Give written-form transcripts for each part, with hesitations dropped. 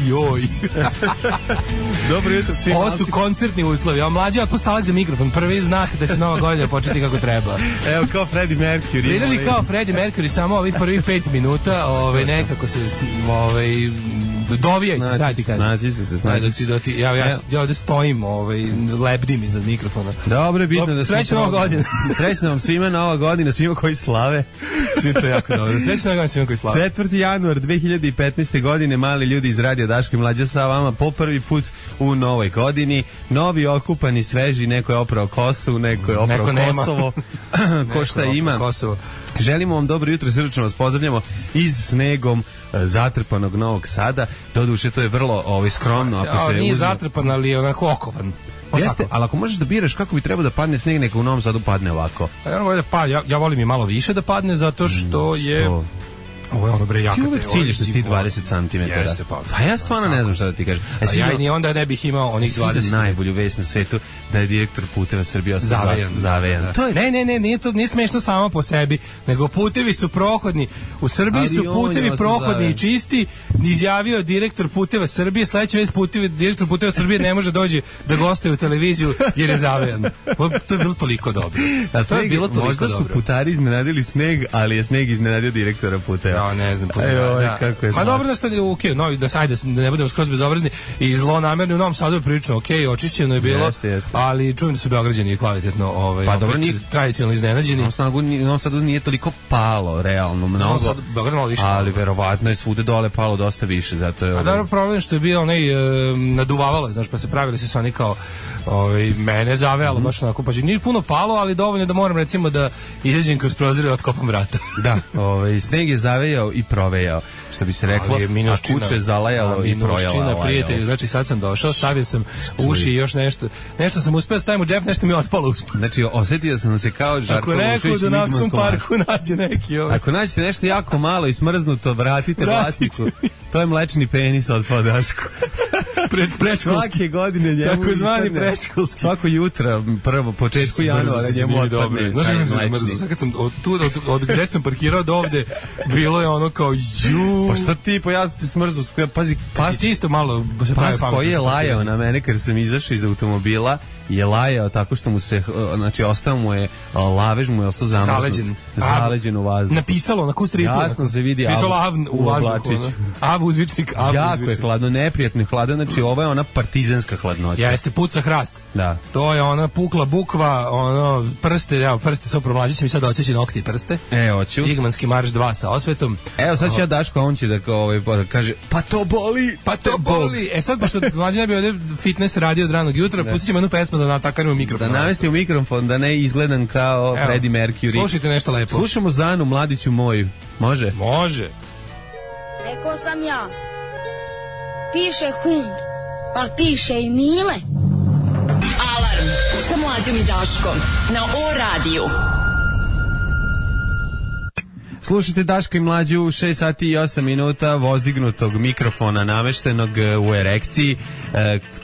Joj. Dobro jutro svima. Ovo su koncertni uslovi. A mlađi otpustalak za mikrofon. Prvi znak da će nova godina početi kako treba. Evo kao Freddie Mercury. Pridrži kao Freddie Mercury, samo ovih prvih 5 minuta, nekako se dovijaj se, šta ti kažem. Snađi su se, snađi su se. Ja ovde stojim, lebdim iznad mikrofona. Dobro je bitno da smo... Srećna nova godina. Srećna vam svima nova godina, svima koji slave. Svi to jako dobro. Srećna nova godina svima koji slave. 4. januar 2015. godine, mali ljudi iz Radio Daško i Mlađa sa vama po prvi put u novoj godini. Novi, okupani, sveži, neko je oprao kosu, neko je oprao Kosovo. Ko šta ima. Kosovo. Želimo vam dobro jutro, srdačno vas pozdravljamo iz snegom zatrpanog Novog Sada. Doduše, to je vrlo skromno. Ako se nije zatrpan, ali je onako okovan. Jeste, ali ako možeš da biraš kako bi trebao da padne sneg, neka u Novom Sadu padne ovako. Ja volim i malo više da padne, zato što je... Ovo je ono bre jaka. Ti uvek ciljaš ti 20 cm. Jeste, pa ja stvarno ne znam šta da ti kažem. Ja i ni onda ne bih imao onih 20. Najbolju vest na svetu da je direktor Puteva Srbije zavejan. To je... Ne, nije smešno samo po sebi, nego putevi su prohodni. U Srbiji su putevi prohodni i čisti. Izjavio direktor Puteva Srbije, sledeća vest direktor Puteva Srbije ne može doći da gostuje u televiziju jer je zavejan. To je bilo toliko dobro. Možda su putari iznenadili sneg, ali je sneg iznenadio direktora Puteva. Ja ne znam. Kako je pa dobro da ste da ne budemo skroz bezobrazni i zlonamerni u Novom Sadu je prilično očišćeno je bilo, ali čujem da su Beograđani kvalitetno pa dobro, tradicionalno iznenađeni. U Novom Sadu nije toliko palo realno mnogo, ali verovatno je svude dole palo dosta više, zato je... A dobro, problem što je bio naduvavalo, znaš, pa se pravili se oni kao mene zavejalo baš onako, pa nije puno palo, ali dovoljno da moram recimo da izađem kroz prozor i otkopam vrata. Da, sneg je zavejao i provejao, što bi se reklo, a kuće zalajalo i projalo. Prijatelju, znači sad sam došao, stavio sam uši i još nešto sam uspeo stavim u džep, nešto mi je otpalo uspod. Znači, osjetio sam se kao Žarko Lušić. Ako neko u Dunavskom parku nađe neki Ako nađete nešto jako malo i smrznuto, vratite vlasniku. To je mlečni penis otpao Daško. Svake godine njemu tako zvani predškolski. Svako jutro, prvo, početku januara njemu otpadne. Znaš kako sam smrzao? Sad kad sam od gde sam parkirao do ovde, bilo je ono kao ju. Pa šta ti, pa ja sam se smrzao. Pazi, pas, ti isto malo pas koji je lajao na mene kad sam izašao iz automobila, je lajao tako što mu se, znači ostao mu je lavež, mu je ostao zaleđen u vazduhu. Napisalo na kustripu. Jasno se vidi u vazduhu. Av uzvičnik. Jako je hladno, neprijatno je hladno, znači ovo je ona partizanska hladnoća. Jeste, puca hrast. Da. To je ona pukla bukva, prste sa promlađićem i sad oćeći nokti prste. Hoću. Igmanski marš 2 sa osvetom. Evo sad će ja Daško, on će da kaže, pa to boli. Sad, pošto mlađi ne bi ovdje fitness radio od ranog jutra, pustit ćemo jednu pesmu da natakarimo mikrofon. Da navesti u mikrofon, da ne izgledam kao Freddie Mercury. Slušajte nešto lepo. Slušamo Zanu, mladiću moju. Može? Može. Rekao sam ja. Piše hum, pa piše i Mile. Alarm sa Mlađom i Daškom na O-radiju. Slušajte Daško i Mlađu, 6 sati i 8 minuta vozdignutog mikrofona nameštenog u erekciji.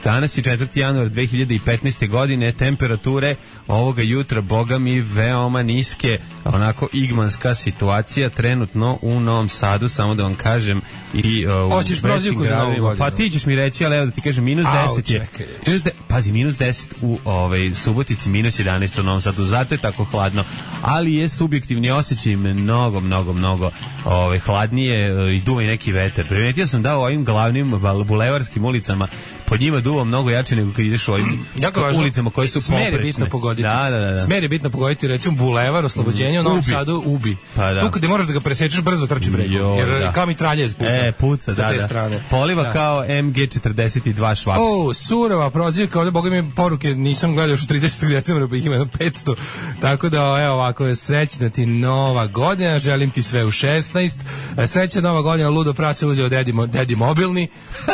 Danas je 4. januar 2015. godine, temperature ovoga jutra, boga mi, veoma niske, onako igmanska situacija trenutno u Novom Sadu, samo da vam kažem, i hoćeš prozivku za Novu godinu? Pa ti ćeš mi reći, ali evo da ti kažem, minus 10 je. Pazi, minus 10 u Subotici, minus 11 u Novom Sadu, zato je tako hladno, ali je subjektivni osjećaj mnogo hladnije i duva i neki vetar. Primetio sam da u ovim glavnim bulevarskim ulicama pod njima duva mnogo jače nego kad ideš u ovim ulicama koje su poprečne. Smer je bitno pogoditi. Da. Smer je bitno pogoditi, recimo bulevar, Oslobođenje u Novom Sadu ubi. Pa da. Tu kada možeš da ga presečeš, brzo trči bregu. Jer kao mitraljez puca. Puca, sa te strane. Poliva kao MG42 Švaps. Surova prozivka, ovdje boga mi poruke nisam gledao još u 30. decembra, pa ih ima 500. Tako da, evo ovako, srećna ti nova godina, želim ti sve u 16. Srećna nova godina, ludo prase uzeo dedi mobilni,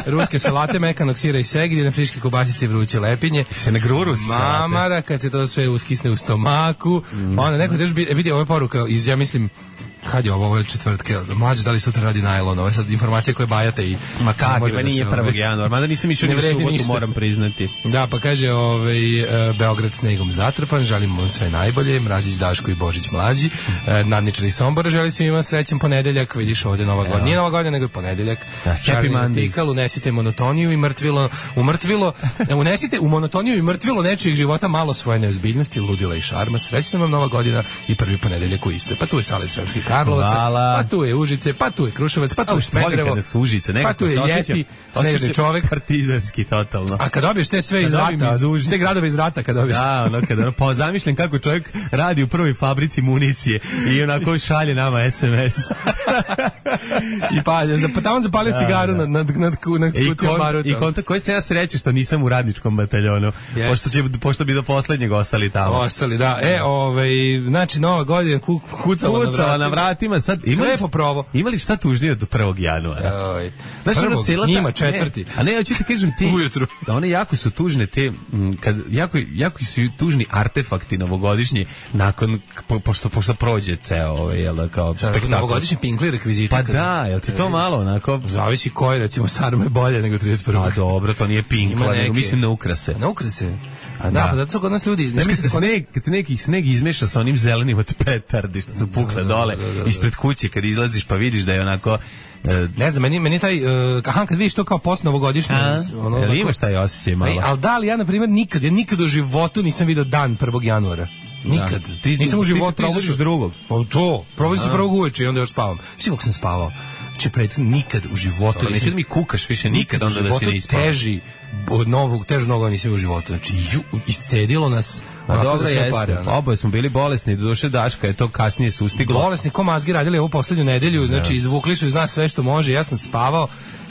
ruske salate, mekanog sira i segedine, friške kobasice i vruće lepinje. Se ne gruru mamara, kad se to sve uskisne u stomaku. Onda neko vidi ova poruka iz, ja mislim, Kad je ovo je četvrtke, mlađe da li sutra radi najlon, ovo je sad informacija koje bajate i... Ma kako, nije 1. januara, mada nisam išao ni u subotu, ništa. moram priznati. Da, pa kaže, Beograd snegom zatrpan, želimo vam sve najbolje, Mrazić, Daško i Božić mlađi, nadničari Sombora, želi se ima srećan ponedeljak, vidiš ovdje Nova godina, nije Nova godina, nego je ponedeljak. Da, happy Mondays. Unesite monotoniju i unesite u monotoniju i mrtvilo nečijeg života malo svoje neozbiljnosti, ludila i šarma, srećna vam Nova godina i prvi ponedeljak u iste. Pa tu je Sale Sremskih Karlovaca, pa tu je Užice, pa tu je Kruševac, pa tu je Smederevo, pa tu je Jeti, Snežni čovek. Partizanski totalno. A kad dobiješ te sve iz rata, te gradove iz rata kad dobiješ. Da, pa zamišljam kako čovjek radi u prvoj fabrici municije i onako šalje nama SMS. I tamo zapalio cigaru nad kutijom baruta. I kontakt koji se ja sreće što nisam u radničkom bataljonu, pošto bi do poslednjeg ostali tamo. Ostali, da. Znači, Nova godina kucala na vratima. Sad, imali šta tužnije od 1. januara? Znači, njima četvrti. A ne, hoću ti kažem ti, ujutru. Da one jako su tužne te, jako su tužni artefakti novogodišnji nakon, pošto prođe ceo kao spektakl. Novogodišnji pinkli rekviziti. Pa da, jel ti to malo onako? Zavisi koji, recimo, sarma je bolje nego 31. A dobro, to nije pinkla, nego mislim na ukrase. Na ukrase? A da, pa zato su kod nas ljudi... Kad se neki sneg izmeša sa onim zelenim od petardi što su pukle dole ispred kuće, kad izlaziš pa vidiš da je onako... Ne znam, meni taj kad vidiš to kao post novogodišnje, jel imaš taj osjećaj malo? Ali da li ja na primjer nikad u životu nisam video dan 1. januara. Nikad. Nisam u životu probudiš drugog. Pa to, probudim se prvog uveče i onda još spavam. Mislim kako sam spavao. Znači, nikad u životu... Neće da mi kukaš više nikad onda da si ne ispao. Teži noga nisam u životu. Znači, iscedilo nas... A dobro jeste. Oboje smo bili bolesni, doduše Daška je to kasnije sustiglo. Bolesni, ko mazgi radili ovu poslednju nedelju, znači izvukli su iz nas sve što može, ja sam spavao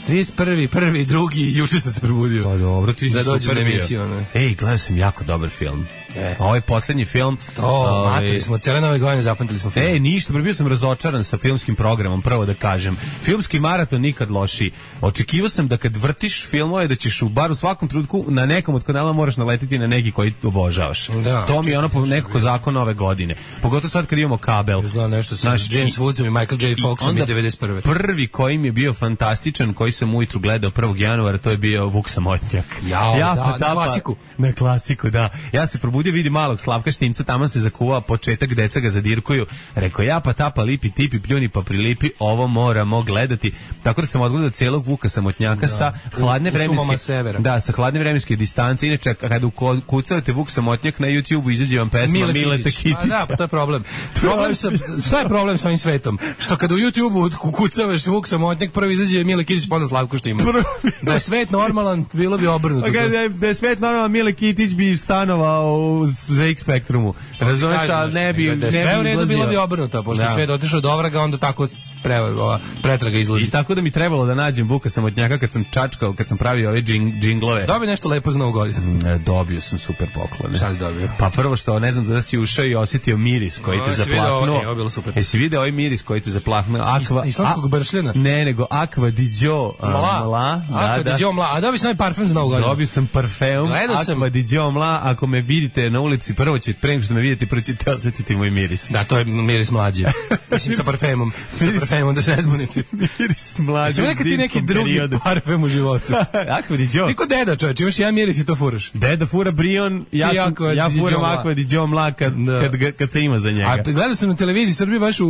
31. 1. 2. juče sam se probudio. Pa dobro, ti si super emisiju. Ej, gledao sam jako dobar film. Ovaj poslednji film... matili smo, cele nove godine zapamtili smo film. Ništa, bio sam razočaran sa filmskim programom, prvo da kažem. Filmski maraton nikad lošiji. Očekivao sam da kad vrtiš filmove, da ćeš bar u svakom trenutku na nekom od kanala moraš naletiti na neki koji obožavaš. Da, to mi je ono nekako zakon ove godine. Pogotovo sad kad imamo kabel. Nešto sa James Woodsom i Michael J. Foxom iz 91. Prvi koji mi je bio fantastičan, koji sam ujutru gledao 1. januara, to je bio Vuk Samotnjak. Na klasiku. Na klasiku, da. Ja se probudio, vidi malog Slavka Štimca, tamo se zakuvao početak, deca ga zadirkuju. Rekao, ja pa tapa, lipi, tipi, pljuni pa prilipi, ovo moramo gledati. Tako da sam odgledao celog Vuka Samotnjaka sa hladne vremenske distance. Inače, kada ukucavate Vuk Samotnjak na YouTube-u, izađe vam pesma Mileta Kitića. Da, pa to je problem. Šta je problem sa ovim svetom? Što kada u YouTube-u ukucavaš Vuk Samotnjak, prvi izađe Mile Kitić, pa onda Slavko Štimac. Da je svet normalan, bilo bi obrnuto. Da je svet normalan, Mile Kitić bi stanovao u ZX Spektrumu. Razumeš, ali ne bi da sve u redu, bilo bi obrnuto, pošto sve dotišao do ovraga, onda tako pretraga izlazi. I tako da mi trebalo da nađem Vuka Samotnjaka kad sam čačkao, kad sam pravio ove džinglove. Dobio nešto lepo za Novu godinu? Dobio sam super poklone. Šta si dobio? Pa prvo što, ne znam da si ušao i osjetio miris koji te zaplahnuo. Ovo bilo super. Jesi video ovaj miris koji te zaplahnuo? Islamskog bršljena? Ne, nego Aqua di Gio Mla. Aqua di Gio Mla. A dobio sam ovaj parfum za Novu godinu? Dobio sam parfum Aqua di Gio Mla. Ako me vidite na ulici, prvo što me vidite, prvo ćete osjetiti moj miris. Da, to je miris mlađi. Mislim sa parfemom. Sa parfemom, da se ne zbunite. Miris mlađi. Sve nekad ti neki drugi parfem u životu. Aqua di Gio. Ti ko deda, čovječ, imaš jedan miris i to furaš. Deda fura Brion, ja furam Aqua di Gio Mla kad se ima za njega. A gledao sam na televiziji Srbije baš u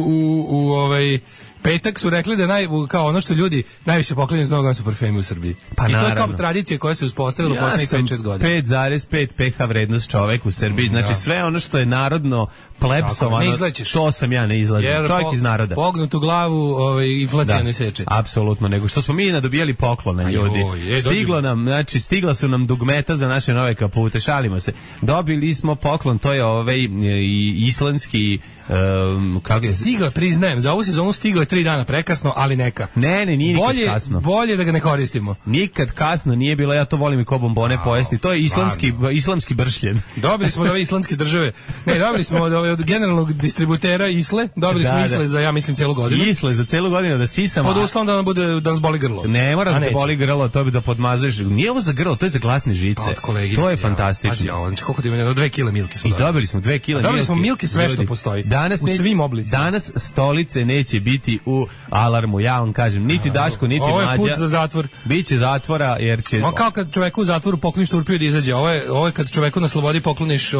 petak su rekli da kao ono što ljudi najviše poklanjaju za Novom su parfemi u Srbiji. Pa i to naravno. je kao tradicija koja se uspostavila u poslednjih 5-6 godina. 5,5 pH vrednost čovek u Srbiji. Znači sve ono što je narodno plepsovano, to sam ja ne izlazim. Čovjek iz naroda. Pognutu glavu inflacija ne seče. Apsolutno, nego što smo mi nadobijali poklone ljudi. Stigla su nam dugmeta za naše nove kapute, šalimo se. Dobili smo poklon, to je islandski stigao, priznajem, za ovu sezonu stigao je 3 dana prekasno, ali neka. Ne, nije nikad kasno. Bolje da ga ne koristimo. Nikad kasno nije bilo, ja to volim i ko bombone pojesti. To je islamski bršljen. Dobili smo od ove islamske države. Ne, dobili smo od generalnog distributera Isle, dobili smo Isle za, ja mislim, celu godinu. Isle za celu godinu da sisamo. Pod uslovom da nas boli grlo. Ne mora da te boli grlo, to bi da podmazuješ. Nije ovo za grlo, to je za glasne žice. To je fantastično. Koliko ti ima? 2 kg milke smo dobili. I dobili smo 2 kg milke. Dobili smo milke sve što postoji. danas u svim oblicima. Danas stolice neće biti u alarmu, ja vam kažem, niti Daško, niti Mlađa. Ovo je put za zatvor. Biće zatvora, jer će... On kao kad čoveku u zatvoru pokloniš turpiju da izađe, ovo je kad čoveku na slobodi pokloniš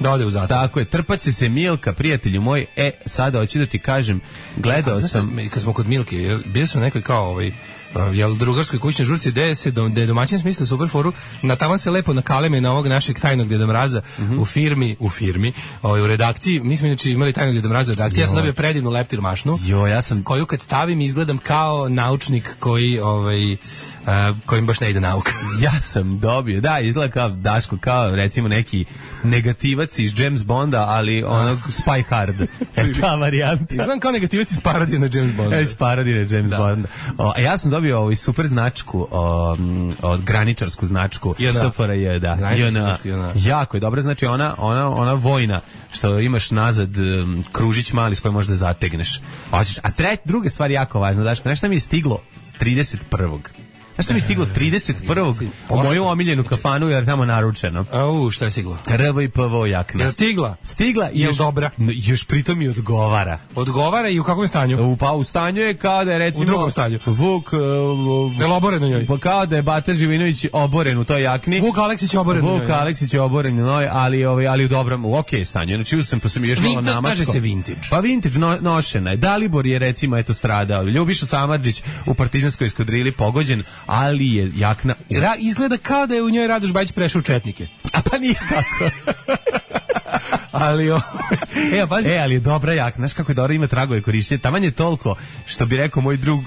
da ode u zatvor. Tako je, trpaće se Milka, prijatelju moj, sada hoću da ti kažem, gledao sam... Kad smo kod Milke, bili smo nekoj kao drugarskoj kućnoj žurci gde je domaćin smislio super foru, na tavan se lepo nakaleme na ovog našeg tajnog Deda Mraza u firmi, u redakciji. Mi smo inače imali tajnog Deda Mraza u redakciji. Ja sam dobio predivnu leptir mašnu, koju kad stavim izgledam kao naučnik kojim baš ne ide nauka. Ja sam dobio, da, izgleda kao Daško, kao recimo neki negativac iz James Bonda, ali onog Spy Hard. Ta varijanta. Izgledam kao negativac iz parodije na James Bonda. Iz parodije na James Bonda. Ja sam dobio super značku, graničarsku značku SFRJ, da. Jako je dobra, znači ona vojna, što imaš nazad kružić mali s kojim možeš da zategneš. A druga stvar jako važna, Daško, znaš šta mi je stiglo s 31. Znaš što mi je stiglo 31. u moju omiljenu kafanu, jer tamo naručeno. Šta je stiglo? RV i PVO jakna. Je stigla? Stigla i dobra. Još pritom i odgovara. Odgovara i u kakvom stanju? Pa u stanju je kao da je recimo... U drugom stanju. Vuk... Je li oboren u njoj? Pa kao da je Bata Živinović oboren u toj jakni. Vuk Aleksić je oboren u njoj. Vuk Aleksić je oboren u njoj, ali u dobrom, u okej stanju. Znači uzem pa sam još malo namačko. Kaže se vintage. Pa vintage nošena je. Dalibor je recimo stradao. Ljubiša Samardžić u partizanskoj eskadrili pogođen, ali je jakna... Izgleda kao da je u njoj Radoš Bajić prešao u četnike. A pa nije tako. Ali ali je dobra jakna. Znaš kako je dobro, ima tragove korišćenja. Taman je toliko, što bi rekao moj drug,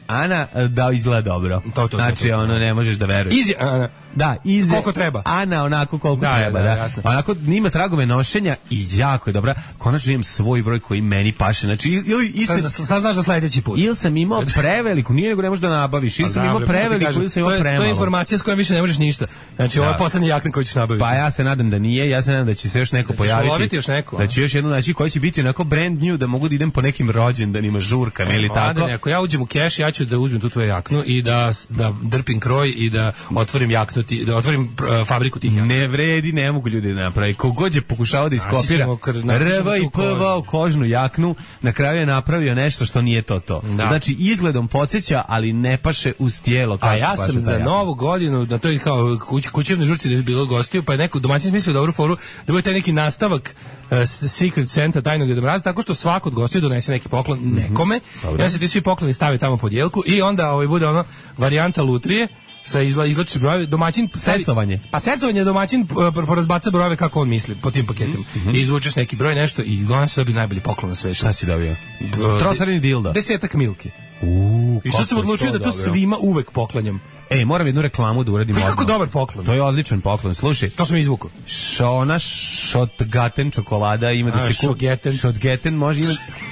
Ana, da izgleda dobro. Znači, ne možeš da veruješ. Easy Ana. Da, koliko treba. Ana onako koliko treba, da. Onako nima tragove nošenja i jako je dobra. Konačno imam svoj broj koji meni paše. Znači, sad znaš da sledeći put. Ili sam imao preveliku, nije nego ne možeš da nabaviš. Ili sam imao preveliku, ili sam imao premalo. To je informacija s kojom više ne možeš ništa. Znači, ovo je poslednji jakna koji ćeš nabaviti. Pa ja se nadam da nije, ja se nadam da će se još neko pojaviti. Još neko, da će još jednu naći koji će biti onako brand new, da mogu da idem po nekim rođendanima, žurkama ili tako. Ako ja uđem u keš, ja ću da uzmem tu tvoju jaknu i da drpim kroj i da otvorim jaknu, da otvorim fabriku tih jakna. Ne vredi, ne mogu ljudi da napravi. Kogod je pokušao da iskopira RV i PVO kožnu jaknu, na kraju je napravio nešto što nije to. Da. Znači, izgledom podsjeća, ali ne paše uz tijelo. A ja sam za novu godinu, na toj kao kućevnoj žurci da je bilo gostiju, pa je neko domaćin smislio dobru foru, da bude taj neki nastavak Secret Santa tajnog Deda Mraza, tako što svako od gostiju donese neki poklon nekome. Ja se ti svi pokloni stave tamo pod jelku i onda bude varijanta lutrije sa izlačiš brojeve, domaćin secovanje. Pa secovanje, domaćin porazbaca brojeve kako on misli po tim paketima. I izvučeš neki broj nešto i on se dobije najbolji poklon na svetu. Šta si dobio? Trostrani dildo. 10 Milki. I sad sam odlučio da to svima uvek poklanjam. Moram jednu reklamu da uradim. Kako dobar poklon. To je odličan poklon. Slušaj, to sam izvukao. Ona Shotgaten čokolada ima da se kupi. Shotgaten može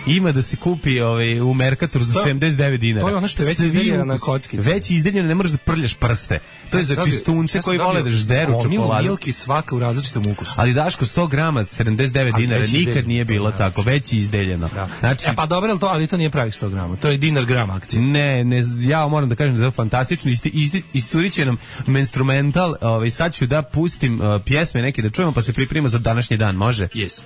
ima da se kupi u Mercatoru za 79 dinara. To je ono što je već izdeljeno na kockici. Već izdeljeno, ne možeš da prljaš prste. To je za čistunce koji vole da žderu čokoladu. Milki svaka u različitom ukusu. Ali Daško, 100 grama 79 dinara nikad nije bilo tako, već je izdeljeno. Znači, pa dobro, ali to nije pravih 100 grama. To je dinar gram akcija. Ne, ja moram da kažem da je to fantastično. Iscurit će nam menstrumental, sad ću da pustim pjesme neke da čujemo, pa se pripremimo za današnji dan, može? Yes.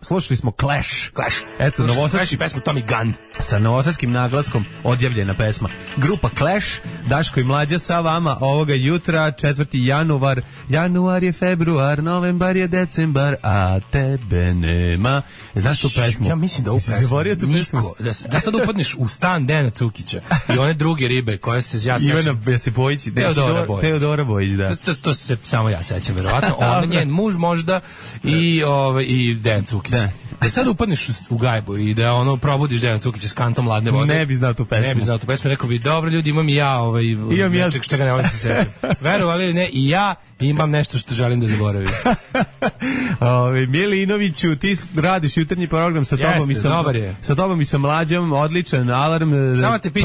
Slušali smo Clash. Eto, novosadski pesmu Tommy Gunn. Sa novosadskim naglaskom odjavljena pesma. Grupa Clash, Daško i Mlađa sa vama ovoga jutra, 4. januar. Januar je februar, novembar je decembar, a tebe nema. Znaš tu pesmu? Ja mislim da ovu pesmu niko, da sad upadneš u stan Dejana Cukića i one druge ribe koje se ja sećam. Ivana Josipović, Teodora Bojić, da. To se samo ja sećam, verovatno. On, njen muž možda i Dejan Cukić. Da sad upadneš u gajbu i da probudiš Dejan Cukića s kantom ladne vode. Ne bi znao tu pesmu. Rekao bi, dobro ljudi, imam i ja nečeg što ga ne volim se sećam. Verovali ili ne, i ja imam nešto što želim da zaboravim. Milinoviću, ti radiš jutarnji program sa tobom i sa Mlađom, odličan alarm,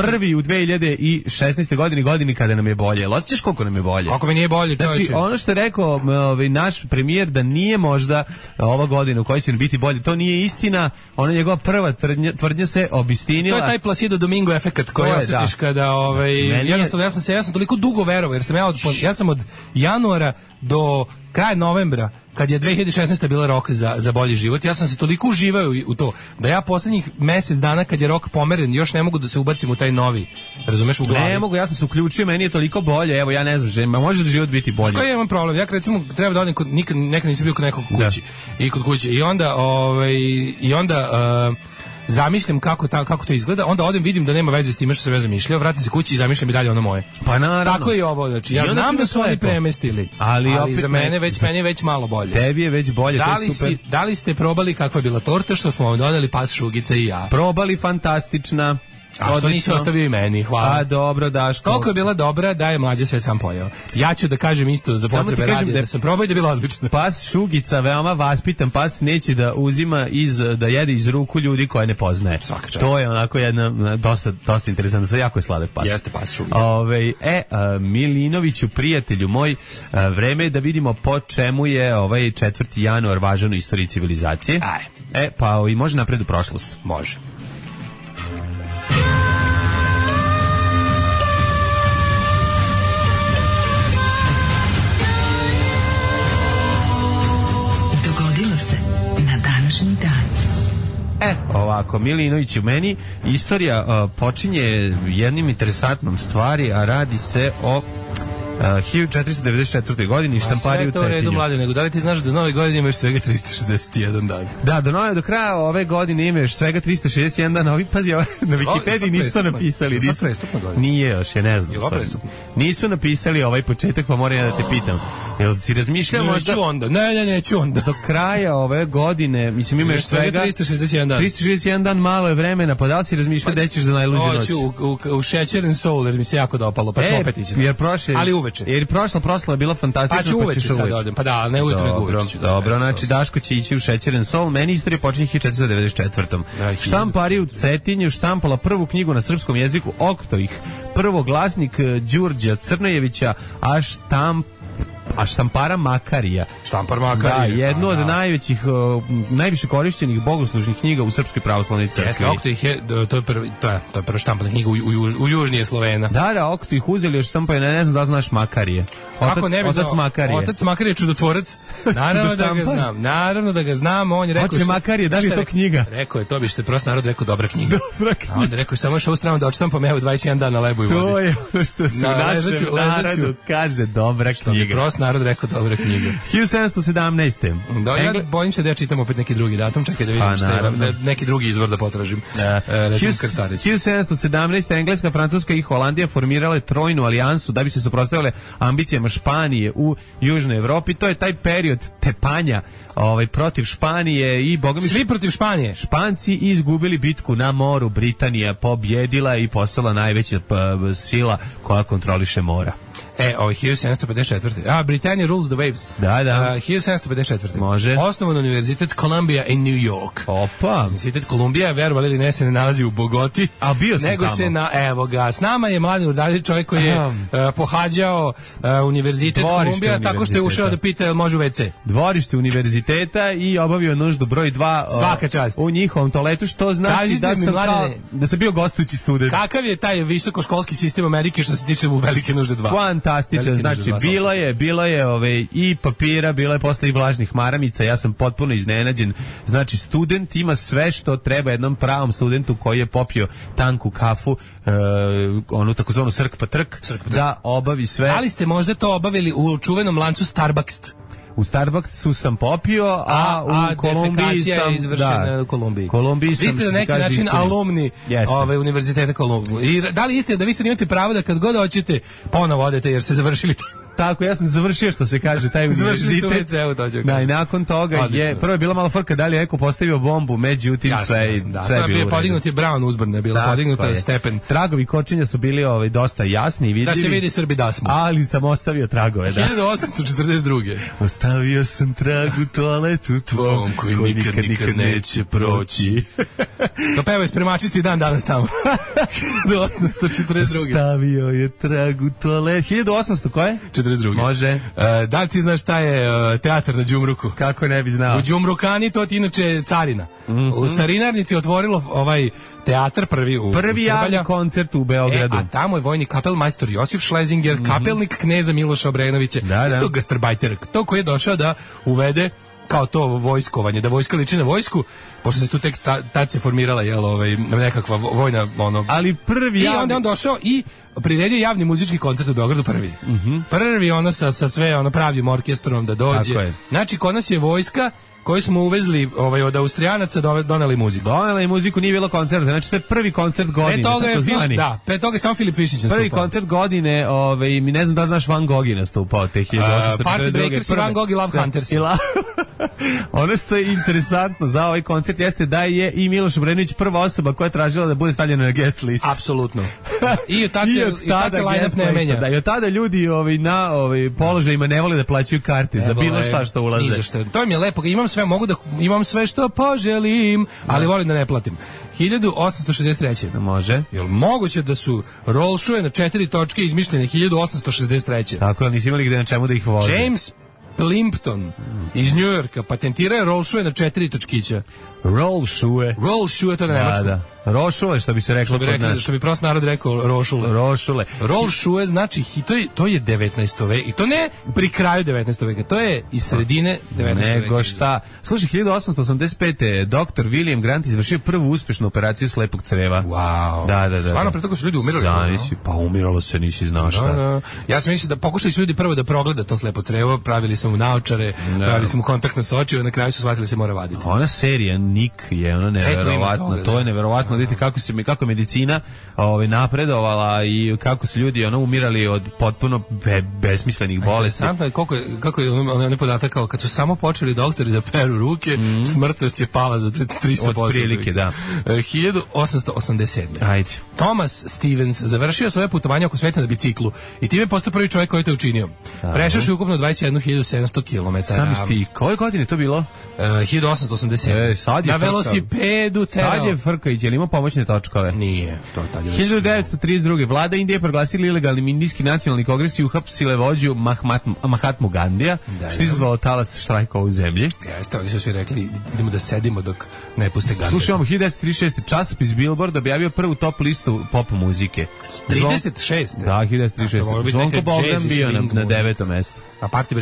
prvi u 2016. godini kada nam je bolje. Osjećaš koliko nam je bolje? Ako mi nije bolje, čovječe. Znači, ono što je rekao naš premijer, da nije možda ova godina u kojoj će biti bolje, to nije istina. Ona njegova prva tvrdnja se obistinila. To je taj Placido Domingo efekat koji osjetiš kada jednostavno ja sam toliko dugo verovao, jer sam ja sam od januara do kraj novembra, kad je 2016. bila rok za bolji život, ja sam se toliko uživao u to, da ja poslednjih mesec dana kad je rok pomeren, još ne mogu da se ubacim u taj novi, razumeš, u glavi. Ne mogu, ja sam se uključio, meni je toliko bolje, evo ja ne znam, može da život biti bolje. Što ja imam problem, ja recimo treba da odem nekad nisam bio kod nekog kući, i kod kuće, i onda zamišljam kako to izgleda, onda odem, vidim da nema veze s time što sam ja zamišljao, vratim se kući i zamišljam i dalje ono moje. Pa naravno. Tako je ovo, znači ja znam da su oni premestili, ali za mene meni je već malo bolje. Tebi je već bolje, to je super. Da li ste probali kakva je bila torta što smo vam doneli, pas, Šugica i ja? Probali, fantastična. A što nisi ostavio i meni, hvala. A dobro, Daško. Toliko je bila dobra da je Mlađa sve sam pojeo. Ja ću da kažem isto za potrebe radija da sam probao i da je bila odlična. Pas Šugica, veoma vaspitan pas, neće da uzima da jede iz ruku ljudi koje ne poznaje. Svaka čast. To je onako jedna dosta interesantna, sve jako je sladak pas. Jeste pas Šugica. Milinoviću, prijatelju moj, vreme je da vidimo po čemu je ovaj 4. januar važan u istoriji civilizacije. Pa i može napred u prošlost. Može. Ovako, Milinović, u meni istorija počinje jednim interesantnom stvari, a radi se o 1494. godini štampariju u Cetinju. Sve to u redu, Mlade, nego da li ti znaš da nove godine imaš svega 361 dan? Da, do kraja ove godine imaš svega 361 dan. Pazi, na Wikipediji nisu to napisali. Je prestupna godina? Nije još, ja ne znam. Nisu napisali ovaj početak, pa moram ja da te pitam. Jel si razmišljao možda? Neću onda. Neću onda. Do kraja ove godine, mislim, imaš svega 361 dan. 361 dan, malo je vremena, pa da li si razmišljao da ćeš za najluđu noć? Hoću u Šećeren Soul, jer mi se jako dopalo, pa ću opet ići. Ali uveče. Jer prošla proslava je bila fantastična. Pa ću uveče sad odem, pa da, ne ujutro nego uveče ću. Dobro, znači Daško će ići u Šećeren Soul, meni istorija počinje 1494. Štampariju u Cetinju štampala prvu knjigu na srpskom jeziku Oktoih, prvoglasnik Đurđa Crnojevića, a štampara Makarija. Štampar Makarija. Da, jednu od najviše korišćenih bogoslužnih knjiga u Srpskoj pravoslavnoj crkvi. Jeste, Oktoih je, to je prva štampana knjiga u južnije Slovena. Da, Oktoih uzeli još štampaju, ne znam da znaš Makarije. Otac Makarije. Otac Makarije je čudotvorac. Naravno da ga znam, on je rekao... Oče Makarije, da li je to knjiga? Rekao je, to bi što je prost narod rekao, dobra knjiga. A onda rekao, samo još ovu stranu da očitampam, evo 21 dan na lebu i vodi. To je ono što se u našem narodu kaže, dobra knjiga. Narod rekao, dobra knjiga. 1717. Da, ja bojim se da ja čitam opet neki drugi datum, čekaj da vidim da neki drugi izvor da potražim. Recimo Krstarić. 1717. Engleska, Francuska i Holandija formirale trojnu alijansu da bi se suprotstavile ambicijama Španije u Južnoj Evropi. To je taj period tepanja protiv Španije i bogami svi protiv Španije. Španci izgubili bitku na moru, Britanija pobjedila i postala najveća sila koja kontroliše mora. 1754. Britannia rules the waves. Da. 1754. Može. Osnovan univerzitet Columbia in New York. Opa. Univerzitet Columbia, verovali ili ne, se ne nalazi u Bogoti. A bio sam nego tamo. Evo ga, s nama je Mladen Urdarević, čovjek koji je pohađao univerzitet Columbia tako što je ušao da pita može u WC. Dvorište univerziteta i obavio nuždu broj 2 svaka čast u njihovom toaletu, što znači da sam bio gostujući student. Kakav je taj visokoškolski sistem Amerike što se tiče u velike nužde 2? Fantastičan, znači bilo je i papira, bilo je posle i vlažnih maramica, ja sam potpuno iznenađen. Znači student ima sve što treba jednom pravom studentu koji je popio tanku kafu, onu takozvanu srk pa trk, da obavi sve. Da li ste možda to obavili u čuvenom lancu Starbucks? U Starbucksu sam popio, a u Kolumbiji sam... je izvršena u Kolumbiji. Vi ste na neki način alumni univerziteta Kolumbije. I da li isti da vi sad imate pravo da kad god hoćete ponovo odete jer ste završili to? Tako, ja sam završio, što se kaže, taj univerzitet. Da, i nakon toga prvo je bila malo frka da li je neko postavio bombu, međutim sve je bilo. Podignut je Brown uzbrana, bila podignuta stepen. Tragovi kočenja su bili dosta jasni i vidljivi. Da se vidi Srbi da smo. Ali sam ostavio tragove, da. 1842. Ostavio sam trag u toaletu tvom koji nikad neće proći. To pevaju spremačici dan danas tamo. Do 1842. Ostavio je trag u toaletu. 1800 koje? 1942. Može. Da li ti znaš šta je teatar na Đumruku? Kako ne bi znao? U Đumrukani to ti inače carina. U carinarnici otvorilo ovaj teatar prvi javni koncert u Beogradu. A tamo je vojni kapelmajstor Josif Šlezinger, kapelnik kneza Miloša Obrenovića. To gastarbajter, to koji je došao da uvede kao to vojskovanje, da vojska liči na vojsku, pošto se tu tek tad se formirala nekakva vojna ali prvi i onda on došao i priredio javni muzički koncert u Beogradu prvi. Prvi sa sve pravim orkestrom da dođe. Znači kod nas je vojska koju smo uvezli od Austrijanaca doneli muziku. Doneli muziku, nije bilo koncerta. Znači to je prvi koncert godine. Pre toga je samo Filip Višić nastupao. Prvi koncert godine, mi ne znam da znaš Van Gogh je nastupao te 1842. Party Breakers, Van Gogh i Love Hunters. Ono što je interesantno za ovaj koncert jeste da je i Miloš Obrenović prva osoba koja je tražila da bude stavljena na guest list. Apsolutno. I od tada line-up ne menja. Da, i od tada ljudi na položajima ne vole da plaćaju karte za bilo šta što ulaze. To mi je lepo, imam sve što poželim, ali volim da ne platim. 1863. Može. Jel moguće da su roll shoe na 4 točke izmišljene 1863. Tako, ali nisi imali gde na čemu da ih voze. James Plimpton iz Njujorka patentirao roll shoe na 4 točkića. Roll shoe, to na nemačkom. Da. Rošule, što bi se reklo kod nas. Što bi prost narod rekao rošule. Roll shoe znači, to je 19. veka. I to ne pri kraju 19. veka, to je iz sredine 19. veka. Nego šta. Slušaj, 1885. Dr. William Grant izvršio prvu uspešnu operaciju slepog creva. Wow. Da. Stvarno, pre toga su ljudi umirali. Pa umiralo se, nisi znao šta. Da. Ja sam mislio da pokušali su ljudi prvo da progleda to slepo crevo, pravili su mu naočare, pravili su mu kontaktne sočive, na kraju su shvatili se mora vaditi. Ona serija Nick je ono neverovatno. To je neverovatno. Vidite kako je medicina napredovala i kako su ljudi umirali od potpuno besmislenih bolesti. Interesantno je kako je onaj podatak kao kad su samo počeli doktori da peru ruke, smrtnost je pala za 300%. Od prilike, da. 1887. Ajde. Thomas Stevens završio svoje putovanje oko sveta na biciklu i time je postao prvi čovjek koji je to učinio. Prešao ukupno 21.700 km. Sami sti, koje godine to bilo? 1887. Na velosipedu terao. Sad je Frkajić, je li imao pomoćne točkove? Nije. 1932. Vlada Indije proglasila ilegalnim indijski nacionalni kongres i uhapsile vođu Mahatmu Gandija, što je izazvalo talas štrajka u zemlji. Jeste, oni su svi rekli idemo da sedimo dok ne puste Gandija. Slušajmo, 1936. časopis Billboard objavio prvu top listu pop muzike. 36. Da, 1936. Zvonko Bogdan bio na 9. mestu. A Party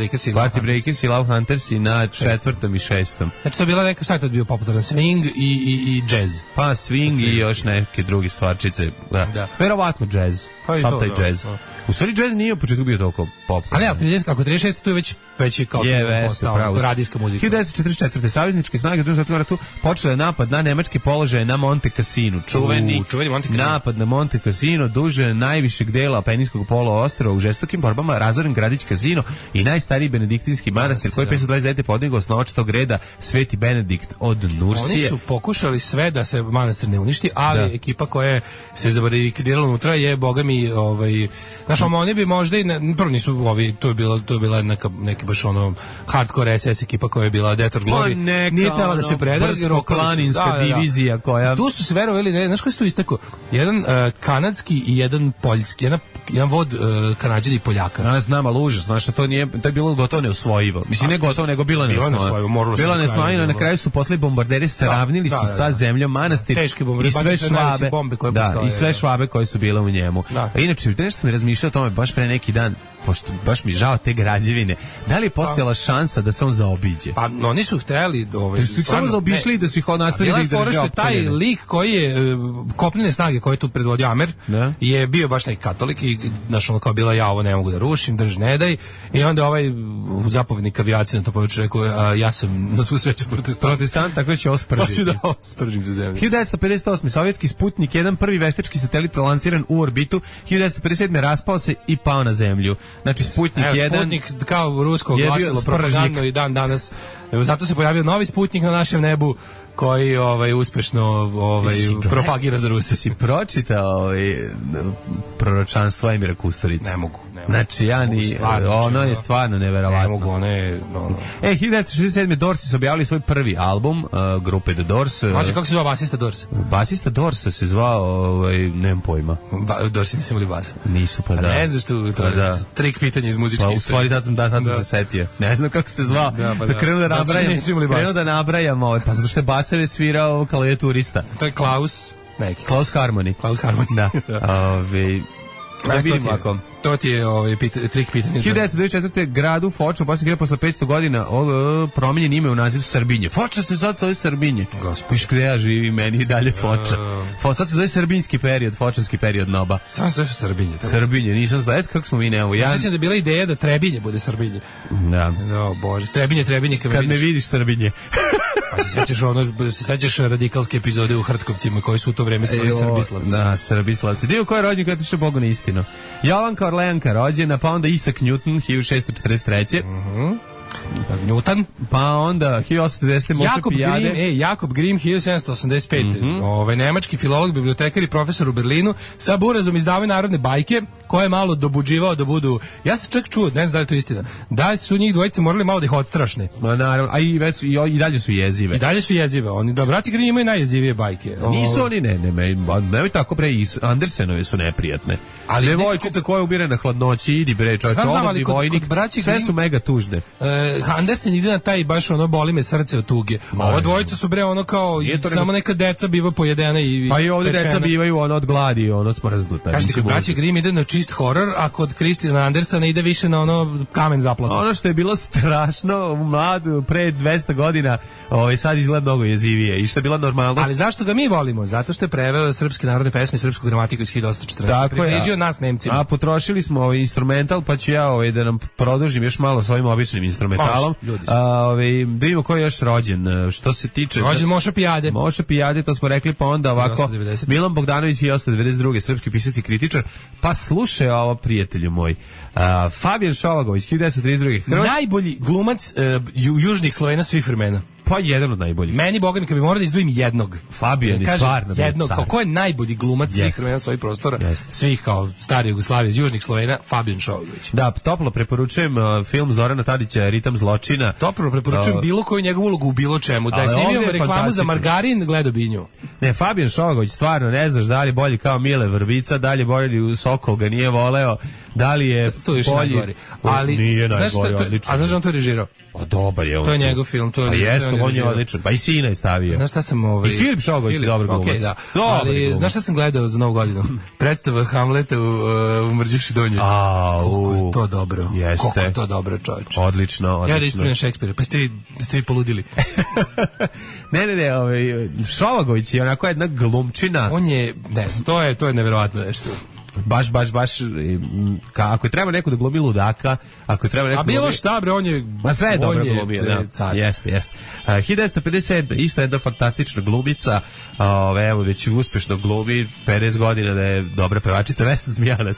Breakers i Love Hunters i na 4. i 6. Znači to je bila neka, šta je to bio popularan, swing i jazz. Pa swing i još neke druge stvarčice. Da. Verovatno jazz. Sam taj jazz. U stvari jazz nije u početku bio toliko pop. Ali ako 36. to je već kao postao radijska muzika. 1944. Savezničke snage u Drugom svjetskom ratu počele napad na nemačke položaje na Monte Cassino. Čuveni Monte Cassino. Napad na Monte Cassino, duže najvišeg dela Apeninskog poluostrva, u žestokim borbama razoren gradić Casino i najstariji benediktinski manastir koji 529. podigao osnovač tog reda Sveti Benedikt od Nursije. Oni su pokušali sve da se manastir ne uništi, ali ekipa koja se zabarikadirala unutra je bogami oni bi možda i prvo nisu to je bila neki baš hardcore SS ekipa koja je bila Death or Glory. Nije tela da se preda, planinska divizija koja... Tu su se verovali, znaš koji su tu istako? Jedan kanadski i jedan poljski, jedan vod Kanađana i Poljaka. Ja znam, ali užas, znaš, to je bilo gotovo neusvojivo. Mislim, ne gotovo, nego bilo neusvojivo. Bilo neusvojivo, na kraju su posle bombarderi sravnili su sa zemljom manastir i sve švabe koje su bile u njemu. Inače, nešto sam razmišljao o tome baš pre neki dan, pošto baš mi žao te građevine. Da li je postojala šansa da se on zaobiđe? Pa oni su hteli da su ih samo zaobišli i da su ih nastavili da ih drže. Taj lik koji je kopnene snage koje je tu predvodio Amer je bio baš neki katolik i znaš ono kao bila ja ovo ne mogu da rušim, drž ne daj, i onda ovaj zapovjednik avijacije na to područje rekao ja sam na svu sreću protestant, tako da će ospržiti. Hoću da ospržim za zemlju. 1958. sovjetski Sputnik, jedan prvi veštački satelit lansiran u orbitu, 1957. raspao se i pao na zemlju. Znači Sputnik 1... Sputnik kao rusko glasilo propagandno i dan danas. Zato se pojavio novi Sputnik na našem nebu koji uspešno propagira za Rusiju. Si pročitao proročanstvo Emira Kusturice? Ne mogu. Znači, ono je stvarno neverovatno. Ne mogu, ono je... 1967. Doors su objavili svoj prvi album, grupe The Doors. Znači, kako se zvao basista Doors? Basista Doors se zvao, nemam pojma. Doorsi nisu imali bas. Nisu, pa da. Ne znaš tu, to je trik pitanja iz muzičke Pa istorije. u stvari sad sam se setio. Ne znam kako se zvao. Krenuo da nabrajam, pa zato što je basar svirao klavijaturista. To je Klaus Harmony. Klaus Harmony. Da. Da vidimo ako... To ti je trik pitanja. 1994. gradu Foča, posle 500 godina promijenjen ime u naziv Srbinje. Foča se sad zove Srbinje. Piš gde ja živim, meni i dalje Foča. Sad se zove srbinski period, fočanski period Noba. Sam se Srbinje. Srbinje, nisam znao. Eto kako smo mi nemamo. Ja sjećam da je bila ideja da Trebinje bude Srbinje. Da. O Bože, Trebinje, kad me vidiš Srbinje. Pa se sećaš radikalske epizode u Hrtkovcima koji su u to vreme Srbislavci. Da, Srbislavci. Dio ko je rođen kada tiše Bogu na istinu. Jovanka Orleanka rođena, pa onda Isaac Newton 1643. Newton, pa onda 1810. Moša Pijade. Jakob Grimm 1785. Nemački filolog, bibliotekar i profesor u Berlinu, sa burazom izdavaju narodne bajke koje je malo dobuđivao da budu. Ja sam čak čuo, ne znam da li je to istina, da su njih dvojice morali malo da ih odstrašne. Ma naravno, a i dalje su jezive. I dalje su jezive. Oni da braći Grimm imaju najjezivije bajke. Nisu oni nemoj tako bre, i Andersenove su neprijatne. Ali devojčica koja ubire na hladnoći, idi bre, čovječe, omladni vojnik, sve su mega tužne. Andersen ide na taj baš boli me srce od tuge. A ova dvojica su bre kao samo neka deca biva pojedena i pa i ovdje deca bivaju od gladi, smrznuta. Kažete kod braće Grimm ide na čist horor, a kod Christiana Andersena ide više na kamen zaplatu. Ono što je bilo strašno mlad pre 200 godina, sad izgleda mnogo jezivije i što je bila normalnost. Ali zašto ga mi volimo? Zato što je preveo srpske narodne pesme, srpsku gramatiku iz 1840. Približio nas Nemcima. A potrošili smo instrumental, pa ću ja da nam produžim još malo s ovim običnim instrumentalom. Da vidimo ko je još rođen. Što se tiče... Rođen Moša Pijade. Moša Pijade, to smo rekli, pa onda ovako... Milan Bogdanović 1892. srpski pisac i kritičar. Pa slušaj ovo, prijatelju moj. Fabijan Šovagović 1932. Najbolji glumac južnih Slovena svih vremena. Pa jedan od najboljih. Meni, boga mi, kad bi morao da izdvojim jednog. Fabijan je stvarno jednog. Ko je najbolji glumac svih vremena svojih prostora? Svih kao stare Jugoslavije, južnih Slovena, Fabijan Šovagović. Da, toplo preporučujem film Zorana Tadića Ritam zločina. Toplo preporučujem bilo koju njegovu ulogu u bilo čemu. Da je snimio reklamu za margarin, gledao bi nju. Ne, Fabijan Šovagović, stvarno, ne znaš da li je bolji kao Mile Vrbica, da li je bolji u Sokol ga nije voleo, da li je to je bolji. Ali nije najgori, odlično. A znaš da on to režirao? Pa dobar je on. To je njegov film, to je. Jeste, on je odličan. Pa i sina je stavio. Znaš šta sam I Filip Šogović je dobar glumac. Da. Ali znaš šta sam gledao za Novu godinu? Predstava Hamleta u Mrđivši donji. Koliko je to dobro. Jeste. Koliko je to dobro, čovječe. Odlično. Ja da ispravim Šekspira, pa ste vi poludili. Ne, Šovagović je onako jedna glumčina. On je, ne znam, to je neverovatno nešto. Baš, ako je treba neko da glumi ludaka, ako je treba neko... A bilo šta, bre, on je... Ma sve je dobro glumio, da. Jeste. 1957. isto jedna fantastična glumica, evo, već uspešno glumi, 50 godina da je dobra pevačica, Vesna Zmijanac.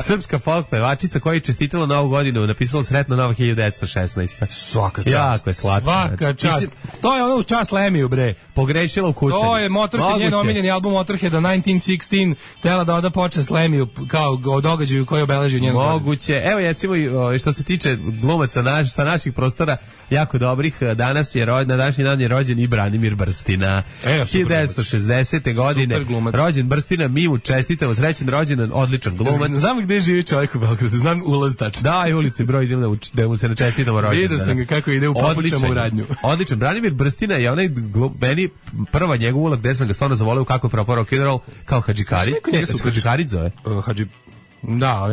Srpska folk pevačica koja je čestitala Novu godinu, napisala sretno Nova 1916. Svaka čast. Jako je slatka. Svaka čast. To je ono u čast Lemiju, bre. Pogrešila u kucanju. To je Motorhead, njen omiljeni album Motorheada 1916, tela da oda počast Lemiju kao o događaju koji obeležio njenu godinu. Moguće. Evo, recimo, što se tiče glumaca sa naših prostora, jako dobrih, danas je na današnji dan je rođen i Branimir Brstina. 1960. godine rođen Brstina, mi mu čestitamo, srećen rođendan, odličan glumac. Znam gde živi čovjek u Beogradu, znam ulaz tačno. Da, i ulicu i broj idem da mu se načestitamo rođendan. Vidio sam ga kako ide u papučama u radnju. Odličan. Branimir Brstina je onaj meni prva njegova uloga gde sam ga stvarno zavoleo kako je propao rock and roll, kao Hadžikari. Hadžikari zove. Da,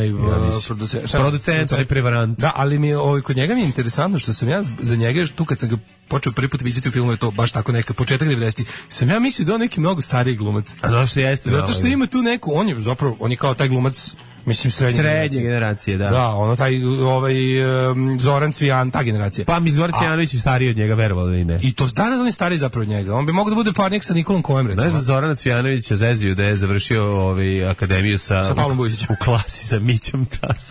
producent, ali prevarant. Da, ali mi kod njega mi je interesantno što sam ja za njega tu kad sam ga počeo prvi put vidjeti u filmu, je to baš tako neka početak 90-ih. Sam ja mislio da on neki mnogo stariji glumac. A zašto jeste? Zato što ima tu neku, on je kao taj glumac, mislim srednje generacije, da. Da, ono taj Zoran Cvijan, ta generacija. Pa mi Zoran Cvijanović je stariji od njega, verovali ili ne. I to da on je stariji zapravo od njega. On bi mogao da bude parnik sa Nikolom Kojem, recimo. Znaš da Zorana Cvijanovića zezio da je završio akademiju sa Pavlom Bujčićem u klasi sa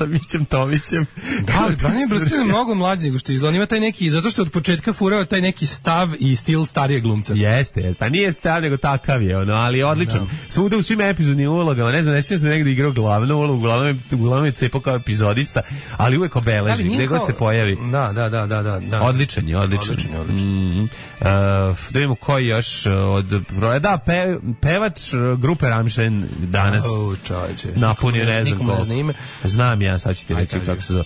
Mićem Tomićem. Da, ali Branimir Brstin je mnogo mlađi nego što izgleda. On ima taj neki, zato što od početka furao taj neki stav i stil starijeg glumca. Jeste. Pa nije stav, nego takav je, ali odličan. Svuda u svim epizodnim ulogama, ne znam, nećem se negdje igrao glavnu ulogu, uglavnom je cepao kao epizodista, ali uvek obeleži, gde god se pojavi. Da. Odličan je. Da vidimo koji još od... Da, pevač grupe Rammstein danas napunio, ne znam ko. Znam ja, sad ću ti reći kako se zove.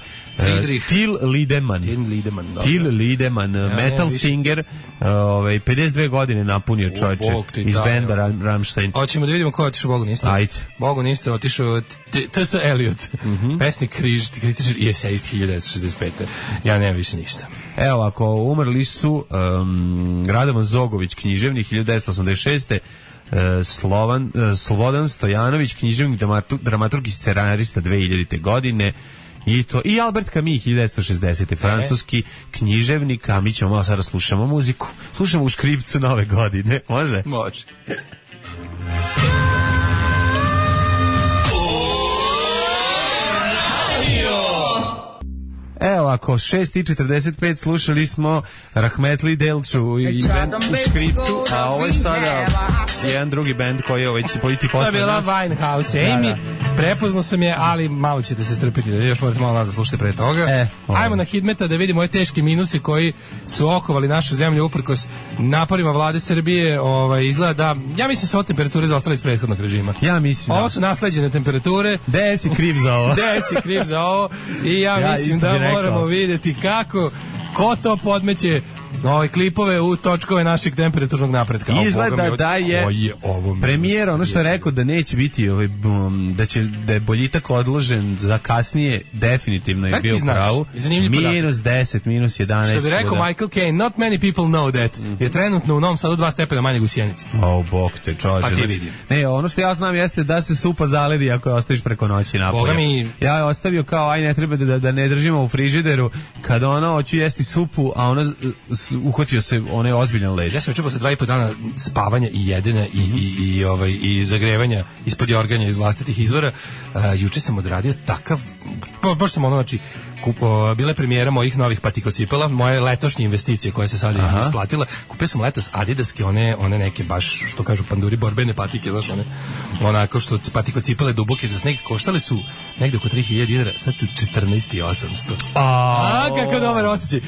Till Lindemann, metal singer, 52 godine napunio čovječe iz benda Rammstein. Hoćemo da vidimo ko je otišao Bogu niste. Ajde. Bogu niste otišao T.S. Eliot, pesnik, kritičar i esejist 1965. Ja nemam više ništa. Evo, ako umrli su Radovan Zogović, književnik 1986. Slobodan Stojanović, književnik, dramaturg i scenarista 2000. godine. I Albert Camus, 1960. francuski književnik, a mi ćemo malo sada slušamo muziku. Slušamo u škripcu Nove godine. Može? Može. Evo, ako 6:45 slušali smo Rahmetli Delču i band u škripcu, a ovo je sada jedan drugi band koji je će politi posle. To je bila Winehouse, Amy. Prepoznao sam je, ali malo ćete se strpiti, još morate malo nazad slušati pre toga. Ajmo na Hidmeta da vidimo ove teške minuse koji su okovali našu zemlju uprkos naporima vlade Srbije. Izgleda da, ja mislim su ove temperature zaostale iz prethodnog režima. Ja mislim. Ovo su nasleđene temperature. Gde si kriv za ovo? I ja mislim da moramo vidjeti ko to podmeće klipove u točkove našeg temperaturnog napretka. Izgleda da je premijer ono što je rekao da neće biti da je boljitak odložen za kasnije, definitivno je bio pravu. -10, -11. Što bi rekao Michael Caine, not many people know that. Je trenutno u Novom Sadu 2 stepena manje u Sjenici. Bog te čoveče. Ne, ono što ja znam jeste da se supa zaledi ako je ostaviš preko noći napolje. Ja je ostavio kao ne treba da ne držimo u frižideru kad hoću jesti supu, a ona uhvatio se onaj ozbiljan led. Ja sam čuo posle 2,5 dana spavanja i jedenja i zagrevanja ispod jorganja iz vlastitih izvora. Juče sam odradio takav, baš sam bila je premijera mojih novih patikocipela, moje letošnje investicije koje se sad isplatila. Kupio sam letos Adidaske, one neke baš, što kažu panduri, borbene patike, znaš, onako što patikocipele duboke za sneg, koštale su negde oko 3.000 dinara, sad su 14.800. Kako dobar osjećaj.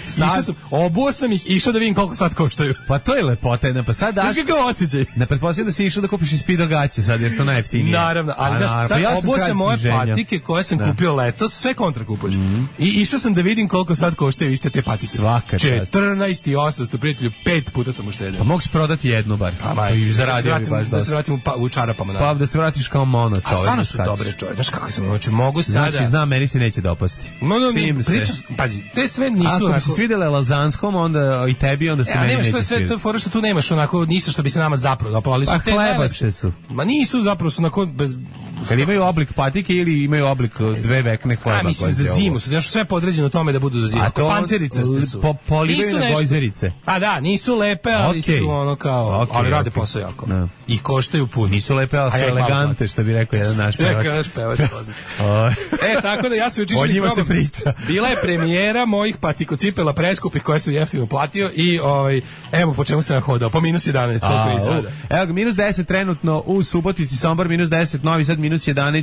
Obuo sam ih, išao da vidim koliko sad koštaju. Pa to je lepota, pa sad daš... Znaš kakav osjećaj? Ne pretpostavljam da si išao da kupiš i Speedo gaće sad, jer su najjeftinije. Naravno, ali sad obuo sam moje patike koje sam kupio letos, sve kontra kupuješ. I išao sam da vidim koliko sad koštaju iste te patike. Svaka čast. 14.800, prijatelju, 5 puta sam uštedio. Pa mogu se prodati jednu bar. I zaradio bi baš dosta. Da se vratim u čarapama. Pa da se vratiš kao mono čovjek. A stvarno su dobre čovjek. Znaš kako sam, mogu sada... Znači, znam, meni se neće dopasti. Pazi, te sve nisu... Ako bi se svidjele Lazanskom, onda i tebi, onda se meni neće svidjeti. Sve to fora što tu nemaš onako ništa što bi se nama zapravo dopalo, ali su te hlebaše su. Ma nisu, zapravo su onako bez... Kad imaju oblik patike ili imaju oblik dve vekne hleba. Mislim za zimu su, još sve podređeno tome da budu za zimu. Pancerice su. Polivaju na gojzerice. A da, nisu lepe, ali su ono kao, ali rade posao jako. I koštaju puno. Nisu lepe, ali su elegante, što bi rekao jedan naš pevač. Tako da ja sam učišao o njima se priča. Bila je premijera mojih patikocipela preskupih koje sam jeftino platio i evo po čemu sam hodao, po -11, koliko je sada. Evo ga, -10 trenutno u Subotici, Sombor -10, Novi Sad -11,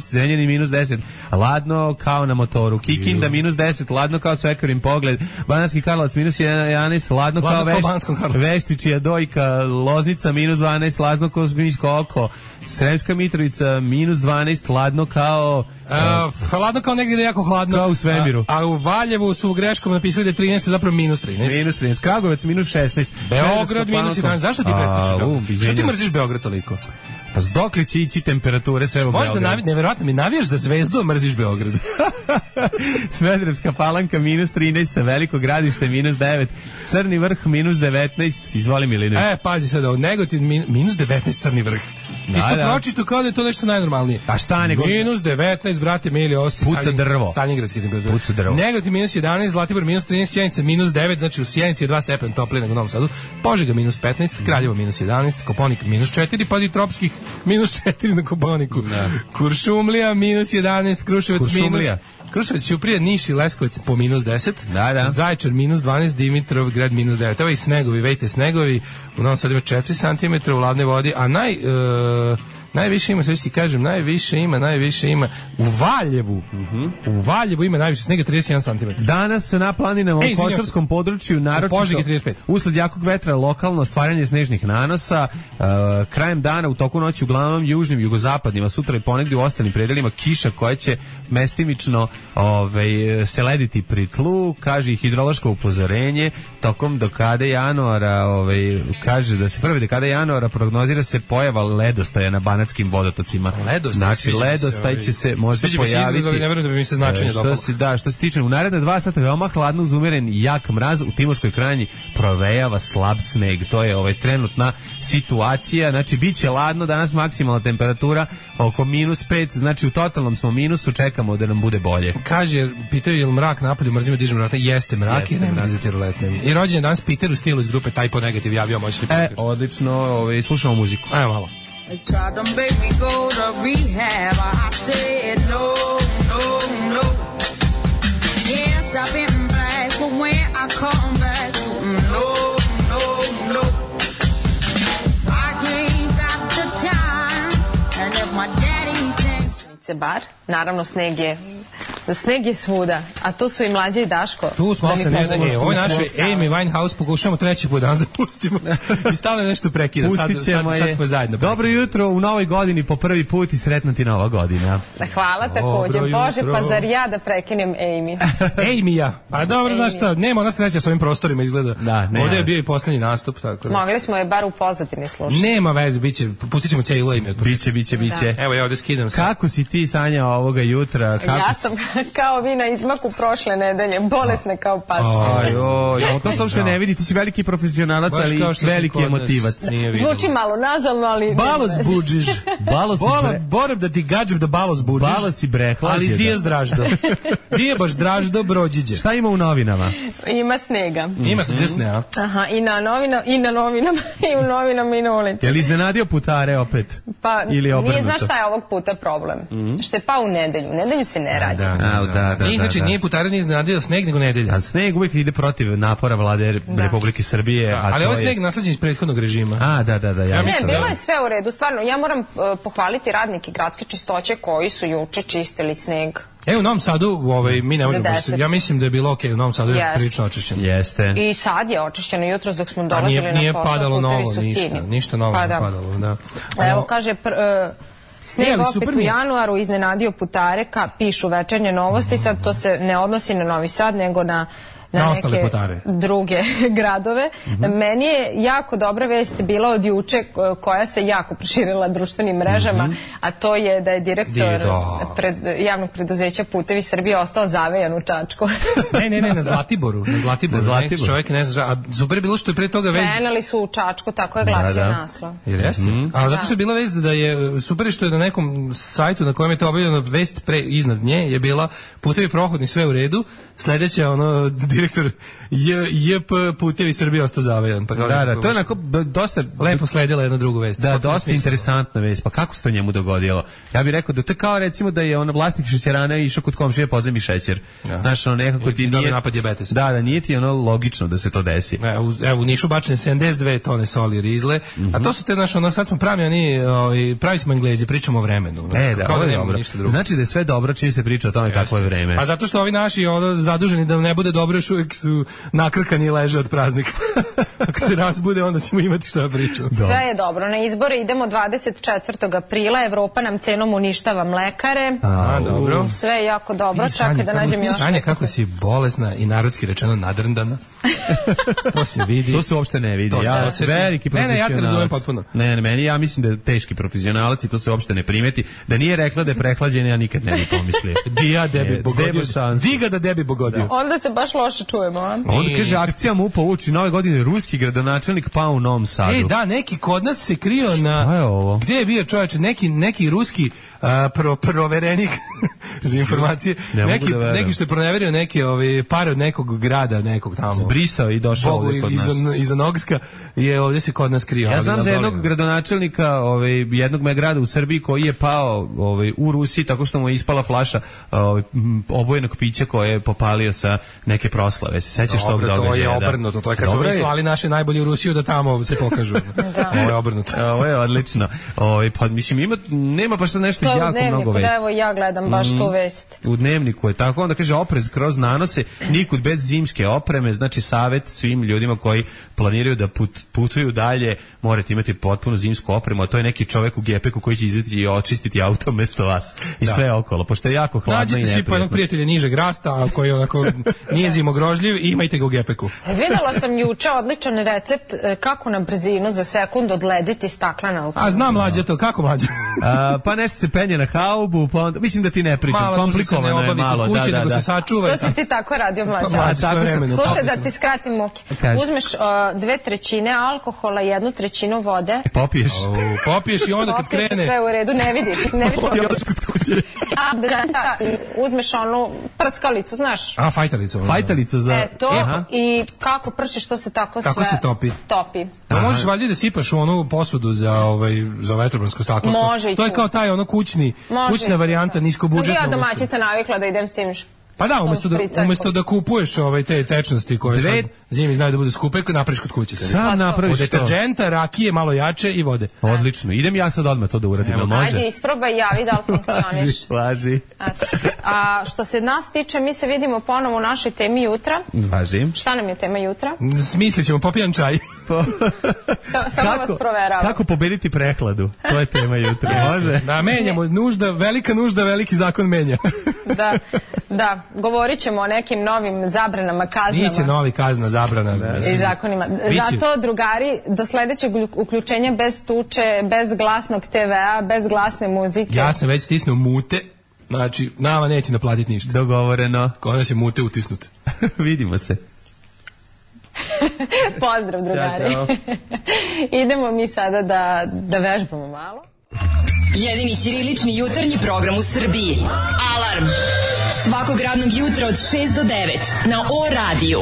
Zrenjanin -10, ladno kao na motoru, Kikinda -10, ladno kao svekarin pogled, Banatski Karlovac -11, ladno kao Veštičija dojka, Loznica -12, ladno kao zmijsko oko, Sremska Mitrovica -12, ladno kao ladno kao negdje da je jako hladno, kao u svemiru. A u Valjevu su greškom napisali da je 13, zapravo -13. -13, Kragovec -16, Beograd -11. Zašto ti preskočio? Što ti mrziš Beograd toliko? Pa dokle će ići temperature sve u Beogradu? Možda nevjerojatno mi navijaš za Zvezdu, a mrziš Beograd. Smederevska Palanka -13, Veliko Gradište -9, Crni Vrh -19, izvoli Milinović. Pazi sad ovo, Negotin -19, Crni Vrh. Ti si to pročito kao da je to nešto najnormalnije. A šta nego? Minus 19, brate, mili, puca drvo. Stalinigradske temperature. Puca drvo. Negativ minus 11, Zlatibor minus 13, Sjenica minus 9, znači u Sjenici je 2 stepena toplije nego u Novom Sadu. Požega minus 15, Kraljevo minus 11, Koponik minus 4, pazi tropskih minus 4 na Koponiku. Kuršumlija minus 11, Kruševac minus... Kruševac, Ćuprija, Niš i Leskovac po minus 10. Zaječar minus 12, Dimitrov grad minus 9. Evo i snegovi, vejte snegovi. U Novom Sadu ima 4 cm u ladnoj vodi, a najviše ima, sve ti kažem, najviše ima u Valjevu. U Valjevu ima najviše snega, 31 cm. Danas na planinama u Košarskom području naročito usled jakog vetra lokalno stvaranje snežnih nanosa, krajem dana u toku noći uglavnom južnim, jugozapadnim, a sutra i ponegdje u ostalim predelima kiša koja će mestimično se lediti pri tlu, kaže i hidrološko upozorenje tokom dekade januara, kaže da se prve dekade januara prognozira se pojava ledostaja na banatskim vodotocima. Znači, ledostaj će se možda pojaviti. Ne verujem da bi mi se značenje dopalo. Što se tiče, u naredne 2 sata veoma hladno uz umeren jak mraz, u Timočkoj krajini provejava slab sneg. To je trenutna situacija. Znači, bit će ladno, danas maksimalna temperatura oko minus 5, znači u totalnom smo minusu, čekamo da nam bude bolje. Kaže, pitaju je li mrak napolju, mrzimo dižem vrata, jeste mrak, jer nema dizati ruletne. I rođen danas Peter u stilu iz grupe Typo Negative javio moćni Peter. Odlično, slušamo muziku. Ajmo malo. They tried to make me go to rehab. I said no, no, no. Yes, I've been black, but when I come back, no, no, no. I ain't got the time, and if my daddy thinks... Bar, naravno sneg je svuda, a tu su i Mlađe i Daško. Tu smo se ne znam, ovo je naše Amy Winehouse, pokušamo treći put danas da pustimo i stalno nešto prekida, sad smo zajedno. Dobro jutro u novoj godini po prvi put i sretna ti nova godina. Hvala također, Bože, pa zar ja da prekinem Amy? Amy-ja, pa dobro, znaš šta, nema ona sreća s ovim prostorima izgleda. Ovdje je bio i poslednji nastup, tako da. Mogli smo je bar u pozadini slušati. Nema veze, pustit ćemo cijelu Amy. Biće. Evo ja ovdje skidam se. Kako si ti, Sanja, ovoga jutra? Ja sam kao vi na izmaku prošle nedelje, bolesna kao pas. To se uopšte ne vidi, ti si veliki profesionalac, ali veliki emotivac. Zvuči malo nazalno, ali... Balos buđiš. Moram da ti gađem da balos buđiš. Balos i brehlađe. Ali di je Draždo? Di je baš Draždo Brođiđe? Šta ima u novinama? Ima snega. Ima snega. Aha, i na novinama, i u novinama i na ulici. Je li iznenadio putare opet? Pa, nije, znaš šta je ovog puta problem? Što je pa u nedelju se ne radi. Znači, nije putare nije iznenadio sneg, nego nedelja. A sneg uvijek ide protiv napora vlade Republike Srbije. Ali ovo je sneg nasleđen iz prethodnog režima. Bilo je sve u redu, stvarno. Ja moram pohvaliti radnike gradske čistoće koji su juče čistili sneg. U Novom Sadu, mi ne možemo, ja mislim da je bilo okej, u Novom Sadu je prilično očišćeno. Jeste. I sad je očišćeno, jutros dok smo dolazili na posao. Nije padalo novo, ništa novo nije padalo, da. Evo, kaže... Sneg opet u januaru iznenadio putare, pišu Večernje novosti, sad to se ne odnosi na Novi Sad, nego na neke druge gradove. Meni je jako dobra vest bila od juče koja se jako proširila društvenim mrežama, a to je da je direktor javnog preduzeća Putevi Srbije ostao zavejan u Čačku. Ne, na Zlatiboru. Čovjek ne zna, a super je bilo što je pre toga vest... Krenuli su u Čačku, tako je glasio naslov. Jer jeste? A zato što je bila vest da je, super što je na nekom sajtu na kojem je to objavljeno vest iznad nje je bila Putevi prohodni, sve u redu, sledeća direktor JP Putevi Srbije ostao zavejan. To je onako dosta... Lepo sledila jedna drugu vest. Da, dosta interesantna vest. Pa kako se to njemu dogodilo? Ja bih rekao da to kao recimo da je vlasnik šećerana išao kod komšije pozemi šećer. Znaš, nekako ti nije... napad dijabetesa. Da, nije ti logično da se to desi. Evo, u Nišu bačene 72 tone soli rizle, a to su te, sad smo pravi smo Englezi, pričamo o vremenu. Ovo je dobro. Znači da je sve dobro čim se priča o tome kako je vreme. A zato što ovi naši zaduženi da ne bude dobro, još uvijek su nakrkani i leže od praznika. Ako se razbude, onda ćemo imati šta pričamo. Sve je dobro. Na izbore idemo 24. aprila. Evropa nam cenom uništava mlekare. Dobro. Sve je jako dobro. Čekaj da nađem još. Sanja, kako si bolesna i narodski rečeno nadrndana. To se vidi. To se uopšte ne vidi. Ja sam veliki profesionalac. Ja te razumem potpuno. Ne, ja mislim da je teški profesionalac i to se uopšte ne primeti. Da nije rekla da je prehlađena, ja nikad ne bi pomislio. Dija debi bogodio. Ziga da debi bogodio. Onda se baš loše loše čujemo, a? Onda kaže, akcija MUP-a uoči nove godine, ruski gradonačelnik pao u Novom Sadu. Da, neki kod nas se krio na... Šta je ovo? Gde je bio čovječe? Neki ruski proverenik za informacije. Neki što je proneverio neke pare od nekog grada, nekog tamo. Zbrisao i došao ovdje kod nas. Iza Nogska je ovdje se kod nas krio. Ja znam za jednog gradonačelnika jednog grada u Srbiji koji je pao u Rusiji tako što mu je ispala flaša obojenog pića koje je popalio sa neke proslave. Se sećaš tog događaja? To je obrnuto. To je kad su slali naše najbolje u Rusiju da tamo se pokažu. Ovo je obrnuto. Ovo je odlično. Pa mislim, nema baš sad nešto jako mnogo vesti. Da, evo ja gledam baš tu vest. U Dnevniku je tako, onda kaže oprez kroz nanose, nikud bez zimske opreme, znači savjet svim ljudima koji planiraju da putuju dalje, morate imati potpuno zimsku opremu, a to je neki čovjek u gepeku koji će izaći i očistiti auto mesto vas i sve okolo, pošto je jako hladno i neprijatno. Nađite si po jednog prijatelja nižeg rasta, koji onako nije zimogrožljiv i imajte ga u gepeku. Videla sam juče odličan recept kako na brzinu za sekund odlediti staklena auto. A znam Mlađa to, kako Mlađa? Pa nešto se penje na haubu, pa onda, mislim da ti ne pričam, komplikovano je malo. Kuće, nego se sačuva. To si ti tako radio, Mlađa. Slušaj, da ti skratim muke. Uzmeš 2/3 alkohola, 1/3 vode. Popiješ. Popiješ i onda kad krene. Popiješ sve u redu, ne vidiš. Uzmeš onu prskalicu, znaš. A, fajtalicu. Fajtalica za... to i kako pršiš, to se tako sve... Kako se topi? Topi. Pa možeš valjda da sipaš u onu posudu za vetrobransko staklo. Može i to je kao taj kućna varijanta niskobudžetna. Ja domaćica navikla da idem s tim. Pa da, umjesto da kupuješ te tečnosti koje sad zimi znaju da budu skupe, napraviš kod kuće. Sam napraviš to. Od deterđenta, rakije, malo jače i vode. Odlično. Idem ja sad odmah to da uradim. Ajde, isprobaj, javi da li funkcioniš. Važi. A što se nas tiče, mi se vidimo ponovo u našoj temi jutra. Važi. Šta nam je tema jutra? Smislit ćemo, popijan čaj. Samo vas proveravam. Kako pobediti prehladu? To je tema jutra. Može? Da, menjamo. Velika nužda, veliki zakon menja. Da. Govorit ćemo o nekim novim zabranama, kaznama. Niće novi kazna, zabrana. I zakonima. Zato, drugari, do sledećeg uključenja bez tuče, bez glasnog TV-a, bez glasne muzike. Ja sam već stisnuo mute, znači nama neće naplatiti ništa. Dogovoreno. Kod nas je mute utisnut. Vidimo se. Pozdrav, drugari. Ćao. Idemo mi sada da vežbamo malo. Jedini ćirilični jutarnji program u Srbiji. Alarm! Svakog radnog jutra od 6 do 9 na O-radiju.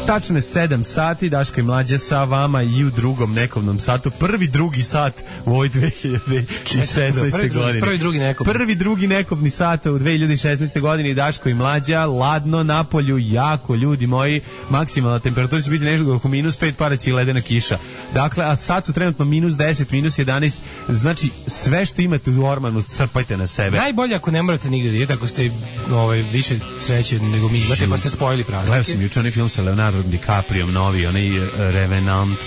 Tačno je 7 sati, Daško i Mlađa sa vama i u drugom nekovnom satu. Drugi sat u ovoj 2016. godini. Prvi drugi nekovni sat u 2016. godini, Daško i Mlađa, ladno napolju, jako, ljudi moji, maksimalna temperatura će biti nešto oko -5, para će i ledena kiša. Dakle, a sad su trenutno -10, -11, znači sve što imate u ormanu crpajte na sebe. Najbolje ako ne morate nigde da idete, ako ste više sreće nego mi imate, pa ste spojili praznike. Gledao sam juče onaj film sa Leonardo DiCaprio, novi, onaj Revenant,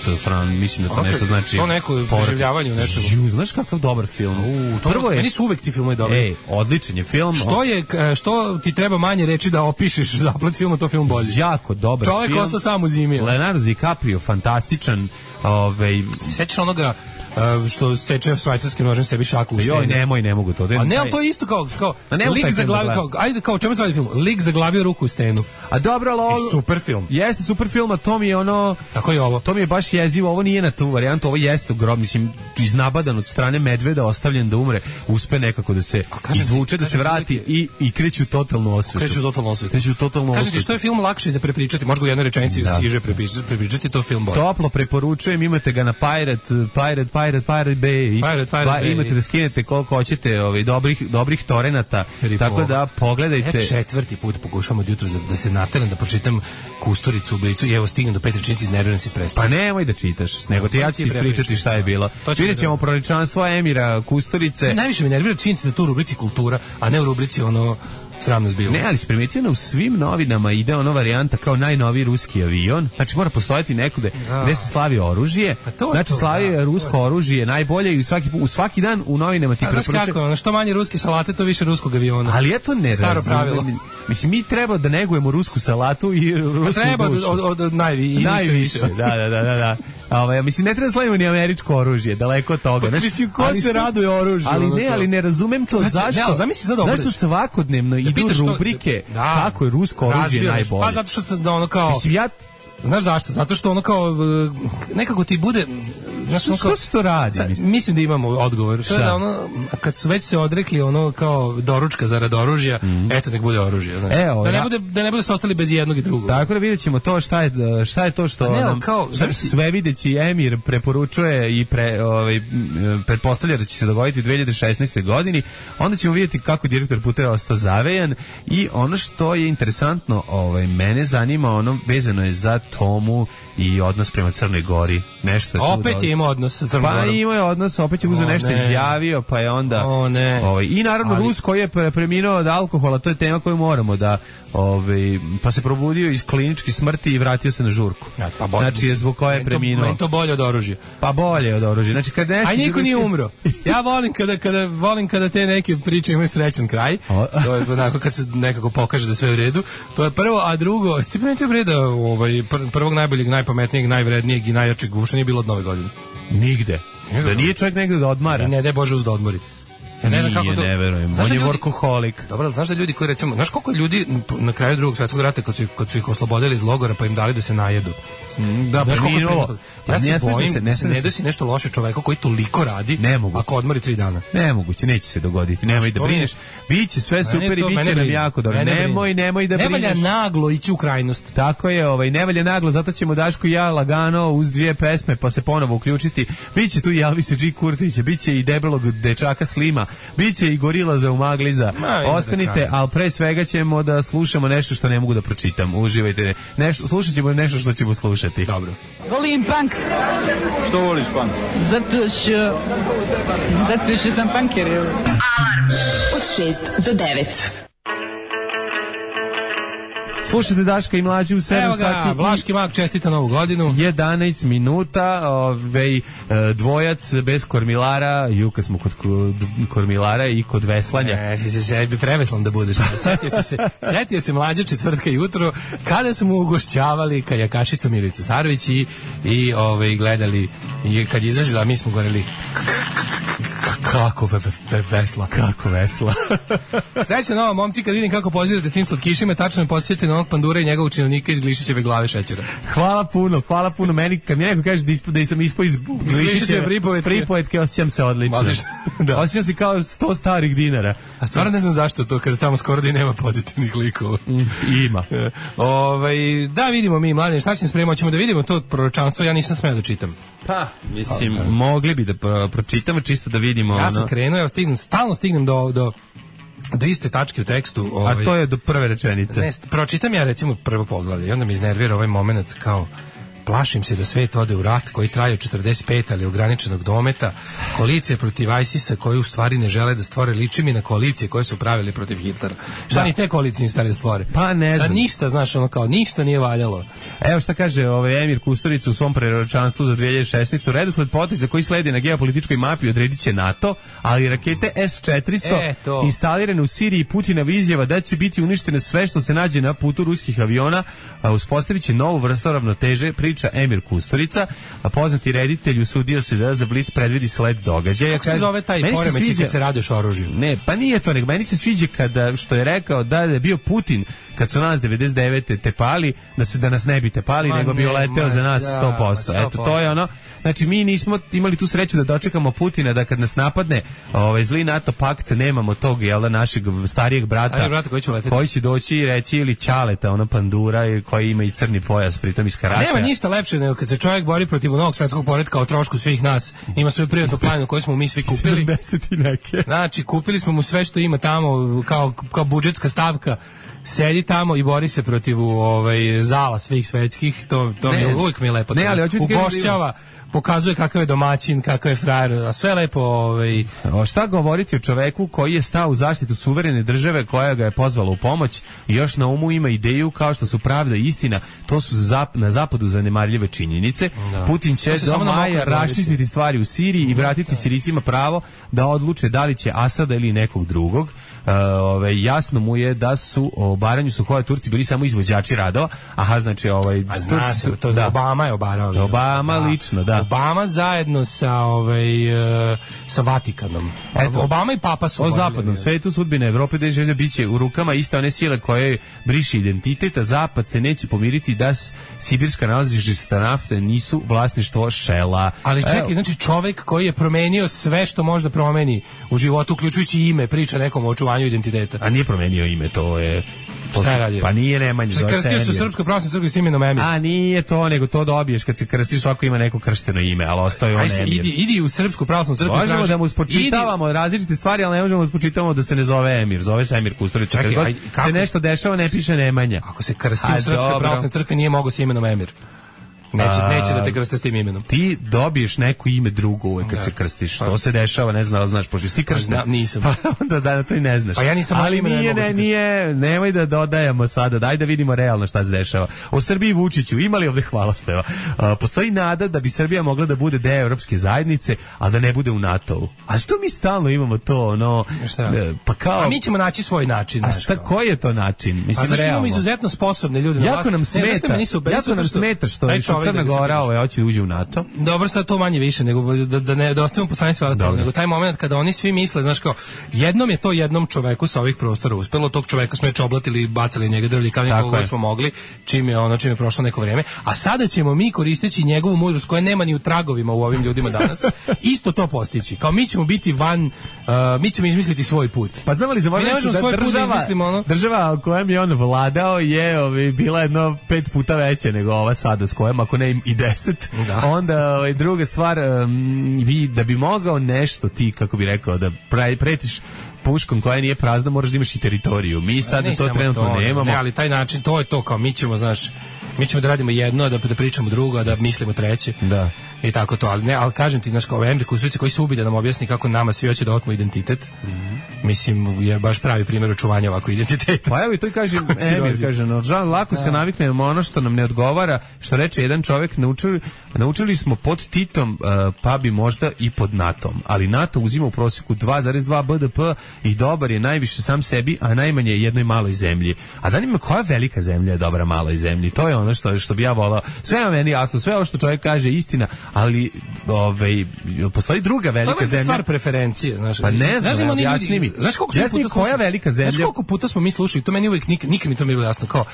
mislim da to nešto znači... To neko preživljavanje u nečemu. Znaš kakav dobar film? Meni su uvek ti filmovi dobri. Odličan je film. Što ti treba manje reći da opišeš zaplet filma, to film bolji. Jako dobar film. Čovjek ostao sam u zimi. Leonardo DiCaprio, fantastičan. Sećaš onoga što seče švajcarskim nožem sebi šaku u stenu. Joj, ne mogu to. A ne, to je isto kao lik zaglavio, kao čemu se radi film? Lik zaglavio ruku u stenu. A dobro, ali super film. Jeste super film, a to mi je ono... Tako je ovo. To mi je baš jezivo, ovo nije na tu varijantu, ovo jeste grob, mislim, iznabadan od strane medveda, ostavljen da umre, uspe nekako da se izvuče, da se vrati i kreće u totalnu osvetu. Kreće u totalnu osvetu. Kažem ti, što je film lakše za prepričati, možda u jednoj rečenici siže prepričati, to film bolje. Toplo preporučujem, imate ga na Pirate Bay. Pirate imate da skinete koliko hoćete dobrih torenata, tako da pogledajte. Ja 4. put pokušavam od jutra da se nateram da pročitam Kusturicu u Blicu i evo stignem do 5 rečenici, iznerviram se i prestajem. Pa nemoj da čitaš, nego ja ću ti ispričati šta je bilo. Vidjet ćemo proličanstvo Emira Kusturice. Najviše me nervira činjenica da tu u rubrici kultura, a ne u rubrici sramno zbilo. Ne, ali si primetio u svim novinama ide ono varijanta kao najnoviji ruski avion. Znači mora postojati neko gde se slavi oružje. Znači slavi rusko oružje najbolje i svaki dan u novinama ti preporučuju. Znaš kako, što manje ruske salate, to više ruskog aviona. Ali ja to ne staro pravilo. Mislim, mi treba da negujemo rusku salatu i rusku dušu. Treba od najviše. Da. Mislim, ne treba da slavimo ni američko oružje, daleko od toga. Pa mislim, ko se raduje oružju? Ali ne razumem to, zašto svakodnevno idu rubrike kako je rusko oružje najbolje. Pa zato što se ono kao... Znaš zašto? Zato što ono kao nekako ti bude, znaš, ono kao, što se to radi? Mislim da imamo odgovor. To je da ono, kad su već se odrekli ono kao doručka zarad oružja, eto nek bude oružje. Evo, da ne bude se ostali bez jednog i drugog. Tako da vidjet ćemo to šta je to što nam sve videći Emir preporučuje i pretpostavlja da će se dogoditi u 2016. godini. Onda ćemo vidjeti kako direktor puteva ostao zavejan i ono što je interesantno, mene zanima, ono vezano je za Tomu i odnos prema Crnoj Gori. Nešto opet je imao odnos sa Crnom Gorom. Pa imao je odnos, opet je uzeo nešto izjavio, pa je onda... I naravno Rus koji je preminuo od alkohola, to je tema koju moramo da... pa se probudio iz kliničke smrti i vratio se na žurku. Znači je zbog koje je preminuo. Meni to bolje od oružja. Pa bolje od oružja. Znači kad nešto... A niko nije umro. Ja volim kada te neke priče imaju srećan kraj. To je onako kad se nekako pokaže da sve u redu. To je prvo, a drugo, ste primetili bre da prvog najboljeg, najpametnijeg, najvrednijeg i najjačeg uopšte nije bilo od Nove godine. Nigde. Da nije čovjek negde da odmara. I ne daj Bože uz da odmori. Ja ne znam kako to... ne verujem, on je workoholik. Dobro, znaš da ljudi koji recimo, znaš koliko ljudi na kraju Drugog svjetskog rata kad su ih oslobodili iz logora pa im dali da se najedu. Da, preminulo. Ja se bojim da se ne desi nešto loše čoveku koji toliko radi ako odmori 3 dana. Nemoguće, neće se dogoditi. Nemoj da brineš. Biće sve super i biće nam jako dobro. Nemoj da brineš. Ne valja naglo ići u krajnost. Tako je, ne valja naglo, zato ćemo Daško i ja lagano uz 2 pesme pa se ponovo uključiti. Biće tu i Elvis G. Kurtovića, biće i debelog dečaka Slima, biće i Gorila za Umagliza. Ostanite, ali pre svega ćemo da slušamo nešto što ne mogu da pročitam. Uživajte. Slušat ćemo nešto što ćemo slušati. Dobro. Volim punk. Što voliš punk? Zato što sam punker. Alarm od 6 do 9. Slušajte Daška i Mlađu u 7 sati. Evo ga, Vlaški mag čestita Novu godinu. 11 minuta, dvojac bez kormilara, juka smo kod kormilara i kod veslanja. Sebi preveslan da budeš. Sjetio se Mlađa četvrtka jutro, kada smo ugošćavali kajakašicu Milicu Starović i gledali, i kad je izažila, mi smo govorili kako vesla. Srećno novo, momci, kad vidim kako pozirate s tim slatkišima, tačno me podsjetite na onog pandura i njegovog činovnika iz Glišićeve glave šećera. Hvala puno. Meni, kad mi neko kaže da sam ispao iz Glišićeve pripovetke, osjećam se odlično. Osjećam se kao 100 starih dinara. A stvarno ne znam zašto to, kada tamo skoro da i nema pozitivnih likova. Ima. Da vidimo mi, mladine, šta ćemo spremati, ćemo da vidimo to proročanstvo, ja nisam smeo da čitam. Pa, mislim, mogli bi da pročitamo čisto da vidimo. Ja sam krenuo, stalno stignem do iste tačke u tekstu. A to je do prve rečenice. Ne, pročitam ja recimo prvo poglavlje i onda mi iznervira ovaj moment kao plašim se da svet ode u rat koji traje 45, ali ograničenog dometa, koalicije protiv ISIS-a koji u stvari ne žele da stvore, liči mi na koalicije koje su pravili protiv Hitlera. Šta ni te koalicije ne stali da stvore? Pa ne znam. Sad ništa, znaš, ono kao, ništa nije valjalo. Evo šta kaže Emir Kusturica u svom proročanstvu za 2016. Redosled poteza koji sledi na geopolitičkoj mapi odredit će NATO, ali rakete S-400 instalirane u Siriji Putinova izjava da će biti uništene sve što se nađe na putu ruskih aviona, uspostavit će novu vrstu ravnoteže, priča Emir Kusturica, a poznati reditelj usudio se da za Blic predvidi sled događaja. Kako se zove taj poremećaj kad se radiš oružju? Ne, pa nije to, nego meni se sviđa kada, što je rekao da je bio Putin kad su nas 99. tepali, da nas ne bi tepali, nego bi leteo za nas 100%. Eto, to je ono. Znači, mi nismo imali tu sreću da dočekamo Putina, da kad nas napadne zli NATO pakt, nemamo tog, našeg starijeg brata koji će doći i reći ili Ćaleta, ono pandura koji ima i crni pojas, pritom iz karatea. Nema ništa lepše nego kad se čovjek bori protiv novog svetskog poretka o trošku svih nas, ima svoju privatnu planinu koju smo mi svi kupili. 70 i neke. Znači, kupili smo mu sve što ima tamo kao budžetska stavka. Sedi tamo i bori se protiv zala svih svetskih, to uvijek mi je lepo. Ne, ali pokazuje kakav je domaćin, kakav je frajer, a sve lepo Šta govoriti o čoveku koji je stao u zaštitu suverene države koja ga je pozvala u pomoć i još na umu ima ideju kao što su pravda i istina, to su na zapadu zanemarljive činjenice. Da. Putin će do maja raščistiti stvari u Siriji i vratiti Sirijcima pravo da odluče da li će Asada ili nekog drugog. Jasno mu je da su o obaranju Suhoja Turci bili samo izvođači radova. Aha, znači Obama je obarao. Obama lično, da. Obama zajedno sa Vatikanom. Eto, Obama i Papa su o zapadnom svetu sudbine Evrope da biće u rukama iste one sile koje briše identitet, a zapad se neće pomiriti da sibirska nalazišta nafte nisu vlasništvo Shella. Ali čekaj, znači čovek koji je promenio sve što može da promeni u životu, uključujući ime, priča nekom o očuvanju identiteta. A nije promenio ime, to je... Šta je radio? Pa nije Nemanja. Krstio se u Srpskoj pravoslavnoj crkvi s imenom Emir. A nije to, nego to dobiješ kad se krstiš, svako ima neko kršteno ime, ali ostaje on Emir. Idi u Srpsku pravoslavnu crkvu. Možemo da mu spočitavamo različite stvari, ali ne možemo da spočitavamo da se ne zove Emir. Zove se Emir Kusturić. Kad se nešto dešava, ne piše Nemanja. Ako se krsti u Srpskoj pravoslavnoj crkvi, nije mogao s imenom Emir. Neće da te krste s tim imenom. Ti dobiješ neko ime drugo uvek kad se krstiš. To se dešava, ne znam, znaš, pošto si ti kršten. Nisam. Pa onda da to i ne znaš. Pa ja nisam, ali nije, nemoj da dodajemo sada, daj da vidimo realno šta se dešava. O Srbiji Vučiću, ima li ovde hvalospeva? Postoji nada da bi Srbija mogla da bude deo Evropske zajednice, a da ne bude u NATO-u. A što mi stalno imamo to, pa kao... A mi ćemo naći svoj način. A šta, koji je to način? Mislim, zašto imamo izuzetno sposobne ljude? Jako nam smeta što Crna Gora hoće da uđe u NATO. Dobro, sad to manje više, nego da ostavimo po strani sve ostalo, nego taj moment kada oni svi misle, znaš kao, jednom je to jednom čoveku sa ovih prostora uspelo, tog čoveka smo je čoblatili, bacali njega drvlji kao nekog god smo mogli, čim je prošlo neko vreme, a sada ćemo mi koristeći njegovu mudrost koja nema ni u tragovima u ovim ljudima danas, isto to postići. Kao mi ćemo biti mi ćemo izmisliti svoj put. Pa znamo li da država o kojem je on vladao je bila jedno 5 puta veća nego ova sada s kojom, ako ne i 10, onda druga stvar, da bi mogao nešto ti, kako bi rekao, da pretiš puškom koja nije prazna, moraš da imaš i teritoriju. Mi sad to trenutno nemamo. Ne, ali taj način, to je to, kao mi ćemo da radimo jedno, da pričamo drugo, da mislimo treće. Da. I tako to, ali kažem ti, znaš, kao Emir Kusturica koji se ubi da nam objasni kako nama svi hoće da otmu identitet, mislim, je baš pravi primjer očuvanja ovako identiteta. Pa evo i to i kažem, Emir kaže, lako se naviknemo ono što nam ne odgovara, što reče jedan čovjek, naučili smo pod Titom, pa bi možda i pod NATO-om, ali NATO uzima u prosjeku 2,2 BDP i dobar je najviše sam sebi, a najmanje jednoj maloj zemlji. A zanima koja velika zemlja je dobra maloj zemlji, to je ono što bi ja volao. Sve je meni jasno, sve ovo što čovjek kaže istina, ali postoji druga velika zemlja. To je stvar preferencije, znaš. Pa ne znam, jasni mi. Znaš koja velika zemlja? Znaš koliko puta smo mi slušali, to meni uvijek nikad mi to mi je bilo jasno, kao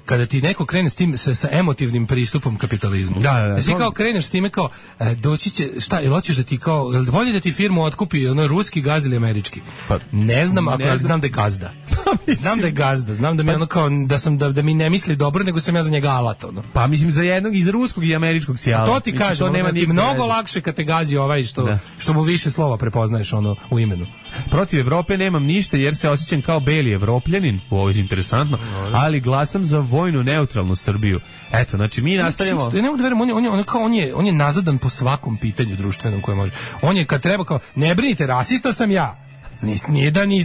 kada ti neko krene s tim sa emotivnim pristupom kapitalizmu. Da, ti kao kreneš s time kao doći će, šta, ili hoćeš da ti kao, bolje da ti firmu otkupi ruski gazda ili američki? Pa, ne znam, ali znam da je gazda. Znam da je gazda, znam da mi ono kao da mi ne misli dobro, nego sam ja za njega alat, ono. Pa mislim za jednog iz ruskog i američkog sjala. To ti kažem, to nema ti mnogo lakše kad te gazi ovaj što mu više slova prepoznaješ u imenu. Protiv Evrope nemam ništa jer se osjećam kao beli evropljanin, ovo je interesantno, ali glasam za vojnu neutralnu Srbiju. Eto, znači mi nastavljamo. Ja ne mogu da verujem, on je nazadan po svakom pitanju društvenom koje može. On je kad treba kao, ne brinite, rasista sam ja.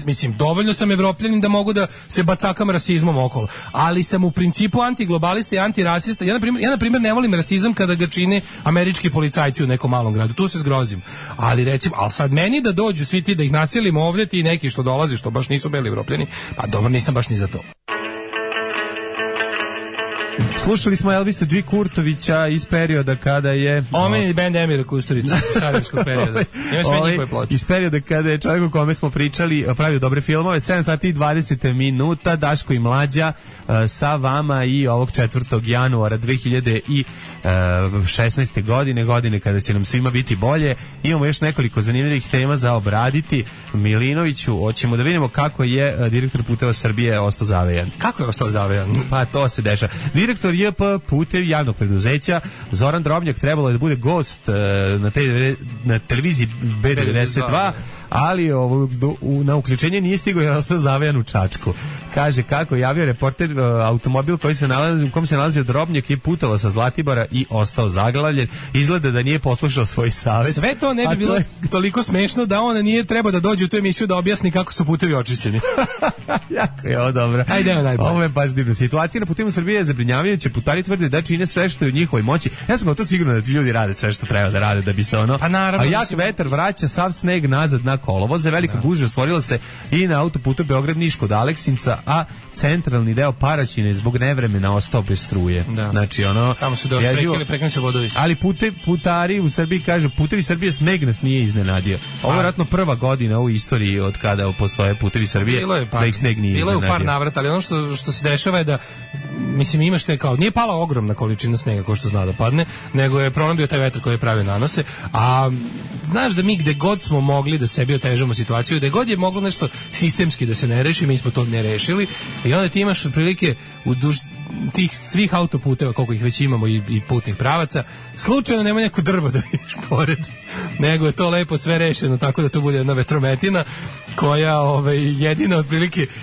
Mislim, dovoljno sam evropljanin da mogu da se bacakam rasizmom okolo, ali sam u principu antiglobalista i antirasista. Ja na primjer ne volim rasizam kada ga čine američki policajci u nekom malom gradu, tu se zgrozim. Ali sad meni da dođu svi ti da ih nasilimo ovdje, ti neki što dolazi, što baš nisu bili evropljani, pa dobro, nisam baš ni za to. Slušali smo Elvisa G. Kurtovića iz perioda kada je... Omeni band Emira Kusturica, starijevskog perioda. Ima sve njihove ploče. Iz perioda kada je čovjek o kome smo pričali pravio dobre filmove, 7 sati i 20 minuta, Daško i Mlađa sa vama i ovog 4. januara 2016. godine kada će nam svima biti bolje. Imamo još nekoliko zanimljivih tema za obraditi. Milinoviću, hoćemo da vidimo kako je direktor Puteva Srbije ostao zavejan. Kako je ostao zavejan? Pa to se dešava. Direktor JP Putev javnog preduzeća Zoran Drobnjak trebalo je da bude gost na televiziji B92, ali na uključenje nije stigao jer ostao zavejan u Čačku. Kaže kako javio reporter, automobil u kom se nalazio Drobnjak je putovao sa Zlatibora i ostao zaglavljen. Izgleda da nije poslušao svoj savjet. Sve to ne bi bilo toliko smešno da on nije trebao da dođe u tu emisiju da objasni kako su putevi očišćeni. Jako je ovo dobro. Ajde, najbolje. Ovo je baš divno. Situacija na putevima Srbije je zabrinjavajuća. Putari tvrde da čine sve što je u njihovoj moći. Ja sam gotovo siguran da ti ljudi rade sve što treba da rade da bi se Pa naravno. A jak vetar vraća sav sneg nazad na kolovoze. Velika gužva stvorila se i na autoputu Beograd-Niš kod Aleksinca, a centralni deo Paraćina je zbog nevremena ostao bez struje. Da. Znači tamo su došli prekrenuli se vodovi. Ali putari u Srbiji kažu putevi Srbije sneg nas nije iznenadio. Ovo je vjerojatno prva godina u istoriji od kada postoje putevi Srbije da ih sneg nije iznenadio. Bilo je u par navrata, ali ono što se dešava je da mislim imaš te kao nije pala ogromna količina snega kao što zna da padne, nego je problem bio taj vetar koji je pravio nanose, a znaš da mi gde god smo mogli da sebi otežamo situaciju, gde god je moglo nešto sistemski da se ne reši, mi smo to ne rešili i onda ti imaš otprilike u duž tih svih autoputeva koliko ih već imamo i putnih pravaca, slučajno nema neko drvo da vidiš pored, nego je to lepo sve rešeno tako da to bude jedna vetrometina koja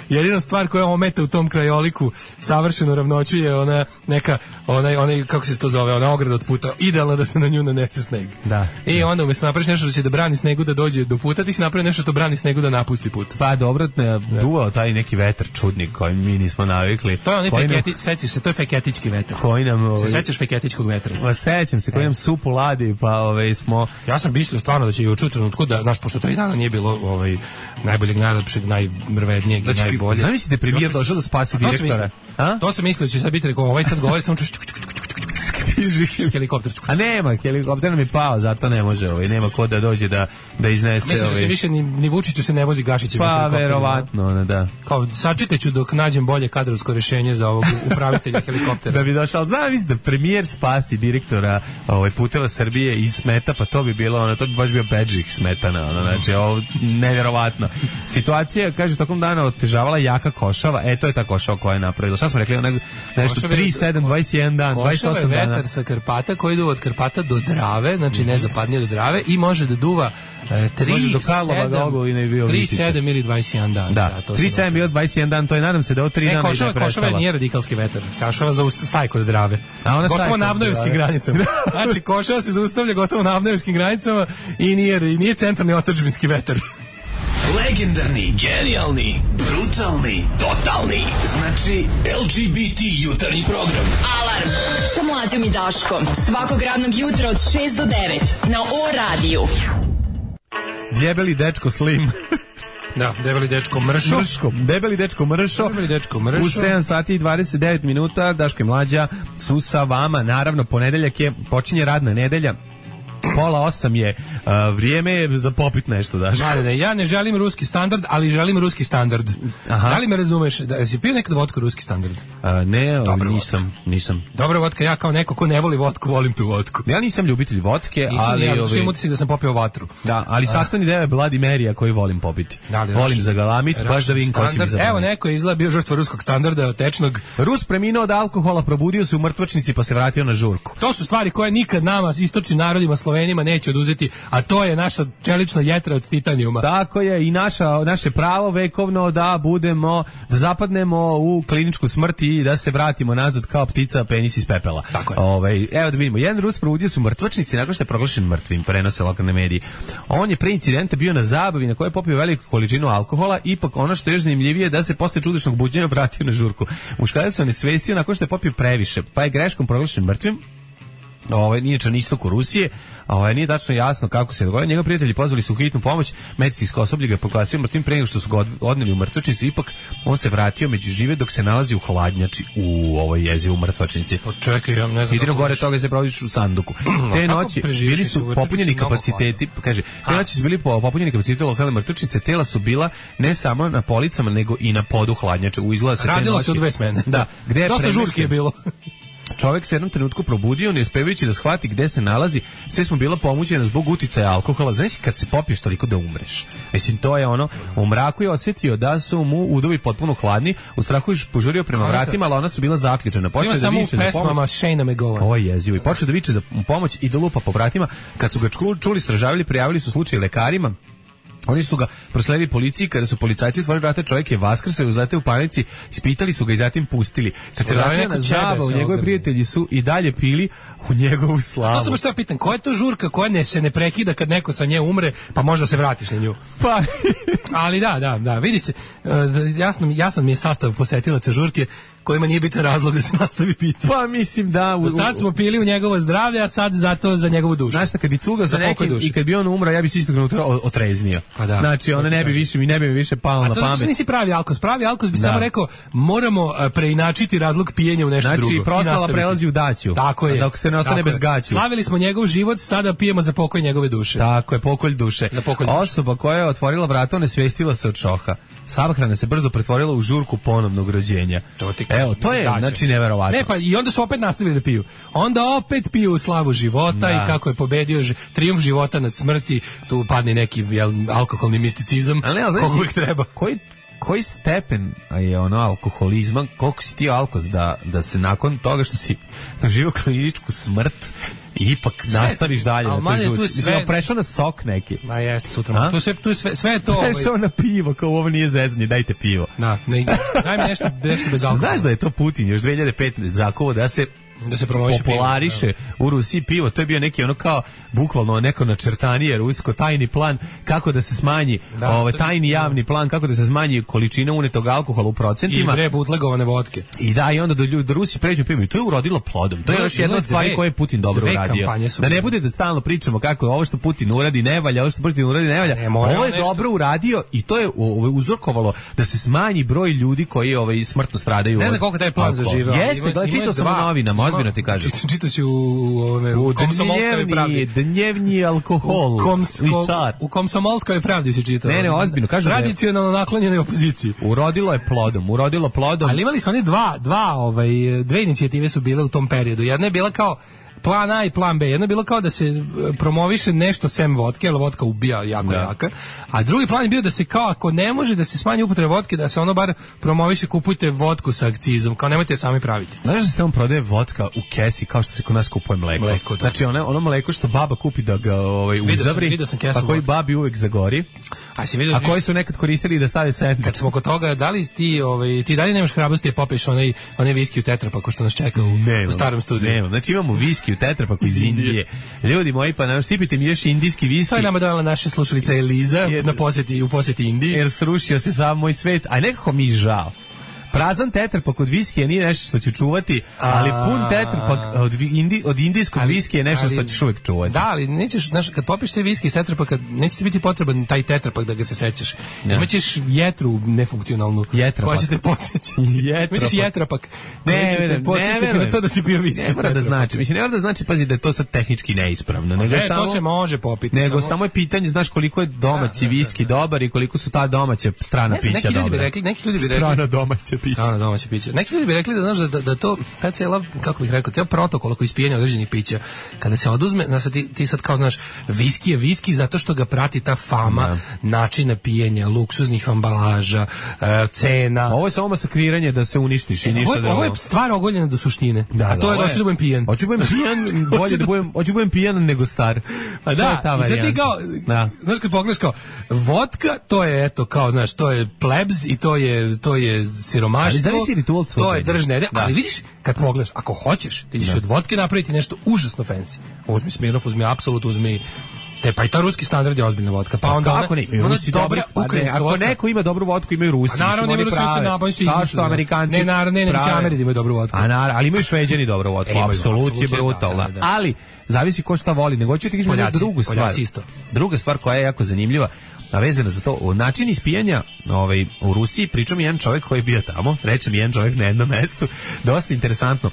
jedina stvar koja ometa u tom krajoliku savršenu ravnoću je ona neka onaj kako se to zove, ona ograda od puta, idealno da se na nju nanese sneg. Da. I onda umjesto napraviš nešto da će da brani snegu da dođe do puta, ti si napravi nešto što brani snegu da napusti put. Pa dobro, duvao taj neki vetar čudnik koji mi nismo navikli. To je onaj sećaš se, to je feketički vetar. Koji nam se sećaš feketičkog vetra? Pa sećam se, koji nam supu ladi, pa smo. Ja sam mislio stvarno da će juče u trenutku da znaš pošto 3 dana nije bilo najboljeg, najlepšeg, najmrvednijeg, najboljeg. Zamislite premijer došao da spasi direktora. To sam mislio da će sad biti rekao, sad govori samo helikopter. A nema, helikopter nam je pao, zato ne može, nema ko da dođe da iznese. Mislim da se više ni Vučiću se ne vozi Gašićem. Pa verovatno, da. Kao sačekaću dok nađem bolje kadrovsko rješenje za ovog upravitelja helikoptera. Da bi došao, zamisli da premijer spasi direktora puteva Srbije iz smeta, pa to bi bilo, to bi baš bio bedžik smetana, znači ovo nevjerovatno. Situacija, kaže, tokom dana otežavala jaka košava, to je ta košava koja je napravila. Šta smo rekli, nešto 3, 7, 21 dan, 28 dana. Vetar sa Karpata koji ide od Karpata do Drave, znači nezapadnije do Drave i može da duva 3, 7 ili 21 dan. Da, 3, 7 ili 21 dan, to je, nadam se da od 3 dana ide prestala. Košava nije radikalski vetar, Košava staje kod Drave. Gotovo na Avnojevskim granicama. Znači, Košava se zaustavlja gotovo na Avnojevskim granicama i nije centralni otadžbinski vetar. Legendarni, genijalni, brutalni, totalni. Znači LGBT jutarnji program. Alarm sa Mlađom i Daškom. Svakog radnog jutra od 6 do 9 na O-radiju. Djebeli dečko Slim. Da, debeli dečko Mršo. Debeli dečko Mršo. U 7 sati i 29 minuta Daško i Mlađa su sa vama. Naravno, ponedeljak je, počinje radna nedelja. 7:30 je vrijeme za popit nešto, Daš. Ne, ja ne želim ruski standard, ali želim ruski standard. Aha. Da li me razumeš? Jesi pio nekad vodku ruski standard? Ne, nisam. Dobra vodka, ja kao neko ko ne voli vodku, volim tu vodku. Ja nisam ljubitelj vodke, ali ja sam utisak da sam popio vatru. Da, ali sastavni deo je Bloody Marya koji volim popiti. Volim zagalamit, baš da vidim ko će mi zagalamit. Evo, neko je izgleda bio žrtva ruskog standarda, tečnog. Rus preminuo od alkohola, probudio se u mrtvačnici pa se vratio na žurku. To su stvari koje nikad nama, istočnim narodima, Slovenima, neće oduzeti, a to je naša čelična jetra od titanijuma. Tako je, i naše pravo vekovno da zapadnemo u kliničku smrt i da se vratimo nazad kao ptica penis iz pepela. Tako je. Evo da vidimo, jedan Rus probudio se u mrtvačnici nakon što je proglašen mrtvim, prenose lokalne medije. On je pre incidenta bio na zabavi na kojoj je popio veliku količinu alkohola, ipak ono što je još zanimljivije da se posle čudesnog buđenja vratio na žurku. Muškarac se onesvestio nakon što je popio previše, pa je greškom proglašen mrtvim. Nije na istoku Rusije, nije tačno jasno kako se dogodilo. Njegovi prijatelji pozvali su hitnu pomoć, medicinsko osoblje ga je proglasio mrtvim pre nego što su ga odneli u mrtvačnicu, ipak on se vratio među žive dok se nalazi u hladnjači u ovoj jezivu mrtvačnici. Čekaj, ja ne znam. Idemo gore toga se provodiš u sanduku. Te noći bili su popunjeni kapaciteti, kaže, te noći su bili popunjeni kapaciteti lokalne mrtvačnice, tela su bila ne samo na policama nego i na podu hladnjače. Radilo se u 2 smene. Da, dosta žurke je bilo. Čovjek se jednom trenutku probudio, ne uspevajući da shvati gde se nalazi, sve smo bila pomućena zbog uticaja alkohola. Znaš kad se popiješ toliko da umreš. Mislim, to je ono, u mraku je osjetio da su mu udovi potpuno hladni, u strahu je požurio prema vratima, ali ona su bila zaključena. Ima samo u pesmama Shane McGowan. Ovo je jezivo. I počeo da viče za pomoć i da lupa po vratima. Kad su ga čuli, stražavili, prijavili su slučaj lekarima. Oni su ga prosledili policiji, kada su policajci otvorili vrata, čovjek je vaskrsao, uzleteo u panici, ispitali su ga i zatim pustili. Kad se vratio na zabavu, njegovi prijatelji su i dalje pili u njegovu slavu. To sam što ja pitam, koja je to žurka koja se ne prekida kad neko sa nje umre, pa možda se vratiš na nju? Pa. Ali da, vidi se, jasan mi je sastav posetilaca žurke, kojima nije bitan razlog da se nastavi piti. Pa mislim da... Sad smo pili u njegovo zdravlje, a sad zato za njegovu dušu. Znaš šta, kad bi cugao za nekim i kad bi on umro, ja bi se istog trenutka otreznio. Pa da. Znači, ona ne bi više palo na pamet. A to nisi pravi alkos. Pravi alkos bi samo rekao, moramo preinačiti razlog pijenja u nešto drugo. Znači, proslava prelazi u daću. Tako je. Dok se ne ostane bez gaću. Slavili smo njegov život, sada pijemo za pokoj njegove duše. Tako je, pokolj duše. Osoba koja je otvorila vrata, onesvestila se od šoka. Samohrana se brzo pretvorila u žurku ponovnog rođenja. Evo, to je, znači, neverovatno. Ne, pa i onda su opet nastavili da piju. Onda opet piju slavu života i kako je pobedio trijumf života nad smrti, tu padne neki alkoholni misticizam, koliko uvijek treba. Koji stepen je alkoholizma, koliko si ti alkos da se nakon toga što si doživio kliničku smrt ipak nastaviš dalje na toj žurci. Mislim, prešao na sok neki. Ma jeste, sutra. Tu je sve je to... Prešao na pivo, kao ovo nije zezanje, dajte pivo. Daj mi nešto bez alkohola. Znaš da je to Putin još 2005 zakovo da se populariše u Rusiji pivo, to je bio neki kao bukvalno neko načrtanije rusko tajni plan kako da se smanji tajni javni plan kako da se smanji količina unetog alkohola u procentima i bootlegovane vodke i onda do Rusi pređu pivo i to je urodilo plodom. To je još jedna od stvari koje je Putin dobro uradio. Da ne bude da stalno pričamo kako ovo što Putin uradi ne valja, ovo je dobro uradio i to je uzrokovalo da se smanji broj ljudi koji smrtno stradaju. Ne znam koliko taj plan zaživeo. Jeste, čitao sam u novinama, ozbiljno ti kažem. Čitao si u Komsomolskoj pravdi. Dnevni alkohol. U Komsomolskoj pravdi si čitao. Ne, ozbiljno. Tradicionalno naklonjenoj opoziciji. Urodilo plodom. Ali imali su oni dve inicijative su bile u tom periodu. Jedna je bila kao plan A i plan B. Jedno je bilo kao da se promoviše nešto sem vodke, jer vodka ubija jako jaka. A drugi plan je bio da se kao ako ne može da se smanji upotreba vodke, da se ono bar promoviše, kupujte vodku sa akcizom, kao nemojte je sami praviti. Znaš da se tamo prodaje vodka u kesi kao što se kod nas kupuje mleko. Znači ono mleko što baba kupi da ga uzavri, pa koji babi uvek zagori. A koji su nekad koristili da stave sedmi. Kad smo kod toga, da li ti dalje nemaš hrabrosti da popiješ onaj viski u tetrapaku što nas čeka u starom studiju? Nemam, znači imamo viski u tetrapaku iz Indije. Ljudi moji, pa sipite mi još indijski viski. To je nama dala naša slušalica Eliza u posjeti Indiji. Jer srušio se sam moj svet, a nekako mi žao. Prazan tetrapak od viskija nije nešto što ću čuvati, ali pun tetrapak od indijskog viskija je nešto što ćeš uvijek čuvati. Da, ali nećeš, znaš, kad popiješ te viski iz tetrapaka, neće ti biti potreban taj tetrapak da ga se sećaš. Imaćeš jetru nefunkcionalnu. Koja će te podsjećati. Imaćeš jetrapak. Ne te podsjećati na to da si pio viski iz tetrapaka. Mislim, ne mora da znači, pazi, da je to sad tehnički neispravno. To se može popiti. Nego samo je pitanje, znaš, koliko je domaći viski dobar i koliko su ta domaća strana pića dobra. Neki ljudi bi rekli strana domaća pića. Domaće piće. Neki ljudi bi rekli da znaš da to ta cijela, kako bih rekao, cijel protokol oko ispijenja određenih pića, kada se oduzme, ti sad kao znaš, viski je viski zato što ga prati ta fama načina pijenja, luksuznih ambalaža, cena. Ovo je samo masakriranje da se uništiš i ništa ovo je stvar ogoljena do suštine. A to je da hoću da budem pijan. Hoću da budem pijan, bolje da budem pijan nego star. Pa da, i sad ti kao, znaš kad pogledaš kao, vodka, to je eto kao, znaš, to je plebs i to je siromaštvo. Ali zavisi ritual cuganja. To je držne, ali vidiš, kad pogledaš, ako hoćeš, ti ćeš od vodke napraviti nešto užasno fancy. Uzmi Smirnoff, uzmi Absolut, uzmi pa i ta ruski standard je ozbiljna vodka. Pa onda kako ne? Rusi dobra ukrajinska vodka. Ako neko ima dobru vodku, imaju Rusi. Naravno, imaju Rusi, kao što Amerikanci. Ne, Ameri imaju dobru vodku. Ali imaju Šveđani dobru vodku. Apsolut je brutalna. Ali zavisi ko šta voli. Nego ću ti kažem drugu stvar. Druga stvar koja je jako zanimljiva, a vezana za to, način ispijanja u Rusiji, pričao mi jedan čovjek koji je bio tamo, reče mi jedan čovjek na jednom mestu, dosta interesantno.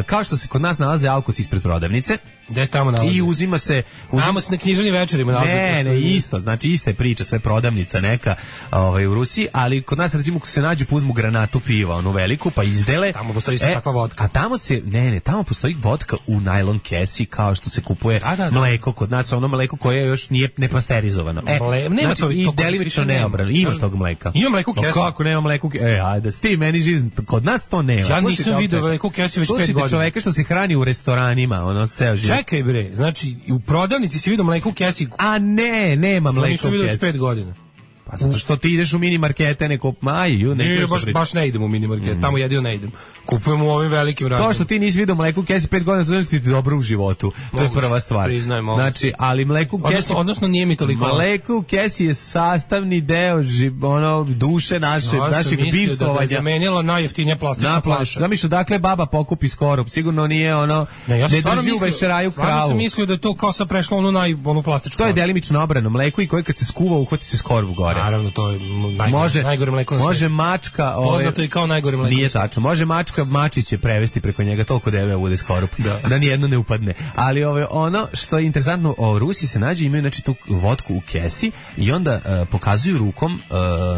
Kao što se kod nas nalaze alkos ispred prodavnice, gde se tamo nalazi? I uzima se... Tamo se na književnim večerima nalazi. Ne, isto. Znači, ista je priča, sve prodavnica neka u Rusiji, ali kod nas, recimo, ko se nađu, uzmu granatu piva, onu veliku, pa izdele. Tamo postoji isto takva vodka. A tamo se, tamo postoji vodka u najlon kesi, kao što se kupuje mleko. Kod nas ono mleko koje još nije nepasterizovano. Nema to i delimično neobrano. Ima tog mleka. Ima mleko u kesi. Kako nema mleko u kesi? Ajde, ti meni živ, kod nas to nema. Ja nisam vidio mleko u kesi već 5 godina. Čoveka što se hrani u restoranima, ono ceo život. Čekaj bre, znači u prodavnici si vidio mleko u kesi. A ne, nema mleka u kesi. Nisu vidio već 5 godina. Pa zato što ti ideš u mini markete, neko maju, ne baš ne idem u mini market, tamo jedino ne idem. Kupujemo u ovim velikim radnjama. To što ti nisi vidio mleko u kesi 5 godina, to znači ti dobro u životu. To je prva stvar. Priznajmo. Znači, ali mleko u kesi, odnosno nije mi toliko. Mleko u kesi je sastavni deo duše našeg bivstvovanja. Da zamenilo najjeftinija plastična flaša. Zamišljam, dakle baba pokupi skorup, sigurno nije ono ne drži u večeraju kravu. Ja sam mislio da je to kao sa prešlo onu plastičnu. To je delimično obrano mleko i koji kad se skuva uhvati se skorup gore. Naravno, to je najgore mleko na svijetu. Može mačka... Poznato i kao najgore mleko. Nije tačno. Može mačka mačiće prevesti preko njega, toliko debeo bude skorup. Da nijedno ne upadne. Ali ono što je interesantno, Rusi se nađu, imaju znači tu vodku u kesi i onda pokazuju rukom,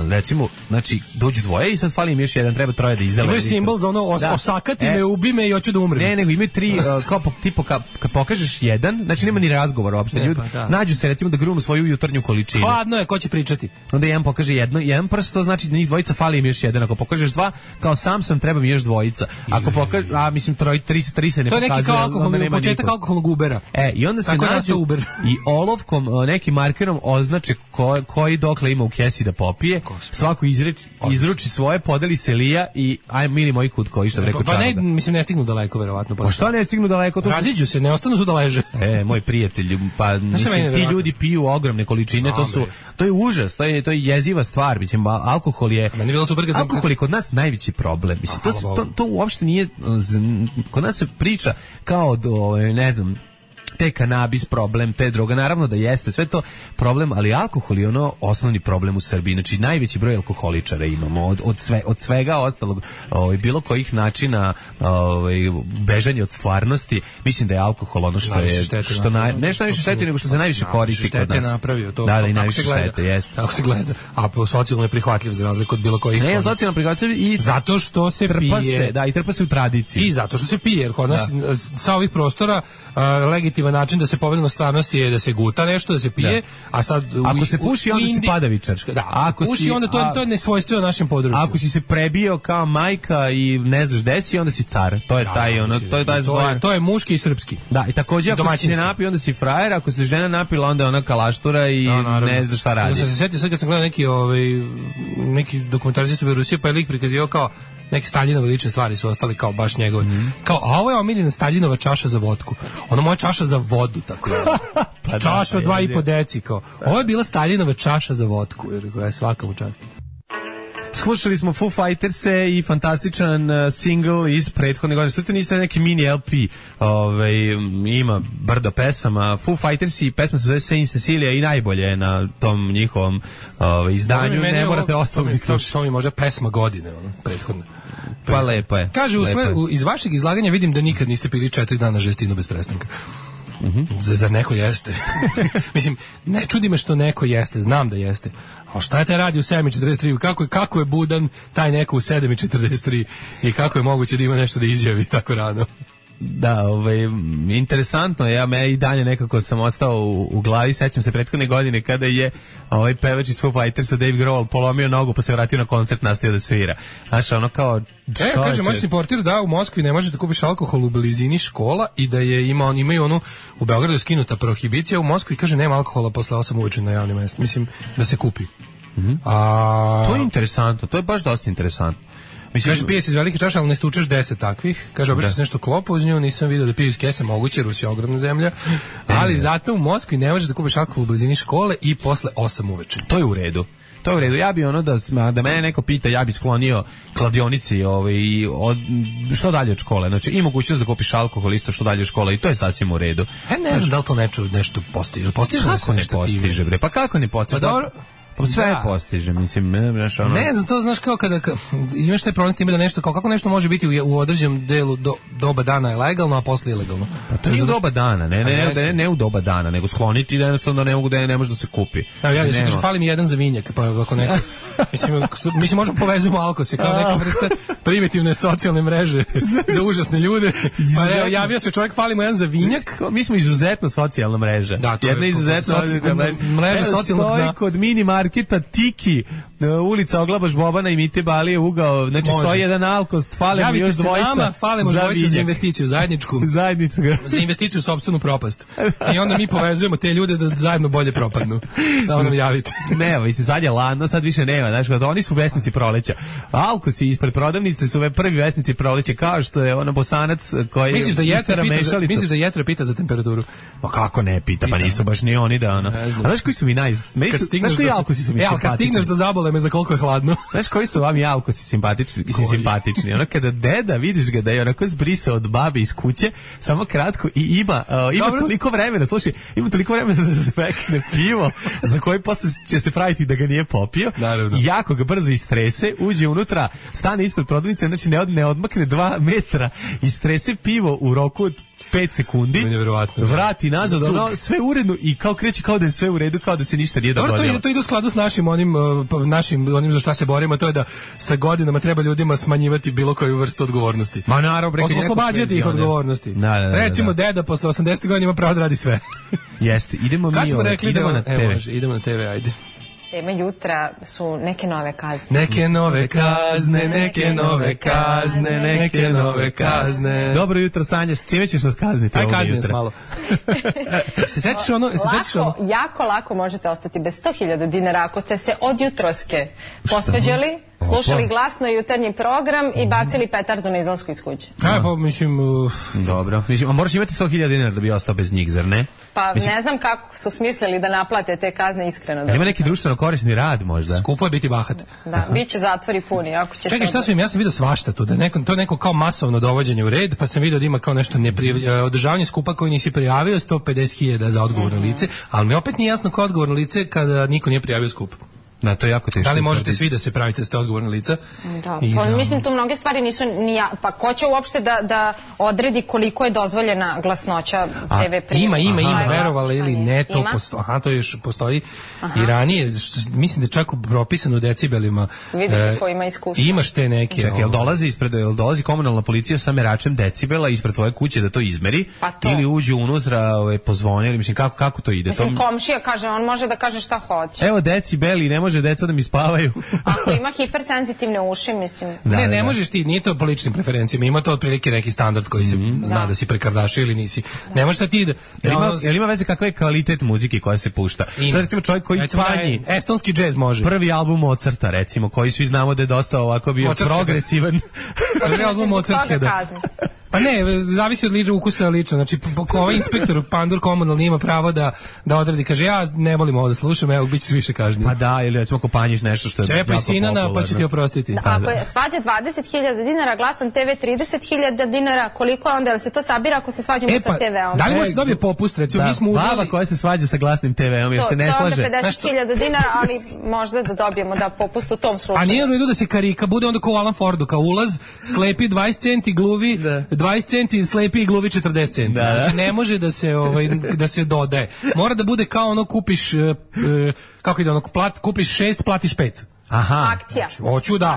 recimo, znači dođu dvoje i sad fali im još jedan, treba troje da izdela. Imaju simbol za ono osakati me, ubi me i hoću da umrem. Ne, nego imaju 3, kao tipo kad pokažeš jedan, znači nema ni razgovora uopšte. Ljudi nađu se recimo da grunu svoju jutarnju količinu. Hladno je, ko će pričati? Onda jedan pokaže jedan prst, to znači da njih dvojica fali im još jedan. Ako pokažeš 2, kao sam treba mi još dvojica. Ako pokažeš, mislim 3 se ne pokazuje. To je neki kao alkoholni, početak alkoholnog Ubera. I onda se nađu i olovkom, nekim markerom označe koji dokle ima u kesi da popije. Svako izruči svoje, podeli se lija i aj mili moji kut koji što rekao Čarda. Pa ne stignu daleko verovatno. Pa šta ne stignu daleko? Raziđu se, ne ostanu tu da leže. Moj prijatelj, pa mislim, ti ljudi piju ogromne količine, to je užas, to je jeziva stvar, mislim, alkohol je kod nas najveći problem, mislim, to uopšte nije, kod nas se priča kao ne znam, te kanabis problem, te droga, naravno da jeste, sve to problem, ali alkohol je osnovni problem u Srbiji, znači najveći broj alkoholičara imamo, od svega ostalog, bilo kojih načina bežanja od stvarnosti, mislim da je alkohol ono što je, nešto najviše šteti nego što se najviše koristi kod nas. Napravio to. Da, i najviše štete, jeste. Tako se gleda, a socijalno je prihvatljiv za razliku od bilo kojih. Ne, socijalno prihvatljiv i zato što se pije. Da, i trpa se u tradiciji. I zato što se pije, jer kod nas sa ovih prostora legitiman način da se pobedi na stvarnosti je da se guta nešto, da se pije, a sad ako se puši onda si padavičar. Da, ako se puši onda to je nesvojstveno našem području. Ako si se prebio kao majka i ne znaš gde si, onda si car. To je to je muški i srpski. Da, i takođe ako si ne napi onda si frajer, ako se žena napila onda je ona kalaštura i ne zna šta radi. Ja sam se setio sad kad sam gledao neki dokumentarist u Rusiji, pa je lik prikazivao kao neke Staljinove lične stvari su ostali kao baš njegove. Kao, a ovo je omiljena Staljinova čaša za vodku. Ono moja čaša za vodu, tako je. Čaša od 2,5 deci, kao. Ovo je bila Staljinova čaša za vodku, jer koja je svaka mu čast. Slušali smo Foo Fighters-e i fantastičan single iz prethodne godine. Sve to niste neki mini LP, ima brdo pesama. Foo Fighters i pesma se zove Saint Cecilia i najbolje je na tom njihovom izdanju. Ne morate ostalo slušati. To mi možda pesma godine, prethodne. Pa lepo je. Kaže, iz vašeg izlaganja vidim da nikad niste pili 4 dana žestinu bez prestanka. Zar neko jeste? Mislim, ne čudi me što neko jeste, znam da jeste. A šta te radi u 7:43? Kako je budan taj neko u 7:43 i kako je moguće da ima nešto da izjavi tako rano? Da, interesantno, ja i dalje nekako sam ostao u glavi, sećam se prethodne godine kada je pevač iz Foo Fightersa Dave Grohl polomio nogu pa se vratio na koncert, nastavio da svira. Znaš, ono kao... kaže, možeš ti portir da u Moskvi ne možeš da kupiš alkohol u blizini škola i da imaju onu, u Beogradu je skinuta prohibicija, u Moskvi kaže nema alkohola posle 8 uveče na javnim mestima, mislim da se kupi. To je interesantno, to je baš dosta interesantno. Mislim, kaže, pije se iz velike čaše, ali ne stučeš 10 takvih. Kaže, obično se nešto klopa uz nju, nisam vidio da piju iz kese, moguće, Rusija je ogromna zemlja. Ali zato u Moskvi ne možeš da kupiš alkohol u blizini škole i posle 8 uveče. To je u redu. Ja bi da mene neko pita, ja bi sklonio kladionici što dalje od škole. Znači, i mogućnost da kupiš alkohol isto što dalje od škole i to je sasvim u redu. Ne znam da li to nešto postiže. Kako ne postiže, bre? Pa kako ne postiže? Pa dobro. Pa sve postiže, mislim, ne znam, to znaš kao kada imaš taj problem s time da nešto, kako nešto može biti u određenom delu doba dana je legalno, a posle ilegalno. Pa to nije u doba dana, ne u doba dana, nego skloniti da jednostavno ne može da se kupi. Ja se kažem, fali mi jedan za vinjak, pa ako neko, mislim možemo povezujemo alkose kao neka vrsta primitivne socijalne mreže za užasne ljude. Pa javio se čovjek, fali mu jedan za vinjak. Mi smo izuzetno socijalna mreža. Jedna izuzetno mreža socijalnog dna. Kod mini marketa Tiki, ulica Oglabaš Bobana i Mite Balije, ugao, znači stoji jedan Alkost, falimo još dvojica. Nama, falimo dvojica za investiciju zajedničku. Za investiciju u sopstvenu propast. I onda mi povezujemo te ljude da zajedno bolje propadnu. Samo nam javite. Ne, mislim, sad je ladno, sad više nema, znaš, kada oni su vesnici proleća. Alkosi ispred prodavnice su prvi vesnici proleća, kao što je ono Bosanac koji misliš da Jetra pita za temperaturu? Pa kako ne pita, pa nisu baš ni oni da ono. A znaš koji su mi znaš koji Alkosi su mi simpatični? Kad stigneš do Zabole me za koliko je hladno. Znaš koji su vam Alkosi simpatični? Ono kada deda, vidiš ga da je onako zbrisao od babe iz kuće, samo kratko i ima toliko vremena, slušaj, ima toliko vremena da se pekne pivo, za koji posle će se praviti da ga nije popio. Naravno. I jako ga brzo istrese, uđe unutra, stane ispred prodavnice, znači ne odmakne 2 metra, istrese pivo u roku od 5 sekundi, vrati nazad, ono, sve uredno i kao kreće kao da je sve u redu, kao da se ništa nije dogodilo. To ide u skladu s našim onim za šta se borimo, to je da sa godinama treba ljudima smanjivati bilo koju vrstu odgovornosti. Ma naravno, oslobađati ih odgovornosti. Recimo, deda posle 80 godina ima pravo da radi sve. Jeste, idemo na TV. Idemo na TV, ajde. Tema jutra su neke nove kazne. Neke nove kazne, neke nove kazne, neke nove kazne. Dobro jutro, Sanja, čime ćeš nas kazniti ovog jutra? Aj, kazni malo. Se sećaš ono? Jako lako možete ostati bez 100.000 dinara ako ste se od jutroske posvađali, slušali glasno jutarnji program i bacili petardu na izlasku iz kuće. Pa mislim... Dobro, a moraš imati 100.000 dinara da bi ostao bez njih, zar ne? Pa ne znam kako su smislili da naplate te kazne, iskreno. Ima neki društveno korisni rad možda? Skupo je biti bahat. Da, bit će zatvori puni. Čekaj, šta sam ja sam vidio svašta tu, to je neko kao masovno dovođenje u red, pa sam vidio da ima kao nešto održavanje skupa koji nisi prijavio, 150.000 za odgovorno lice, ali mi opet nije jasno ko je odgovorno lice kada niko nije prijavio skup. Da, to je jako teško. Da li možete svi da se pravite da ste odgovorni lica? Da, mislim tu mnoge stvari nisu pa ko će uopšte da odredi koliko je dozvoljena glasnoća TV prijema? Ima, verovali ili ne, to postoji. Aha, to još postoji i ranije, mislim da je čak propisano u decibelima. Vidi se ko ima iskustvo. Imaš te neke. Čekaj, jel dolazi komunalna policija sa meračem decibela ispred tvoje kuće da to izmeri? Ili uđu unutra, pozvone, ili mislim kako to ide? Mislim, komšija kaže, on može da kaže šta hoće. Evo decibeli, ne može deca da mi spavaju. Ako ima hipersenzitivne uši, mislim. Ne možeš ti, nije to po ličnim preferencijama, ima to otprilike neki standard koji se zna da si prekardašio ili nisi. Ne možeš da ti da... Jel ima veze kakav je kvalitet muzike koja se pušta? Sad recimo čovjek koji panji... Estonski džez može. Prvi album Mozarta, recimo, koji svi znamo da je dosta ovako bio progresivan. Prvi album Mozarta, da. Pa ne, zavisi od liča ukusa lično. Znači, ovaj inspektor Pandur komunalni ima pravo da odredi. Kaže, ja ne volim ovo da slušam, evo, bit ćeš više kažnjen. Pa da, ili recimo ako panjiš nešto što je jako popularno. Sinana, pa ću ti oprostiti. Da, ako je svađa 20.000 dinara, glasan TV 30.000 dinara, koliko je onda, ali se to sabira ako se svađamo sa TV-om? Da li može dobije popust, recimo, mi smo baba koja se svađa sa glasnim TV-om, jer se ne slaže. To je onda 50.000 dinara, ali možda da dobijemo da popust u tom slučaju. A nije u redu da se karika, bude onda kao Alan Fordu, kao ulaz, slepi 20 centi, gluvi 20 centi, slepi i gluvi 40 centi. Znači ne može da se dodaje. Mora da bude kao ono kupiš kako ide ono, kupiš 6, platiš 5. Aha. Akcija.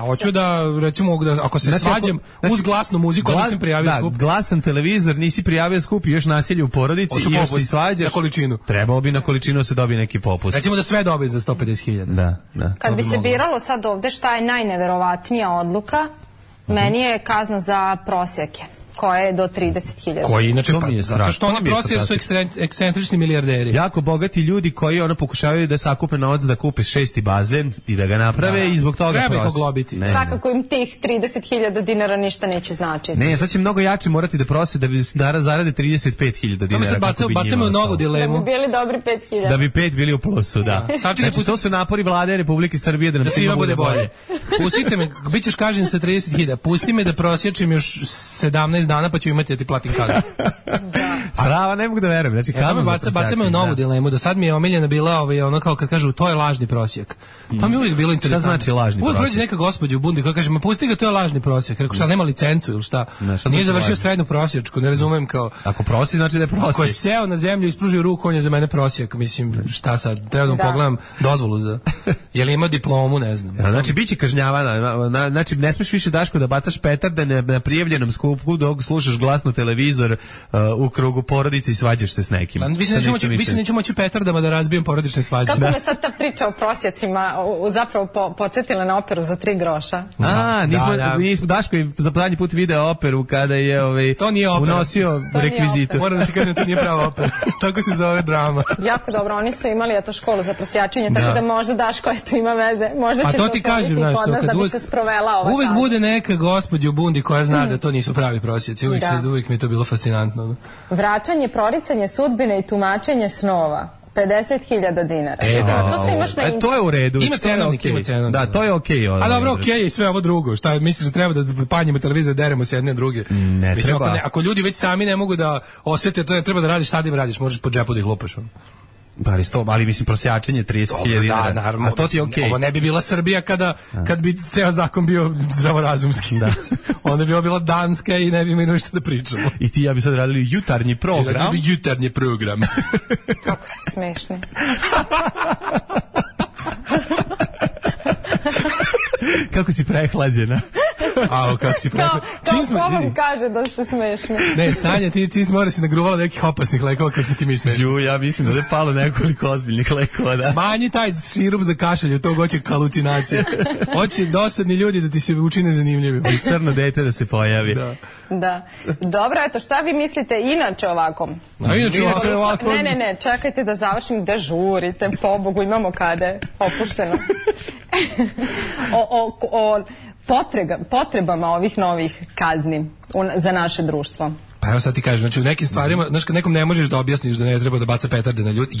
Hoću da recimo ako se svađam uz glasnu muziku, onda sam prijavio skup. Glasan televizor, nisi prijavio skup i još nasilje u porodici i još se svađaš. Na količinu. Trebao bi na količinu se dobije neki popust. Recimo da sve dobije za 150.000. Da. Kad bi se biralo sad ovde šta je najneverovatnija odluka, meni je kazna za prosjeke, koja je do 30.000. Koji inače, zato što oni prosjek su ekscentrični milijarderi. Jako bogati ljudi koji pokušavaju da sakupe novac da kupe 6. bazen i da ga naprave i zbog toga treba ih oglobiti. Svakako im tih 30.000 dinara ništa neće značiti. Ne, sad će mnogo jače morati da prose da bi zarade 35.000 dinara. Bacamo u novu dilemu. Da bi bili dobri 5.000. Da bi 5 bili u plusu, da. Znači, to su napori vlade Republike Srbije da nam svima bude bolje. Pustite me, bit ćeš kažen sa 30.000, pusti me da prosječim još 17 dana pa ću imati da ti platim kaznu. Strava, ne mogu da verujem. Znači, bacamo u novu dilemu. Do sad mi je omiljena bila ono kao kad kažu to je lažni prosjek. To mi je uvijek bilo interesantno. Šta znači lažni prosjek? Uvijek prođe neka gospođa u bundi koja kaže, ma pusti ga, to je lažni prosjek. Rekao, šta, nema licencu ili šta? Nije završio srednju prosječku, ne razumem kao... Ako prosi, znači da je prosjek. Ako je seo na zemlju i ispružio ruku, on je za mene prosjek. Mislim, šta sad? Treba da mu pogledam dozvolu za... Je li ima diplomu, ne znam. Znači, bit će kažnjavana. Znači, ne smeš više, Daško, da bacaš petarde na prijavljenom skupu dok slušaš glasno televizor u krugu porodica i svađaš se s nekim. Više neću moći petardama da razbijem porodične svađe. Kako me sad ta priča o prosjecima zapravo podsjetila na operu za 3 groša? Nismo Daško je za zadnji put video operu kada je unosio rekvizitu. Moram da ti kažem, to nije prava opera. Tako se zove drama. Jako dobro, oni su imali školu za prosjačenje, tako da možda Daško ima veze. Možda će se otvoriti kod nas da bi se sprovela ova. Uvek bude neka gospođa u bundi koja zna da to nisu pravi prosjeci. Uvijek mi je to bilo fascinantno. Vraćanje, proricanje sudbine i tumačenje snova. 50.000 dinara. To sve imaš na internetu. To je u redu. Ima cenovnik. Da, to je okej. A dobro, okej, i sve ovo drugo. Šta misliš da treba da panjimo televizor, deremo se jedne druge? Ne treba. Ako ljudi već sami ne mogu da osete, to ne treba da radiš, šta da im radiš, možeš po džepu da ih lupaš. Ali mislim prosjačenje 30.000 dinara. Da, naravno. A to ti je okej. Ovo ne bi bila Srbija kad bi ceo zakon bio zdravorazumski. Onda bi bila Danska i ne bi imali ništa da pričamo. I ti ja bi sad radili jutarnji program. Jutarnji program. Kako ste smešni. Kako si prehlađena. Kako si prehlađena. Ko vam kaže da ste smešni? Ne, Sanja, ti mora si nagruvala nekih opasnih lekova kad smo ti mi smešni. Ja mislim da je palo nekoliko ozbiljnih lekova, da. Smanji taj sirup za kašalj, od tog hoće halucinacije. Hoće dosadni ljudi da ti se učine zanimljivi. I crno dete da se pojavi. Da. Dobro, eto, šta vi mislite inače ovako? Ne, čekajte da završim, da žurite, pobogu, imamo kada opušteno. O potrebama ovih novih kazni za naše društvo. Pa evo sad ti kažem, znači u nekim stvarima, znaš kad nekom ne možeš da objasniš da ne treba da baca petarde na ljudi,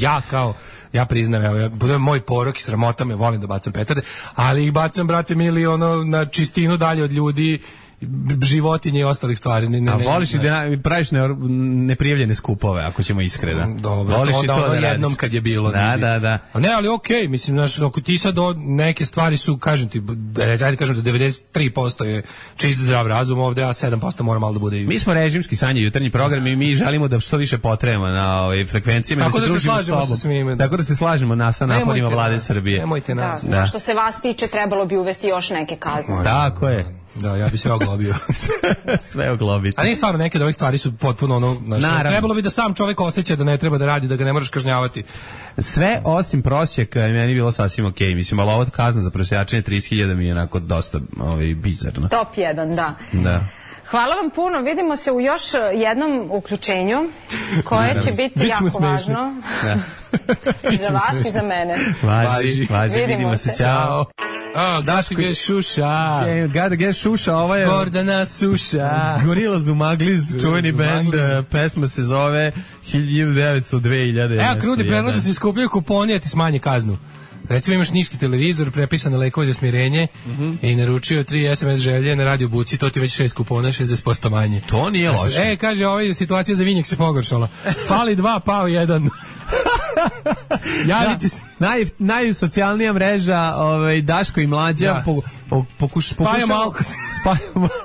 ja priznam, evo, moj porok i sramota me, volim da bacam petarde, ali ih bacam, brate mili, na čistinu dalje od ljudi, životinje i ostalih stvari. Voliš i da praviš neprijavljene skupove, ako ćemo iskreno. Dobro, to jednom kad je bilo. Da. Ne, ali okej, mislim, ako ti sad neke stvari su, kažem ti, ajde kažem da 93% je čist zdrav razum ovde, a 7% mora malo da bude i... Mi smo režimski Sanje, jutarnji program i mi želimo da što više potrebamo na frekvencijama. Tako da se slažemo sa svime. Tako da se slažemo sa naporima vlade Srbije. Nemojte nas. Što se vas tiče, trebalo bi uvesti još neke kazne. Tako je. Da, ja bi sve oglobio. Sve oglobiti. A nije stvarno, neke od ovih stvari su potpuno trebalo bi da sam čovjek osjeća da ne treba da radi, da ga ne moraš kažnjavati. Sve osim prosjeka meni bilo sasvim okej. Mislim, ali ova kazna za prosjačenje 30.000 mi je onako dosta bizarno. Top 1, da. Hvala vam puno, vidimo se u još jednom uključenju koje će biti jako važno za vas i za mene. Važi, vidimo se, čao. Daško je Šuša. Gotta get Šuša, ovo je Gordana Suša. Gorillaz u Magliz, čuveni band, pesma se zove 1900-2000. Evo, Krudi predlaže se skupljaju kuponi, a ti smanje kaznu. Recimo imaš niški televizor, prepisane lekove za smirenje i naručio 3 SMS želje na radio buci, to ti već 6 kupona, 60% manje. To nije loše. Kaže, situacija za vinjak se pogoršala. Fali 2, pao 1. Javite se. Najsocijalnija mreža Daško i Mlađa. Spajamo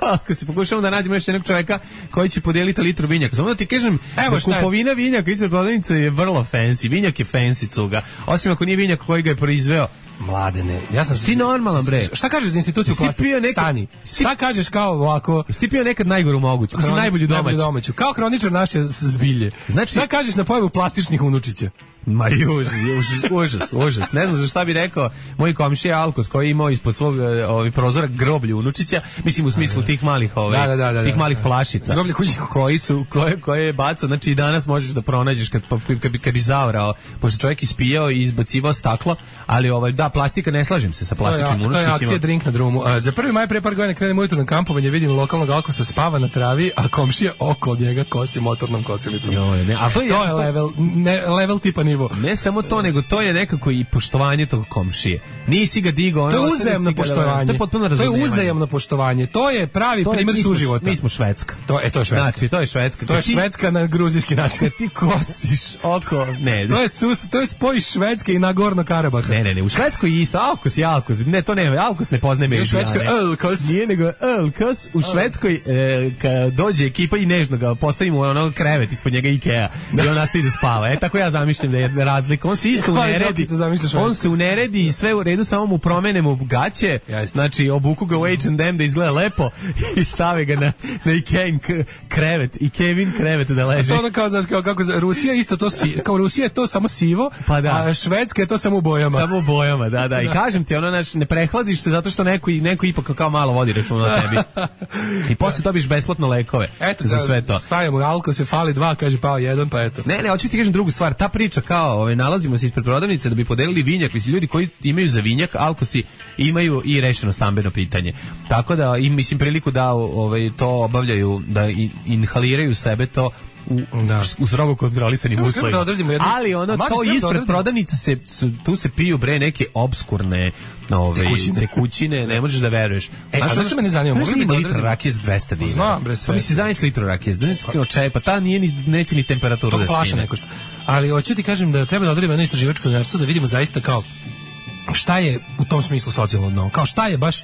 alkos. Pokušamo da nađemo još jednog čovjeka koji će podijeliti litru vinjaka. Samo da ti kažem da kupovina vinjaka ispred prodavnice je vrlo fancy. Vinjak je fancy cuga. Osim ako nije vinjak koji ga je proizveo. Mladene, ti normalan bre. Šta kažeš za instituciju Stani? Šta kažeš kao ovako? Jesi pio nekad najgoru moguću? Mislim najbolju domaću. Kao kroničar naše zbilje. Znači, šta kažeš na pojavu plastičnih unučića? Ma užas. Ne znam za šta bi rekao moj komšija Alkos koji je imao ispod svog prozora groblju unučića, mislim u smislu tih malih tih malih flašica. Groblje koje je bacao, znači i danas možeš da pronađeš kad bi zaorao, pošto čovjek ispijao i izbacivao staklo, ali da, plastika, ne slažem se sa plastičnim unučićima. To je akcija Drink na drumu. Za 1. maj pre par godina krenem ujutro na kampovanje, vidim lokalnog Alkosa spava na travi, a komšija oko njega kosi motornom kosilicom. To je level tipa nivo. Ne samo to, nego to je nekako i poštovanje tog komšije. Nisi ga digao. To je uzajamno poštovanje. To je uzajamno poštovanje. To je pravi primjer suživota. Mi smo Švedska. To je Švedska. Znači, to je Švedska. To je Švedska na gruzijski način. Ti kosiš oko. Ne. To je spoj Švedske i Nagorno Karabaha. Ne. U Švedskoj je isto. Alkos je Alkos. Ne, to ne. Alkos ne poznaje među. U Švedskoj Alkos. Nije nego Alkos. U Švedskoj kad dođe ekipa i nežno ga postavimo krevet ispod njega Ikea. I on nastavi da spava. Tako ja zamišljam da je je razlika. On se isto uneredi. On se uneredi i sve u redu, samo mu promenemo gaće. Znači, obuku ga u H&M da izgleda lepo i stave ga na Ikejn krevet. I Kevin krevet da leži. A to ono kao, znaš, kako Rusija isto to kao Rusija je to samo sivo, pa da. A Švedska je to samo u bojama. Samo u bojama, da. I kažem ti, ono, ne prehladiš se zato što neko ipak kao malo vodi računa o tebi. I posle dobiš besplatno lekove. Eto, za sve to. Stavimo alko, se fali 2, kaže pao 1, pa eto. Ne, hoću ti kažem drugu stvar. Ta priča kao, nalazimo se ispred prodavnice da bi podelili vinjak. Mislim, ljudi koji imaju za vinjak, alkosi imaju i rešeno stambeno pitanje. Tako da im, mislim, priliku da to obavljaju, da inhaliraju sebe to u strogo kontrolisanim uslovima. Ali to ispred prodavnica tu se piju neke obskurne tekućine, ne možeš da veruješ. A zašto me ne zanima? Mogli bi litru rakije za 200 dinara. Znam, bre, sve. Pa misli, zajedno litru rakije, pa ta neće ni temperaturu da skine. To flaša neko što. Ali hoću ti kažem da treba da odredimo jedno istraživačko novinarstvo da vidimo zaista kao šta je u tom smislu socijalno dno. Kao šta je baš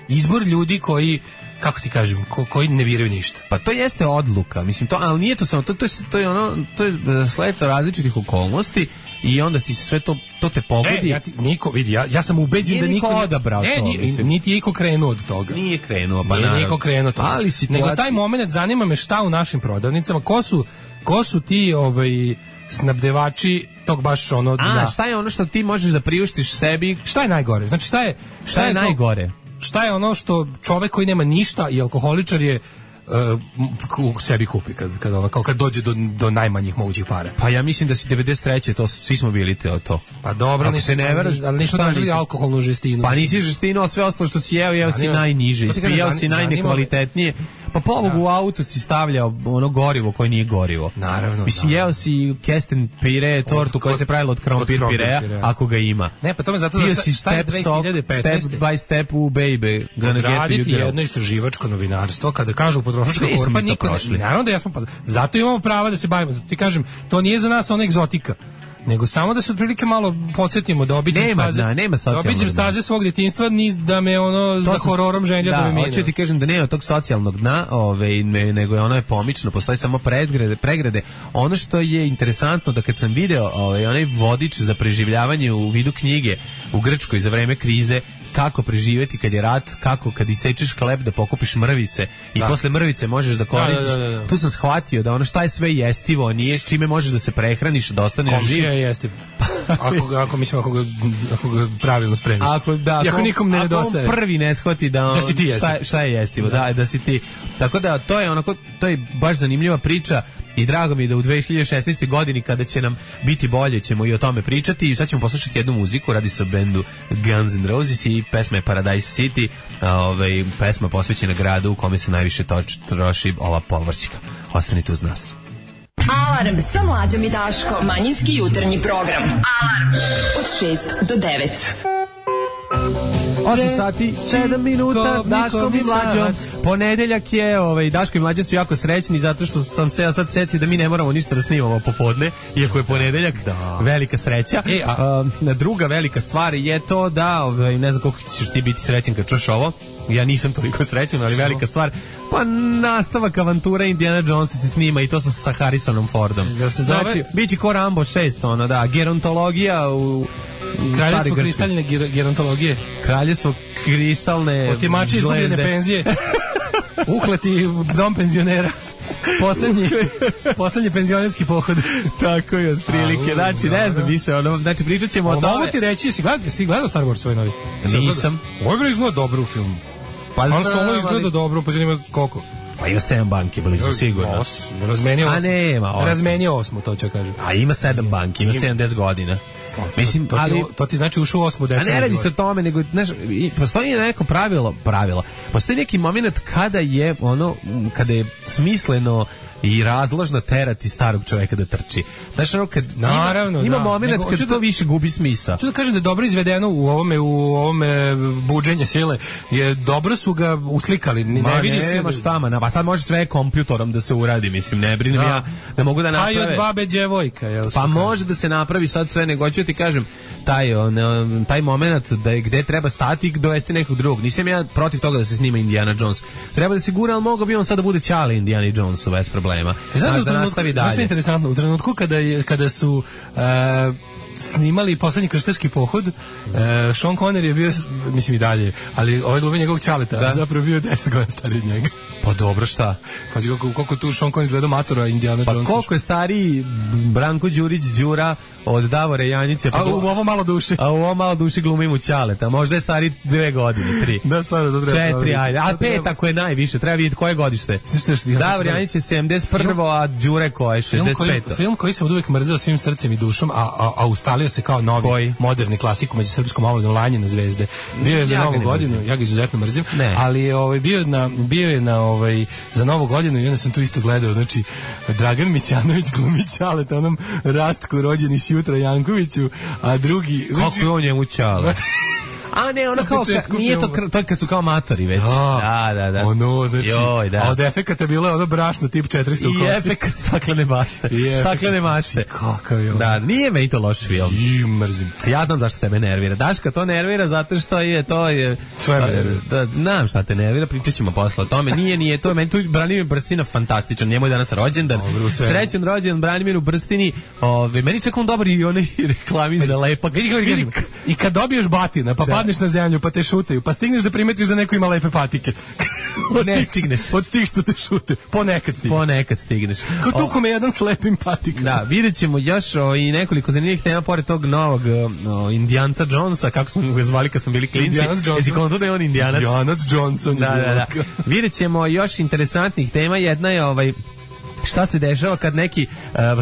izbor ljudi koji, kako ti kažem, koji ne biraju ništa. Pa to jeste odluka, mislim, ali nije to samo, to je sled različitih okolnosti i onda ti se sve to te pogodi. Niko vidi, ja sam ubeđen da niko odabrao to. Niti je niko krenuo od toga. Nije krenuo, pa nije niko krenuo od toga. Ali nego taj moment zanima me šta u našim prodavnicama, ko su ti snabdevači tog baš ono. Šta je ono što ti možeš da priuštiš sebi? Šta je najgore? Znači šta je najgore? Šta je ono što čovek koji nema ništa i alkoholičar je u sebi kupi kad dođe do najmanjih mogućih para? Pa ja mislim da si 93. to svi smo bili to. Pa dobro, ali nismo tražili alkoholnu žestinu. Pa nisi žestinu, a sve ostalo što si jeo si najniže, ispijao si najnekvalitetnije. Pa pobogu u auto si stavljao ono gorivo koje nije gorivo. Naravno. Mislim, jeo si kesten pire, tortu koja se pravila od krompir pirea, ako ga ima. Ne, pa to me zato što step by step u baby. Raditi jedno istraživačko novinarstvo, kada kažu potrošačka korpa, niko ne. Naravno da jesmo, zato imamo prava da se bavimo. Ti kažem, to nije za nas ona egzotika. Nego samo da se otprilike malo podsjetimo da obiđem staze svog djetinjstva, da me za hororom ženja da me mine. Hoću ti kažem da nema tog socijalnog dna, nego je ono je pomično, postoji samo pregrade. Ono što je interesantno da kad sam video onaj vodič za preživljavanje u vidu knjige u Grčkoj za vreme krize, kako preživjeti kad je rat, kako kad isečeš hleb da pokupiš mrvice i posle mrvice možeš da koristiš. Tu sam shvatio da ono šta je sve jestivo, nije čime možeš da se prehraniš, da ostaneš živ. Komšija je jestiv. Ako ga pravilno spremiš. Ako nikom ne nedostaje. Ako on prvi ne shvati da si ti šta je jestivo, da si ti. Tako da to je baš zanimljiva priča. I drago mi je da u 2016. godini kada će nam biti bolje ćemo i o tome pričati i sad ćemo poslušati jednu muziku, radi se o bendu Guns N' Roses i pesma je Paradise City, pesma posvećena gradu u kome se najviše troši ova povrćika. Ostanite uz nas. Alarm sa Mlađom i Daškom. Manjinski jutarnji program. Alarm od 6 do 9. 8 sati, 7 minuta, Daško i Mlađo. Ponedeljak je, Daško i Mlađo su jako srećni zato što sam se ja sad setio da mi ne moramo ništa da snimamo popodne, iako je ponedeljak, velika sreća. Druga velika stvar je to da, ne znam koliko ćeš ti biti srećen kad čuš ovo, ja nisam toliko srećan, ali velika stvar, pa nastavak avantura Indiana Jonesa se snima i to sa Harrisonom Fordom. Znači, biće ko Rambo 6, gerontologija u Kraljevstvo kristalne gerontologije. Kraljevstvo kristalne otimači izgubljene penzije. Ukleti dom penzionera. Poslednji penzionerski pohod. Tako je, otprilike. Znači, ne znam više, znači pričat ćemo o tome. Mogu ti reći, jesi gledao Star Wars svoj novi? Nisam. Ovo je izgleda dobro u filmu. Han Solo izgleda dobro, pa zanima koliko? Pa ima 7 banki blizu, sigurno. Razmenio 8. A nema 8. Razmenio 8, to ću kažem. A ima 7 banki, ima 70 godina. Mislim, to ti znači ušao u 8. decembru. A ne radi se o tome, nego postoji neko pravilo. Postoji neki moment kada je smisleno i razložno terati starog čoveka da trči. Znaš, kad ima moment kad to više gubi smisao. Ću da kažem da je dobro izvedeno u ovome buđenje sile. Dobro su ga uslikali. Ne vidi se. Pa sad može sve kompjutorom da se uradi, mislim, ne brinem ja da mogu da naprave. A i od babe djevojka. Pa može da se napravi sad sve, nego ću ti kažem, taj moment da je gde treba stati i dovesti nekog drugog. Nisam ja protiv toga da se snima Indiana Jones. Treba da se gura, ali mogao bi on sad da bude Ćale Indiana Jonesu bez problema. Znaš da nastavi dalje. Znaš što je interesantno? U trenutku kada su snimali poslednji krštaški pohod, Sean Connery je bio, mislim i dalje, ali ovaj glumi njegovog Ćaleta, zapravo bio 10 godina stariji od njega. Pa dobro, šta? Pa koliko tu Sean Connery izgleda matora Indiana Jonesa. Pa koliko je stariji Branko Đurić Đura od Davora Janjića. A u ovo malo duše. A u ovo malo duše glumi mu Ćaleta. Možda je stariji 2 godine, 3. Da, stvarno, to treba. 4, ajde. A 5 ako je najviše. Treba vidjeti koje godište. Davor Janjić je 71, a Đure koje je 65. Film koji sam od uvek mrzeo svim srcem i dušom, a ustalio se kao novi, moderni klasik među srpskom omladom, Lanje na zvezde. Bio je za Novu godinu, ja ga izuzetno mrzim, ali je bio je na za Novu godinu i onda sam tu isto gledao, znači Dragan Mićanović glumi Ćaleta, onom Rastku rođeni s jutra Jankoviću, a drugi... Kako je on njemu Ćale? A ne, ono kao, nije to je kad su kao matori već. Da. Ono, znači, a od efekata bilo je ono brašno tip 400 u kosi. I efekat staklene bašte. Staklene mašte. Kakav je on. Da, nije meni to loš film. Mrzim. Ja znam zašto tebe nervira. Daška to nervira zato što to je... Sve me nervira. Znam šta te nervira, pričat ćemo posle o tome. Nije to, meni tu Branimir Brstina fantastičan. Njemu je danas rođendan. Srećan rođendan Branimiru Brstini. Meni čak on dobar i onaj reklami za lepak. I kad dobiješ batina, pa padneš na zemlju, pa te šutaju, pa stigneš da primetiš da neko ima lepe patike. Ne stigneš. Od tih što te šute. Ponekad stigneš. Kao tu kome jedan s lepim patikom. Da, vidjet ćemo još i nekoliko zanimljivih tema pored tog novog Indijanca Jonesa, kako smo ga zvali kad smo bili klinci. Jesi konto da je on Indijanac? Indijanac Johnson. Da. Vidjet ćemo još interesantnih tema. Jedna je šta se dešava kad neki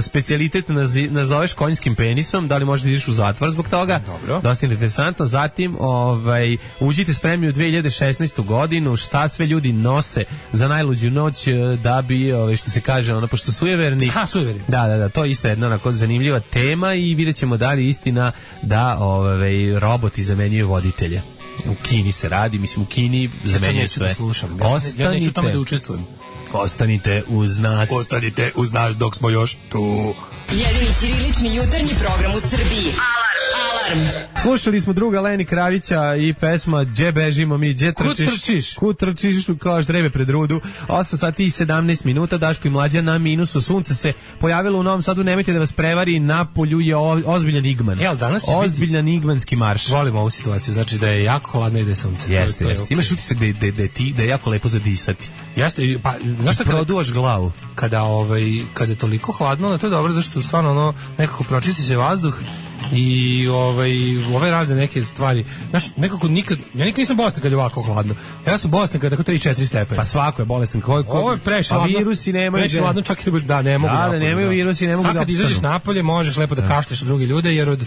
specijalitet nazoveš konjskim penisom, da li možda ideš u zatvor zbog toga? Dobro. Dosta interesantno. Zatim, uđite spremni u 2016. godinu, šta sve ljudi nose za najluđu noć da bi, što se kaže, pošto sujeverni. Aha, sujeverni. Da, to je isto jedna onako zanimljiva tema i vidjet ćemo da li istina da roboti zamenjuju voditelje. U Kini se radi, mislim u Kini zamenjuje sve. Ja neću tome da učestvujem. Ostanite uz nas. Ostanite uz nas dok smo još tu. Jedini ćirilični jutarnji program u Srbiji. Alarm! Slušali smo druga Leni Kravića i pesma Gdje bežimo mi, gdje trčiš? Kud trčiš, kao ždrebe pred rudu. 8 sati i 17 minuta, Daško i Mlađa na minusu. Sunce se pojavilo u Novom Sadu, nemojte da vas prevari, na polju je ozbiljan igman. Ozbiljan igmanski marš. Volimo ovu situaciju, znači da je jako hladno i da je sunce. Jeste. Imaš utisak da je jako lepo za disati. Jeste, pa znaš šta, produvaš glavu. Kada je toliko hladno, to je dobro, zašto stvarno nekako pročisti se vazduh i ove razne neke stvari. Znaš, nekako ja nikad nisam bolestan kad je ovako hladno. Ja sam bolestan kad je tako 3-4 stepena. Pa svako je bolestan. Ovo je prešladno. A virusi nemaju. Prešladno čak i da ne mogu. Da, nemaju virusi, ne mogu. Sad kad izađeš napolje, možeš lepo da kašlješ od druge ljude, jer od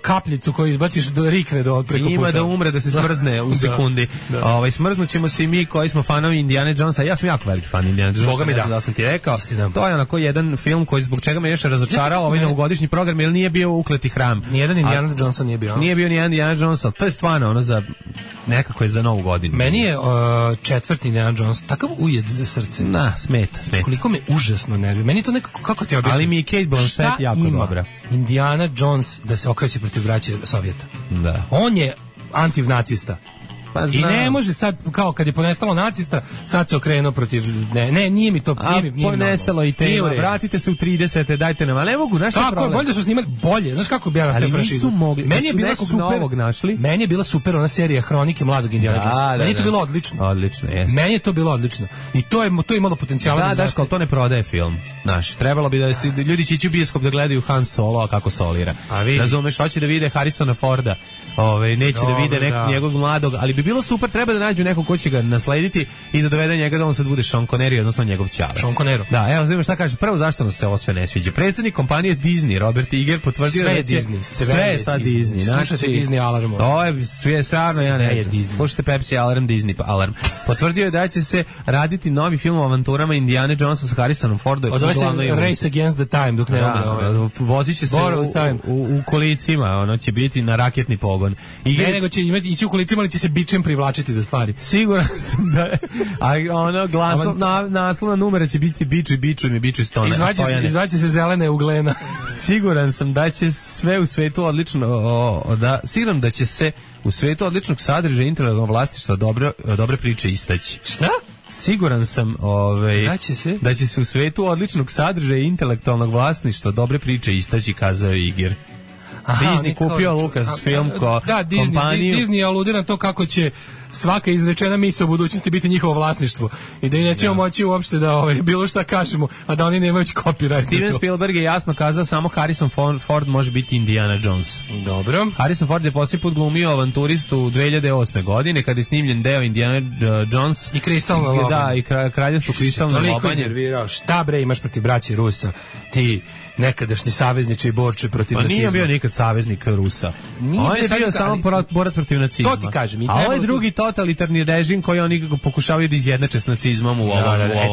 kapljicu koju izbaciš do rikne do preko puta. Ima da umre, da se smrzne u sekundi. Smrznućemo se i mi koji smo fanovi Indiana Jonesa. Ja sam jako veliki fan Indiana Jonesa. Boga mi da sam ti rekao. To je onako jedan film koji zbog čega me još razočarao ovaj novogodišnji program, jer nije bio Ukleti hram. Nijedan Indiana Johnson nije bio. Nije bio ni Indiana Johnson. To je stvarno za nekako je za Novu godinu. Meni je četvrti Indiana Jones takav ujed za srce. Da, smeta. Koliko me užasno nervira. Meni to nekako, kako ti objasnim? Ali mi je Kate Blanchett jako dobra. Indiana Jones da se okreće protiv braće Sovjeta. Da. On je antivnacista. Pa i ne može sad, kao kad je ponestalo nacista, sad se okrenuo protiv... Ne, nije mi to... Nije ponestalo i tema, vratite se u 30. dajte nam, ali ne mogu, znaš što je problem? Bolje da su snimali, bolje, znaš kako bi ja nastavio franšizu? Ali nisu mogli, meni je bila super, meni je bila super ona serija Hronike mladog Indiana Jonesa. Meni je to bilo odlično. Odlično, jeste. Meni je to bilo odlično. I to je imalo potencijala. Da, Daško, to ne prodaje film. Znaš, trebalo bi da ljudi će ići u bioskop da gledaju Han Solo, a kako solira. Razumeš, hoće da vide Harrisona Forda, neće da vide njegovog mladog, ali bi bilo super, treba da nađu nekog ko će ga naslediti i da dovede njega da on sad bude Sean Connery, odnosno njegov ćale. Sean Connery. Da, evo, znaš šta kažeš, prvo zašto nas se ovo sve ne sviđa. Predsjednik kompanije Disney, Robert Iger, potvrdio sve da je Disney. Sve je sad Disney. Sluša se Disney Alarm. To je sve stvarno, ja ne znam. Slušajte Pepsi Alarm, Disney Alarm. Potvrdio je da će se raditi novi film o avanturama Indiana Jonesa sa Harrisonom Fordom. Zove se Race Against the Time, dok ne umre. Vozit će se u kolicima, ono će biti na raketni pogon. sposoban. Ne, nego će ići u kolicima, ali će se bičem privlačiti za stvari. Siguran sam da je, a ono naslovna numera će biti bičuj Stojane. Izvaće se zelene uglena. Siguran sam da će sve u svetu odlično, siguran da će se u svetu odličnog sadržaja intelektualnog vlasništva dobre priče istaći. Šta? Siguran sam da će se u svetu odličnog sadržaja intelektualnog vlasništva dobre priče istaći, kazao je Iger. Disney kupio Lucasfilm kompaniju. Disney aludira na to kako će svaka izrečena misao u budućnosti biti njihovo vlasništvo i da i nećemo moći uopšte da bilo šta kažemo, a da oni nemaju copyright. Steven Spielberg je jasno kazao samo Harrison Ford može biti Indiana Jones. Dobro. Harrison Ford je posljednji put glumio avanturistu 2008. godine kada je snimljen deo Indiana Jones i Kristalna lobanja. Da, i kraljevstvo Kristalne lobanje. Toliko iznervirao. Šta bre imaš protiv braće Rusa? Ti nekadašnji savezniče i borče protiv nacizma. Nije bio nikad saveznik Rusa. On je bio samo borac protiv nacizma. To ti kažem. A ovo je drugi totalitarni režim koji oni pokušavaju da izjednače s nacizmom u ovom.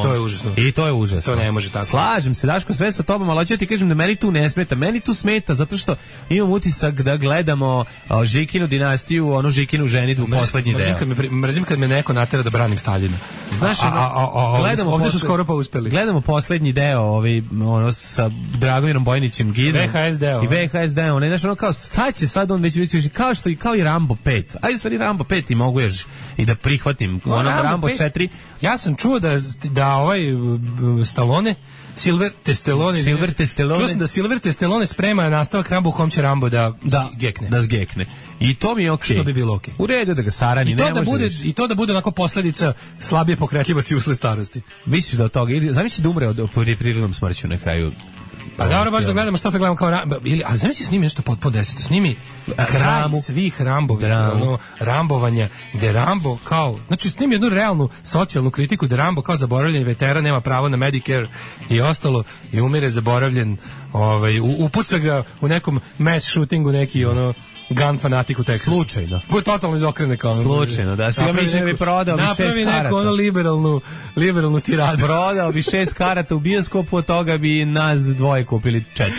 To je užasno. I to je užasno. To ne može tako. Slažem se, Daško, sve sa tobom, ali hoću ti kažem da meni tu ne smeta. Meni tu smeta zato što imam utisak da gledamo Žikinu dinastiju, onu Žikinu ženidbu, poslednji deo. Mrzim kad me neko natera da branim Staljina. Znaš, ovdje su skoro pa uspeli. Gledamo poslednji deo, sa Dragomirom Bojnićem Gidom. VHS deo. I VHS deo. Znaš, ono kao, šta će sad on već kao i Rambo 5. Ajde, stvari Rambo 5 i mogu još i da prihvatim. Rambo 4. Ja sam čuo da ovaj Stallone Silver Testelone. Čuo sam da Silver Testelone sprema nastavak Rambo u kom će Rambo da gekne. Da zgekne. I to mi je okej. Što bi bilo okej. U redu da ga sarani, I to da bude onako posljedica slabije pokretljivosti usled starosti. Misliš da od toga, zamisli da umre od prirodnom smrću na kraju. Pa dobro, baš da gledamo, šta se gledamo kao ali zamisli snimi nešto potpuno deseto, snimi kraj svih Rambovih, rambovanja, gde Rambo kao, znači snimi jednu realnu socijalnu kritiku, da Rambo kao zaboravljen veteran nema pravo na Medicare i ostalo i umire zaboravljen, upuca ga u nekom mass shootingu neki gun fanatik u Teksasu. Slučajno. Bude totalno izokrene kao. Slučajno, da. Si ga mislim da bi prodao bi 6 karata. Napravi neku liberalnu tiradu. Prodao bi 6 karata u bioskopu, od toga bi nas dvoje kupili 4.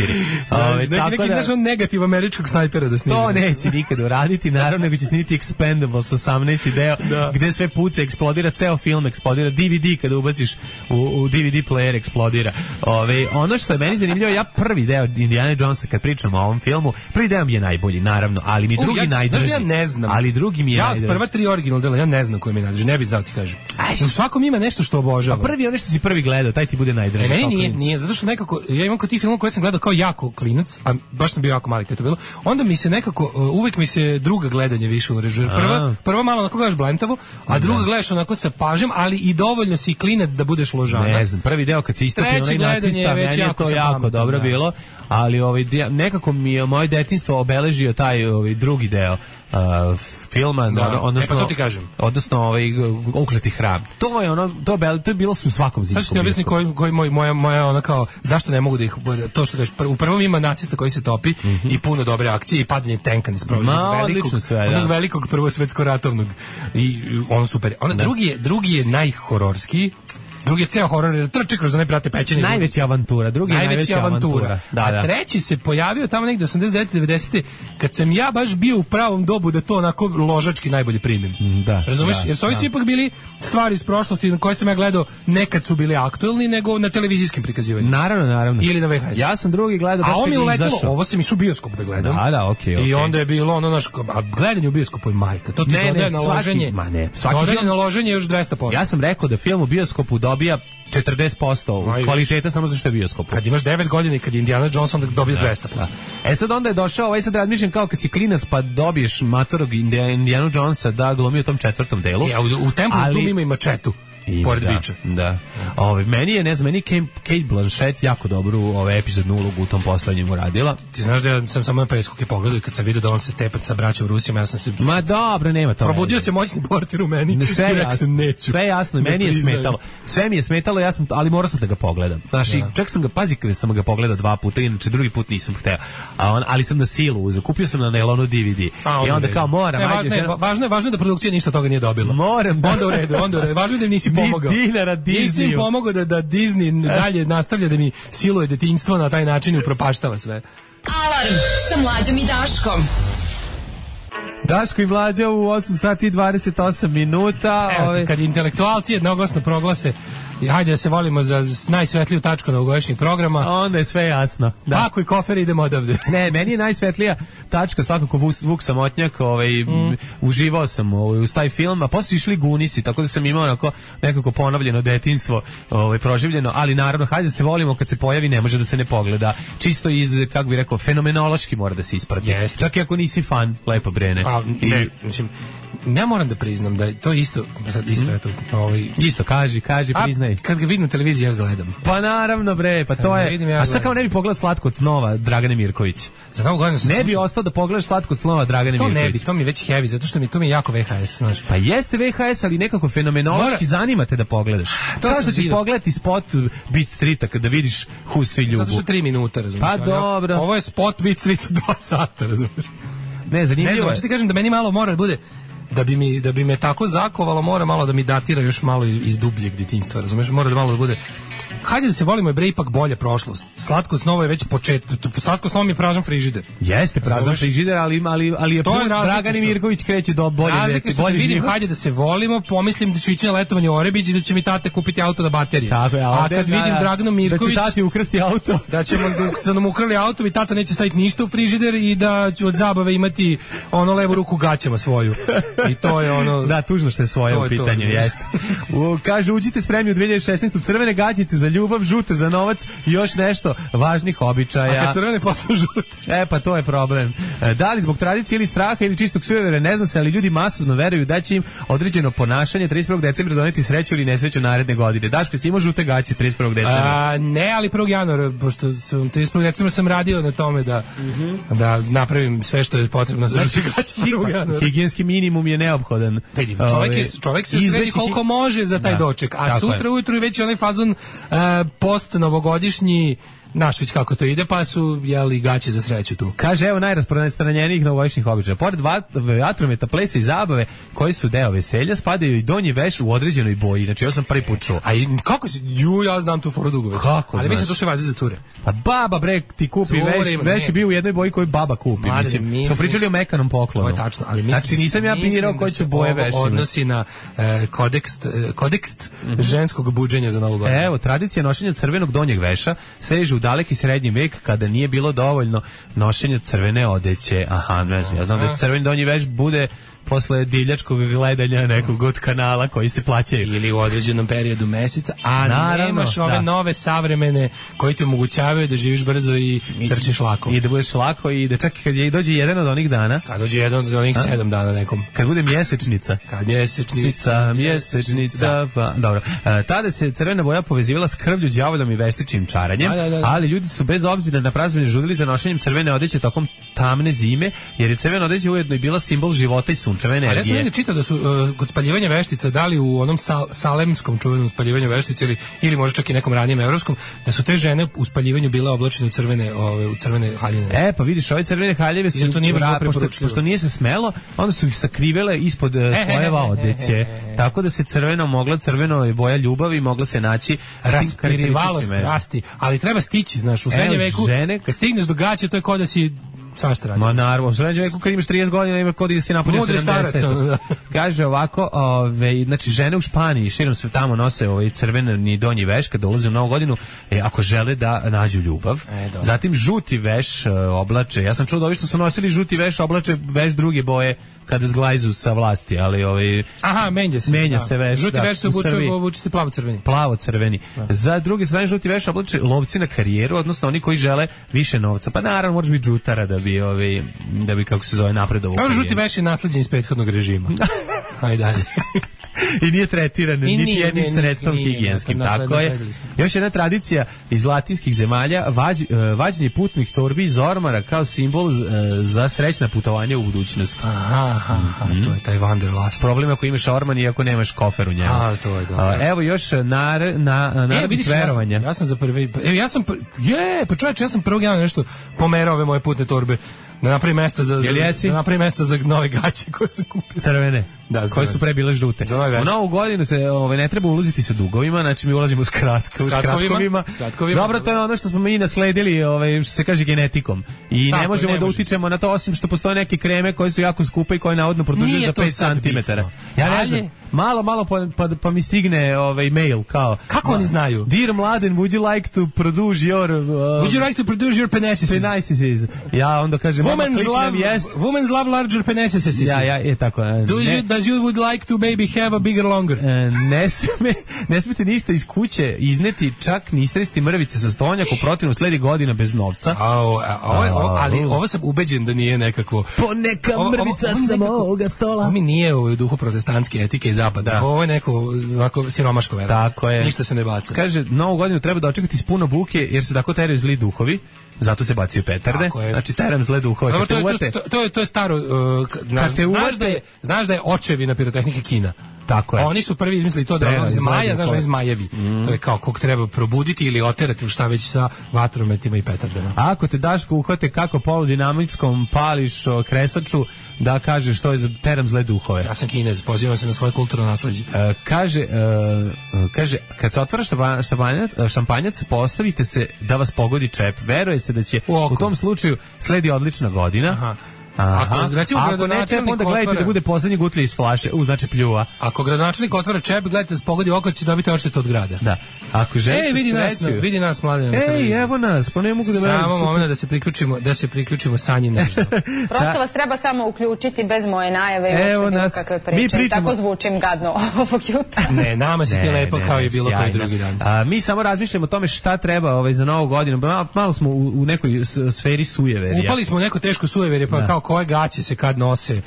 Neki negativ američkog snajpera da snimi. To neće nikad uraditi, naravno, nego će snimiti Expendables 18. deo, gde sve puca, eksplodira, ceo film eksplodira, DVD kada ubaciš u DVD player eksplodira. Ono što je meni zanimljivo, ja prvi deo Indiana Jonesa, kad pričamo o ovom filmu, prvi deo mi je najbolji, naravno, ali mi drugi najdrži. Ja ne znam. Ali drugi mi je najdrži. Prva 3 original dela, ja ne znam koji mi je najdrži. Ne bih znao ti kažem. U svakom ima nešto što obožavam. A prvi, ono što si prvi gledao, taj ti bude najdrži. Meni nije, zato što nekako, ja imam kod tih filmova koje sam gledao kao jako klinac, a baš sam bio jako mali kad je to bilo, onda mi se nekako, uvijek mi se druga gledanje više urežuje. Prva malo onako gledaš blentavo, a druga gledaš onako sa pažnjom, ali i dovoljno si klinac da budeš ložana. Ne znam, prvi deo kad se istopi onaj nacista, meni je to jako dobro bilo, ali nekako mi je moje detinjstvo obeležio taj drugi deo filma, odnosno to ti kažem. Odnosno Ukleti hram. To je bilo su u svakom zidu. Sad ću ti objasniti koji moja ona kao zašto ne mogu da ih, to što kažeš, u prvom ima nacista koji se topi i puno dobre akcije i padanje tenka niz onog velikog prvosvetsko-ratovnog i ono super. Drugi je najhororskiji. Drugi je ceo horor, jer trči kroz one prate pećine. Najveća avantura, drugi je najveća avantura. A treći se pojavio tamo negdje 89. 90. kad sam ja baš bio u pravom dobu da to onako ložački najbolje primim. Razumeš? Jer su ovi svi ipak bili stvari iz prošlosti na koje sam ja gledao, nekad su bili aktuelni nego na televizijskim prikazivanjima. Naravno. Ili na VHS. Ja sam drugi gledao baš kad je izašao. Ovo sam išao u bioskop da gledam. Okej. I onda je bilo a gledanje u bioskopu je majka. To ti dodaje na loženje. Dodaje na loženje još 200%. Ja sam rekao da film u bioskopu dobija 40% kvaliteta samo zato što je bioskop. Kad imaš 9 godina i kad je Indiana Jones onda dobije 200%. Sad onda je došao, sad razmišljam kao kad si klinac pa dobiješ matorog Indiana Jonesa da glumi u tom 4. delu. U Templu tu ima i mačetu. Pored biča. Da. Meni je, meni Kate Blanchett jako dobru epizodnu ulogu u tom poslednjem uradila. Ti znaš da ja sam samo na preskoke pogledao i kad sam vidio da on se tepa sa braćom Rusima, ja sam se... Ma dobro, nema to. Probudio se moćni portir u meni. Sve jasno, meni je smetalo. Sve mi je smetalo, ali morao sam da ga pogledam. Znaš, čak sam ga, pazi kada sam ga pogledao 2 puta, inače drugi put nisam hteo. Ali sam na silu uzeo. Kupio sam na nailonu DVD. I onda kao moram. Važno je da produkcija ništa toga nije dobila. Moram. Onda u redu. Važno je da nisi pomogao. Nisi im pomogao da Disney dalje nastavlja da mi siluje detinjstvo na taj način i upropaštava sve. Alarm sa Mlađom i Daškom. Daško i Mlađa u 8 sati i 28 minuta. Evo, kad intelektualci jednoglasno proglase i hajde da se volimo za najsvetliju tačku novogodišnjeg programa, onda je sve jasno. Da. Pako i kofer, idemo odavde. Ne, meni je najsvetlija tačka svakako Vuk Samotnjak, uživao sam uz taj film, a posle išli Gunisi, tako da sam imao nekako ponovljeno detinjstvo proživljeno, ali naravno, hajde da se volimo, kad se pojavi ne može da se ne pogleda. Čisto iz, kako bih rekao, fenomenološki mora da se isprati. Yes. Čak i ako nisi fan Lepa Brene. Ne, mislim, ja moram da priznam da je to isto, isto, kaži, priznaj. Kad ga vidim na televiziji, ja gledam. Pa naravno, bre, pa to je. A sad kao ne bi pogledao Slatko od snova Dragane Mirković. Za Novu godinu ne bi ostao da pogledaš Slatko od snova Dragane Mirković. To ne bi, to mi je već heavy, zato što to mi je jako VHS, znaš. Pa jeste VHS, ali nekako fenomenološki zanimate da pogledaš. Kao što ćeš pogledati spot Beat Streeta kada vidiš Who svi ljubu. Zato što 3 minuta, razumiješ. Pa dobro. Ovo je spot Beat Streeta 2 sata, razumiješ. Ne, zanimljivo. Ne znam, hoću ti kažem da meni malo mora da bude da bi me tako zakovalo, mora malo da mi datira još malo iz dubljeg detinjstva, razumeš? Mora da malo da bude. Hajde da se volimo, je bre ipak bolje prošlost. Slatko snovo je već Slatko snovo mi je prazan frižider. Jeste prazan frižider, ali je Dragani Mirković kreće do bolje. Bolje vidim, hajde da se volimo, pomislim da ću ići na letovanje u Orebić i da će mi tate kupiti auto na baterije. Tako je, a kad vidim Draganu Mirković, da će tati ukrasti auto, da ćemo da nam ukrali auto i tata neće staviti ništa u frižider i da ću od zabave imati ono levu ruku gaćama svoju. I to je ono. Da, tužno što je svoje u pitanju, jeste. Kaže, uđite spremni u 2016. crvene gaćice za ljubav, žute za novac i još nešto važnih običaja. A kad crvene postanu žute? Pa to je problem. Da li zbog tradicije ili straha ili čistog sujevere, ne zna se, ali ljudi masovno veruju da će im određeno ponašanje 31. decembra doneti sreću ili nesreću naredne godine. Daško, si imao žute gaće 31. decembra? Ne, ali 1. januara, pošto 31. decembra sam radio na tome da napravim sve što je potrebno za žute gaće 1. januara. Higijenski minimum je neophodan. Čovjek se sredi koliko može za taj doček, a sutra ujutru je već onaj fazon post novogodišnji, naš već kako to ide, pa su jeli gaće za sreću tu. Kaže, evo najrasprostranjenijih novogodišnjih običaja. Pored vatrometa, plesa i zabave koji su deo veselja, spadaju i donji veš u određenoj boji. Znači, ja sam prvi put čuo. A kako si? Ja znam tu foru dugo već. Kako? Ali mislim to sve vazi za cure. Pa baba bre ti kupi veš je bio u jednoj boji koju baba kupi. Mislim, smo pričali o mekanom poklonu. To je tačno, ali znači nisam ja birao koji će boje veš. Odnosi na kodekst ženskog buđenja za Novu godinu. Evo, tradicija nošenja crvenog donjeg veša seže u daleki srednji vek kada nije bilo dovoljno nošenja crvene odeće. Aha, ne znam, ja znam da crveni donji veš bude posle divljačkog gledanja nekog od kanala koji se plaćaju. Ili u određenom periodu meseca, a naravno, nemaš ove nove savremene koji ti omogućavaju da živiš brzo i trčiš lako. I da budeš lako i da čak kad dođe jedan od onih dana. Kad dođe jedan od onih 7 dana nekom. Kad bude mjesečnica. Kad mjesečnica. Pa, dobro. Tada se crvena boja povezivala s krvlju, đavolom i veštičnim čaranjem, ali ljudi su bez obzira na praznovanje žudili za nošenjem crvene odeće tokom tamne zime, jer je crvena odeća ujedno i bila simbol života i sunčeve energije. Ali ja sam negdje čitao da su kod spaljivanja veštica, da li u onom salemskom čuvenom spaljivanju veštica ili možda čak i nekom ranijem evropskom, da su te žene u spaljivanju bile oblačene u crvene haljine. Pa vidiš, ove crvene haljeve su pošto nije se smelo, onda su ih sakrivele ispod slojeva odeće. Tako da se crveno je boja ljubavi, mogla se naći raspirivalo strasti, ali treba stići, znaš, u srednjem veku, kad stigneš do gaće, to je kao da si svašta radi. Ma naravno, u srednjem veku kad imaš 30 godina ima kod da si napunio 70. Kaže ovako, znači žene u Španiji širom sve tamo nose crveni donji veš kad dolaze u Novu godinu, ako žele da nađu ljubav. Zatim žuti veš oblače. Ja sam čuo da ovi što su nosili žuti veš oblače veš druge boje kada zglajzu sa vlasti, ali aha, menja se veš. Žuti veš se obuče se plavo-crveni. Plavo-crveni. Za druge strane žuti veš oblače lovci na karijeru, odnosno oni koji žele više novca. Pa naravno možeš biti žutara da bi kako se zove napredovo. Kao žuti veš je nasleđen iz prethodnog režima. Ajde dalje. I nije tretiran niti jednim sredstvom higijenskim. Tako je. Još jedna tradicija iz latinskih zemalja, vađenje putnih torbi iz ormara kao simbol za srećna putovanja u budućnost. To je taj wanderlust. Problem ako imaš orman i ako nemaš kofer u njemu. To je dobro. Evo još narodnih verovanja. Ja sam za prvi... pa čovječe, ja sam 1. januara nešto pomerao ove moje putne torbe. Da napravi mesto za nove gaće koje su kupili. Crvene. Da, koje su pre bile žute. U novu godinu se ne treba ulaziti sa dugovima, znači mi ulazimo s kratkovima. Dobro, to je ono što smo mi nasledili, što se kaže genetikom. I ne možemo da utičemo na to, osim što postoje neke kreme koje su jako skupe i koje navodno produžuju za 5 cm. Ja ne znam, malo pa mi stigne mail kao. Kako oni znaju? Dear Mladen, would you like to produce your penises? Ja onda kažem, women's love larger penises. Ja, je tako. Does you would like to maybe have a bigger longer? Ne smete ništa iz kuće izneti, čak ni istresti mrvice sa stonjak, u protivnom sledi godina bez novca. Ali ovo sam ubeđen da nije nekako... Poneka mrvica sa moga stola. Ovo mi nije u duhu protestantske etike i zapada. Ovo je neko ovako siromaško vera. Tako je. Ništa se ne baca. Kaže, novu godinu treba da očekati s puno buke, jer se tako teraju zli duhovi. Zato se bacaju petarde. Znači teram zle duhove. To je staro. Znaš da je očevina pirotehnike Kina. Tako je. Oni su prvi izmislili to da je zmaja, znaš, zmajevi. To je kao kog treba probuditi ili oterati šta već sa vatrometima i petardama. Ako te Daško uhvate kako poludinamitskom pališ kresaču, da kažeš što je za teram zle duhove. Ja sam Kinez, pozivam se na svoje kulturno nasleđe. Kaže, kad se otvara šampanjac, postavite se da vas pogodi čep. Veruje se da će u tom slučaju sledi odlična godina. Ako ne čep, onda gledajte da bude poslednji gutlje iz flaše, znači pljuva. Ako gradonačelnik otvara čep, gledajte da se pogodi oko, će dobiti odštetu od grada. Da. Ako želite vidi nas mladen. Evo nas, pa ne mogu da verujem. Samo moment da se priključimo Sanji nešto. Prosto vas treba samo uključiti bez moje najave i uopće bilo kakve priče. Tako zvučim gadno ovog jutra. Ne, nama si ti lepo kao i bilo koji drugi dan. Mi samo razmišljamo o tome šta treba za novu godinu. Malo smo u nekoj sferi sujeverja. Upali smo u neko teško sujeverje, pa kao koje gaće se kad nose,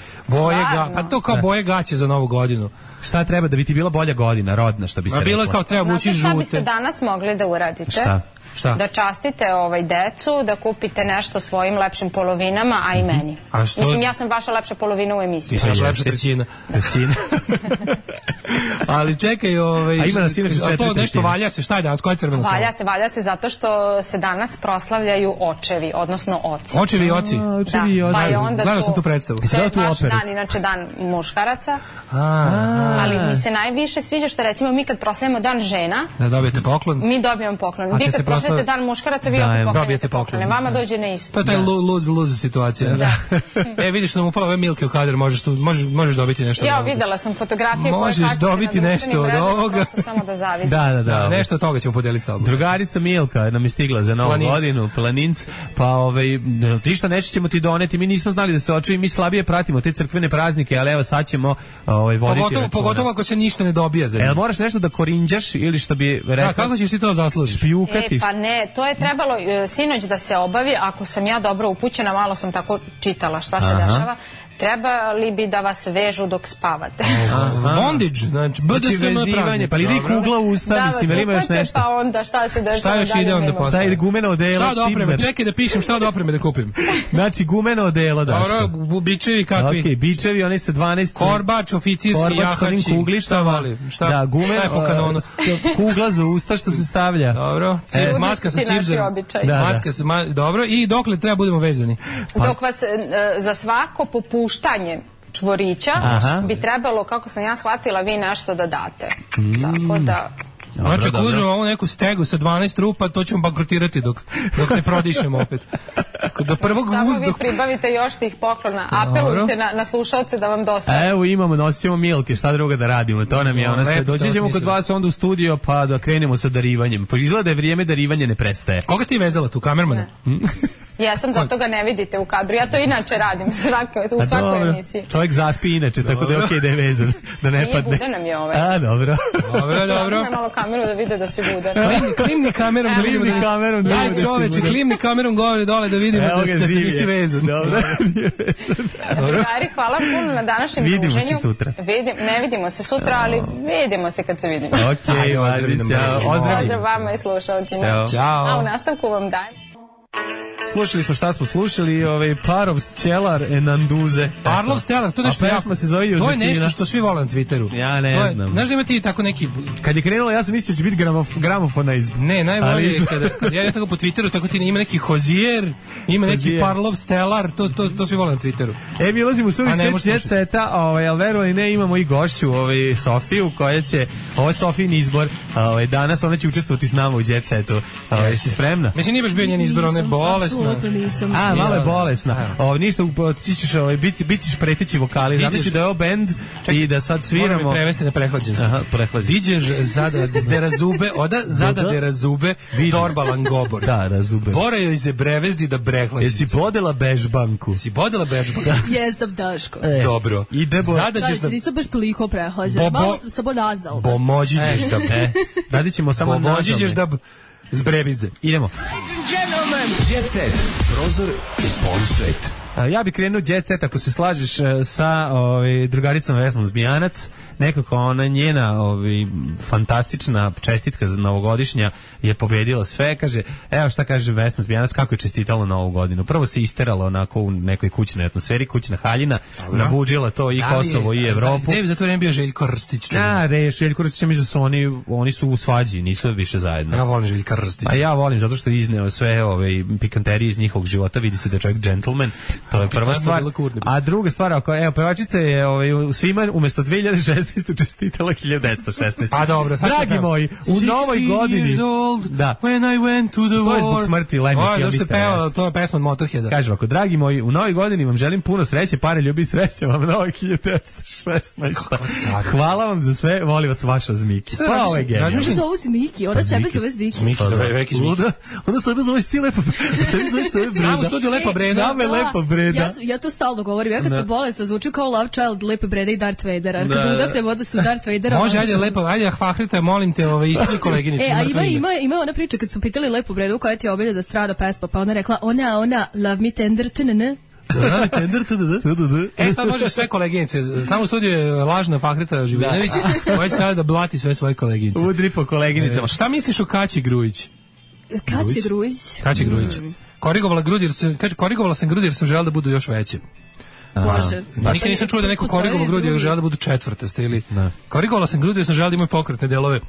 pa to kao boje gaće za novu godinu. Šta treba da bi ti bila bolja godina, rodna, što bi se rekla? Bilo je kao treba vući žute. Šta biste danas mogli da uradite? Šta? Da častite decu, da kupite nešto svojim lepšim polovinama, a i meni. Mislim, ja sam vaša lepša polovina u emisiji. Ti sam lepša trećina. Ali čekaj, to nešto valja se, šta je danas, koja je crvena slava? Valja se zato što se danas proslavljaju očevi, odnosno oci. Očevi i oci? Da, gledao sam tu predstavu. To je naš dan, inače dan muškaraca, ali mi se najviše sviđa što recimo mi kad proslavimo dan žena, da dobijete poklon, mi dobijemo poklon. Vi kad proslavite dan muškaraca, vi opet poklanjate poklone. Vama dođe ne isto. To je taj lose situacija. Vidiš da nam upala ove Milke u kadar, možeš dobiti nešto od ovoga. Ja videla sam fotografije koje možeš dobiti nešto od ovoga. Samo da zavidim. Da. Nešto od toga ćemo podeliti s tobom. Drugarica Milka nam je stigla za novu godinu, Planinc, pa ti što nešto ćemo ti doneti, mi nismo znali da se očuvi, mi slabije pratimo te crkvene praznike, ali evo sad ćemo voditi računa. Pogotovo ako se ništa ne dobija za njih. Moraš nešto da korinđaš ili što bi rekao... Kako ćeš ti to zaslužiti? Špijukati. Pa ne, to je trebalo sinoć da se obavi, ako sam ja dobro upućena, malo sam tako čitala šta se dešava. Trebali bi da vas vežu dok spavate. Bondage, znači BDSM praznik. Pa li ide kugla u usta, mislim, ili imaš nešto? Pa onda šta se dešava? Šta još ide onda posle? Šta ide gumeno odelo? Šta od opreme? Čekaj da pišem šta od opreme da kupim. Znači gumeno odelo, Daško. Dobro, bičevi kakvi? Okej, bičevi, oni sa 12... Korbač, oficirski, jahači. Šta vali? Šta je po kanonu? Kugla za usta što se stavlja. Dobro, maska sa cipzerom. Dobro, i dokle treba budemo vezani? Dok vas za svako popuštanje čvorića bi trebalo, kako sam ja shvatila, vi nešto da date. Tako da... Znači, ako uzmemo ovu neku stegu sa 12 rupa, to ćemo bankrotirati dok ne prodišemo opet. Samo vi pribavite još tih poklona. Apelujte na slušalce da vam dostane. Evo nosimo Milke, šta drugo da radimo. To nam je ona sve. Doći ćemo kod vas onda u studio pa da krenemo sa darivanjem. Pa izgleda da je vrijeme darivanje ne prestaje. Koga ste ti vezala tu, kamermana? Ja sam, zato ga ne vidite u kadru. Ja to inače radim u svakoj emisiji. Čovjek zaspi inače, tako da je okej da je vezan. Da ne padne. Nije budan nam je ovaj. A, dobro. Dobro. Malo kameru da vide da si budan. Klimni kamerom da vidimo. Aj čoveče, klimni kamerom gore dole da vidimo da nisi vezan. Dobro. Drugari, hvala puno na današnjem druženju. Vidimo se sutra. Ne vidimo se sutra, ali vidimo se kad se vidimo. Okej, pozdrav vama i slušalcima. Ćao. A u nastavku vam dajem. Slušali smo šta smo slušali, Parov Stelar Enanduze. Parlov Stelar, to nešto jako. To je nešto što svi vole na Twitteru. Ja ne znam. Znaš da ima ti tako neki... Kad je krenulo, ja sam mislio da će biti gramofona iz... Ne, najbolje je kad ja tako po Twitteru, tako ti ima neki Hozier, ima neki Parlov Stelar, to svi vole na Twitteru. Mi ulazimo u suvi svijet Jet Seta, ali verovali ne, imamo i gošću, Sofiju, koja će, ovo je Sofijin izbor, danas ona će učestvovati s nama u Jet Setu. Jesi spremna? Mislim, nije baš bio njen izbor, ona je bolesna. Malo je bolesna. Ništa, bit ćeš preteći vokali. Zamisli da je ovo bend i da sad sviramo. Moram mi prevesti na prehlađenski. Diđeš zada de razube, zada de razube, torba langobor. Da, razube. Bora joj se brevezdi da brehlađenski. Jesi bodela bežbanku? Jesam, Daško. Dobro. Nisam baš toliko prehlađena. Malo sam samo nazal. Pomođiđeš da... Radit ćemo samo nazal. Pomođiđeš da... Zbrebize. Idemo. Jet Set. Prozor u polusvet. Ja bih krenuo Jet Set ako se slažeš sa drugaricom Vesnom Zbijanac. Nekako ona njena fantastična čestitka za novogodišnja je pobedila sve. Kaže, evo šta kaže Vesna Zbijanac, kako je čestitala novu godinu. Prvo se isterala onako u nekoj kućnoj atmosferi, kućna haljina, nabuđila to i Kosovo i Evropu. Ne bi za to vreme bio Željko Rstić. Željko Rstić, mislim da su oni su u svađi, nisu više zajedno. Ja volim Željka Rstić. A ja volim zato što je izneo sve pikanterije iz njihovog života, vidi se da je čovjek džentlmen. To je prva stvar. A druga stvar, pevačica je svima umesto 2016 čestitala 1916. A dobro, sad dragi moji, u novoj godini. Da. When I went to the war. To je zbog smrti Lemmy Kilmister. To je pesma od Motorheada. Kažem ovako, dragi moji, u novoj godini vam želim puno sreće, pare, ljubi i sreće vam novoj 1916. Hvala vam za sve, volim vas vaša Zmiki. Pa ovo je genijalno. Ona zove Zmiki, ona sebe zove Zmiki. Ona sebe zove sti Lepa Breda. Znamo studiju Lepa Breda. Lepa Breda. Ja to stalno govorim. Ja kad sam bolesna zvuči kao Love Child, Lepe Breda i Darth Vader. A kad udahnem onda su Darth Vadera. Može, ajde Lepa, ajde Fahrita, molim te, ispili koleginicu. A ima ona priča kad su pitali Lepu Bredu koja ti je obilja da strada pesma, pa ona rekla ona, love me tender, tnn. Sad možeš sve koleginice. Znamo u studiju je lažna Fahrita Živinović, koja će sada da blati sve svoje koleginice. Udri po koleginicama. Šta misliš o Kaći Grujić? Kaći Grujić. Korigovala sam grudi jer sam želela da budu još veće. Bože. Nikad nisam čuo da neko korigovao grudi jer želela da budu četvrtaste ili... Korigovala sam grudi jer sam želela da imaju pokretne delove.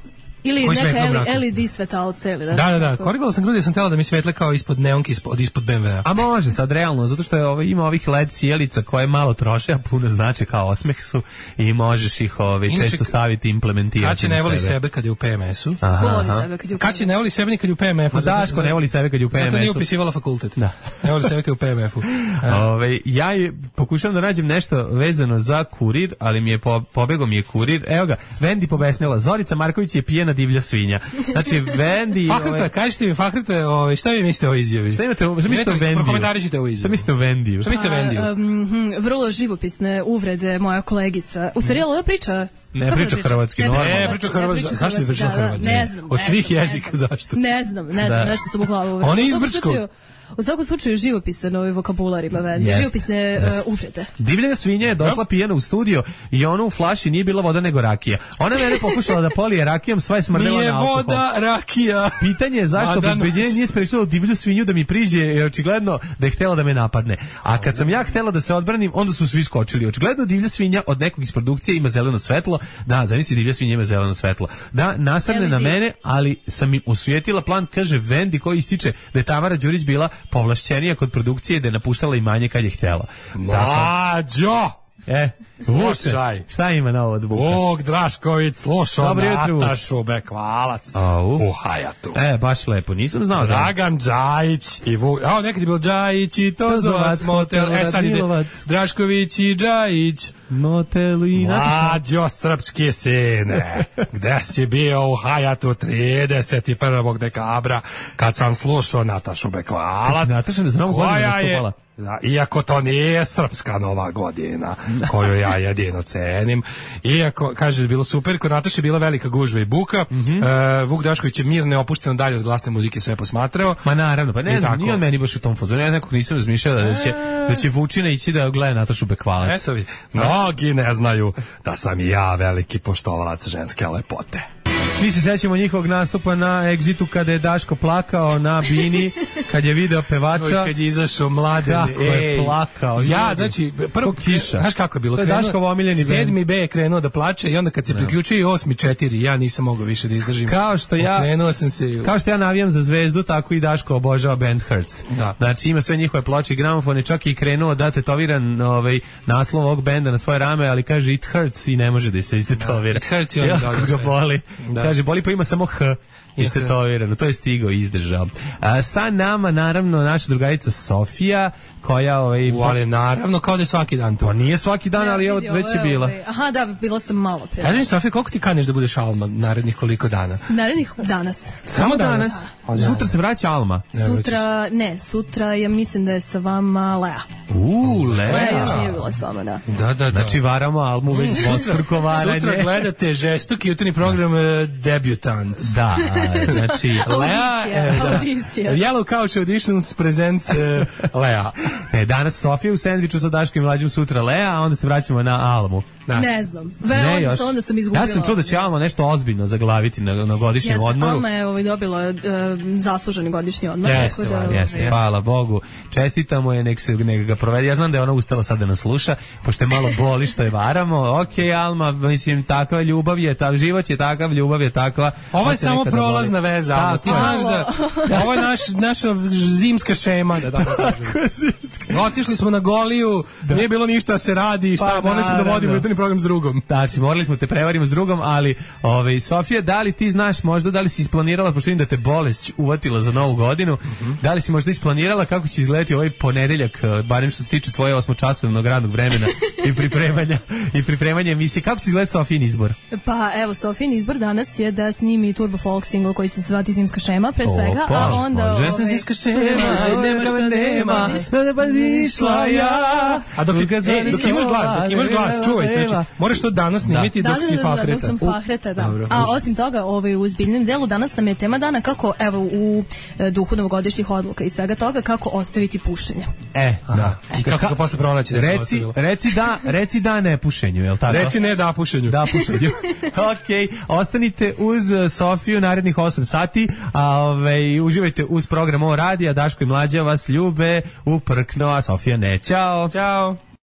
Ili neka LED svetalce ili da. Korigovala sam grudi jer sam htjela da mi svetle kao ispod neonke, ispod BMW-a. A može sad realno, zato što ima ovih LED sjelica koje malo troše, a puno znače kao osmeh su i možeš ih često staviti i implementirati. Kaći ne voli sebe kad je u PMS-u. Ko voli sebe kad je u PMS-u? Kaći ne voli sebe ni kad je u PMF-u. Daško ne voli sebe kad je u PMS-u. Zato nije upisivala fakultet. Ne voli sebe kad je u PMF-u. Ja pokušavam da nađem nešto vezano za kurir, ali mi je pobegao mi je kurir. Evo ga, Vendi pobesnila. Zorica Marković je pijena divlja svinja. Znači, Vendi... Fahrita, kažete mi, Fahrita, šta vi mislite o izjavi? Šta mislite o Vendiju? Prokomentarišite o izjavi. Šta mislite o Vendiju? Šta mislite o Vendiju? Vrlo živopisne uvrede moja kolegica. U serijalu ona priča... Ne priča hrvatski, normalno. Ne priča hrvatski. Zašto mi priča hrvatski? Ne znam. Od svih jezika, zašto? Ne znam, nešto sam u glavu uvreda. On je izbrčko. U svakom slučaju živopisan ovaj vokabular ima Vendi. Živopisne uvrede. Divljena svinja je došla pijena u studio i ona u flaši nije bila voda nego rakija. Ona mene pokušala da polije rakijom, sva je smrdela na alkohol. Nije voda, rakija. Pitanje je zašto obezbeđenje nije sprečilo divlju svinju da mi priđe, jer očigledno da je htjela da me napadne. A kad sam ja htjela da se odbranim, onda su svi skočili. Očigledno divlja svinja od nekog iz produkcije ima zeleno svetlo. Da, zamisli divlja svinja ima zeleno svetlo. Da, nasrne na mene, ali sam im osujetila plan, kaže Vendi koji ističe da je Tamara Đurić bila povlašćenija kod produkcije, da je napuštala imanje kad je htjela. Mlađo! Slušaj. Šta ima na ovo od Buka? Bog Drašković slušao Natašu Bekvalac u Hajatu. Baš lepo, nisam znao. Dragan Džajić i nekad je bilo Džajić i Tozovac, Motel, sad ide Drašković i Džajić. Motel i Mlađo srpske sine, gde si bio u Hajatu 31. dekabra kad sam slušao Natašu Bekvalac, Nataša ne znam koja je, iako to nije srpska nova godina koju ja jedino cenim, iako, kaže, je bilo super, kod Nataše je bila velika gužva i buka, Vuk Drašković je mirno opušteno dalje od glasne muzike sve posmatrao. Ma naravno, pa ne znam, nije on meni baš u tom fazonu, ja nekog nisam razmišljao da će Vučina ići da gleda Natašu Bekvalac. Eto vi, mnogi ne znaju da sam i ja veliki poštovalac ženske lepote. Svi se sećamo njihovog nastupa na Exitu kada je Daško plakao na bini kad je video pevača, kad je izašao Mladen, kako je plakao. Ja, znači, prvo kiša. Znaš kako je bilo? To je Daškov omiljeni bend. 7. B je krenuo da plače i onda kad se priključio i 8. 4, ja nisam mogao više da izdržim. Kao što ja navijam za Zvezdu, tako i Daško obožava band Hurts. Da. Znači ima sve njihove ploče i gramofone, čak i krenuo da tetoviran naslov ovog benda na svoje rame, ali kaže it hurts i ne može da se istetovira. It hurts i on ga boli. Kaže boli pa ima samo H. Istetovirano, to je stigao i izdržao. Sa nama, naravno, naša drugarica Sofija, koja... ali naravno, kao da je svaki dan to. Pa nije svaki dan, ali evo, već je bila. Aha, da, bila sam malo pre. Kaži mi, Sofija, koliko ti kaneš da budeš Alma narednih koliko dana? Narednih danas. Samo danas? Sutra se vraća Alma? Sutra ja mislim da je sa vama Lea. Lea. Lea još nije bila s vama, da. Da. Znači varamo Almu već dvostruko varanje. Sutra gledate žestoki jutarnji program Debutants. Da, znači Lea, audicija. Yellow Couch Auditions presents Lea. Danas Sofija u sendviču sa Daškom i Mlađom, sutra Lea, a onda se vraćamo na Almu. Da. Ne znam. Onda sam izgubila. Ja sam čuo da će Alma nešto ozbiljno zaglaviti na godišnjem odmoru. Alma je dobila zasluženi godišnji odmor. Jeste, hvala Bogu. Čestitamo je, nek ga provede. Ja znam da je ona ustala sad da nas sluša, pošto je malo boli što je varamo. Okej, Alma, mislim, takva ljubav je, život je takav, ljubav je takva. Ovo je samo prolazna veza, Alma. Ti znaš da ovo je naša zimska šema, da tako kažem. Otišli smo na Goliju, nije bilo ništa da se radi, šta, morali smo da vodimo jutarnji program s drugom. Znači, morali smo te prevarimo s drugom, ali Sofija, da li ti znaš možda, da li si isplanirala, pošto vidim da te bolest uvatila za novu godinu, da li si možda isplanirala kako će izgledati ovaj ponedeljak, barem što se tiče tvoje 8-časovnog radnog vremena i pripremanja emisije, kako će izgledati Sofijin izbor? Pa evo, Sofijin izbor danas je da snimi Turbo Folk single koji se zvati Zimska šema, pre svega, a onda... Zimska šema, nema šta nema, da pa mišla ja. A dok imaš glas, čuvajte, znači, moraš to danas snimiti dok si fahreta. Dok sam fahreta, da. A osim toga, u ozbiljnom delu danas nam je tema dana kako, evo, u duhu novogodišnjih odluka i svega toga, kako ostaviti pušenje. Da. I kako ga posle pronaći da se ostavilo. Reci da ne pušenju, je li tako? Reci ne da pušenju. Da pušenju. Okej, ostanite uz Sofiju narednih 8 sati, a uživajte uz program O radija, Daško i Mlađa vas ljube uprkno, a Sofija ne. Ćao. Ćao.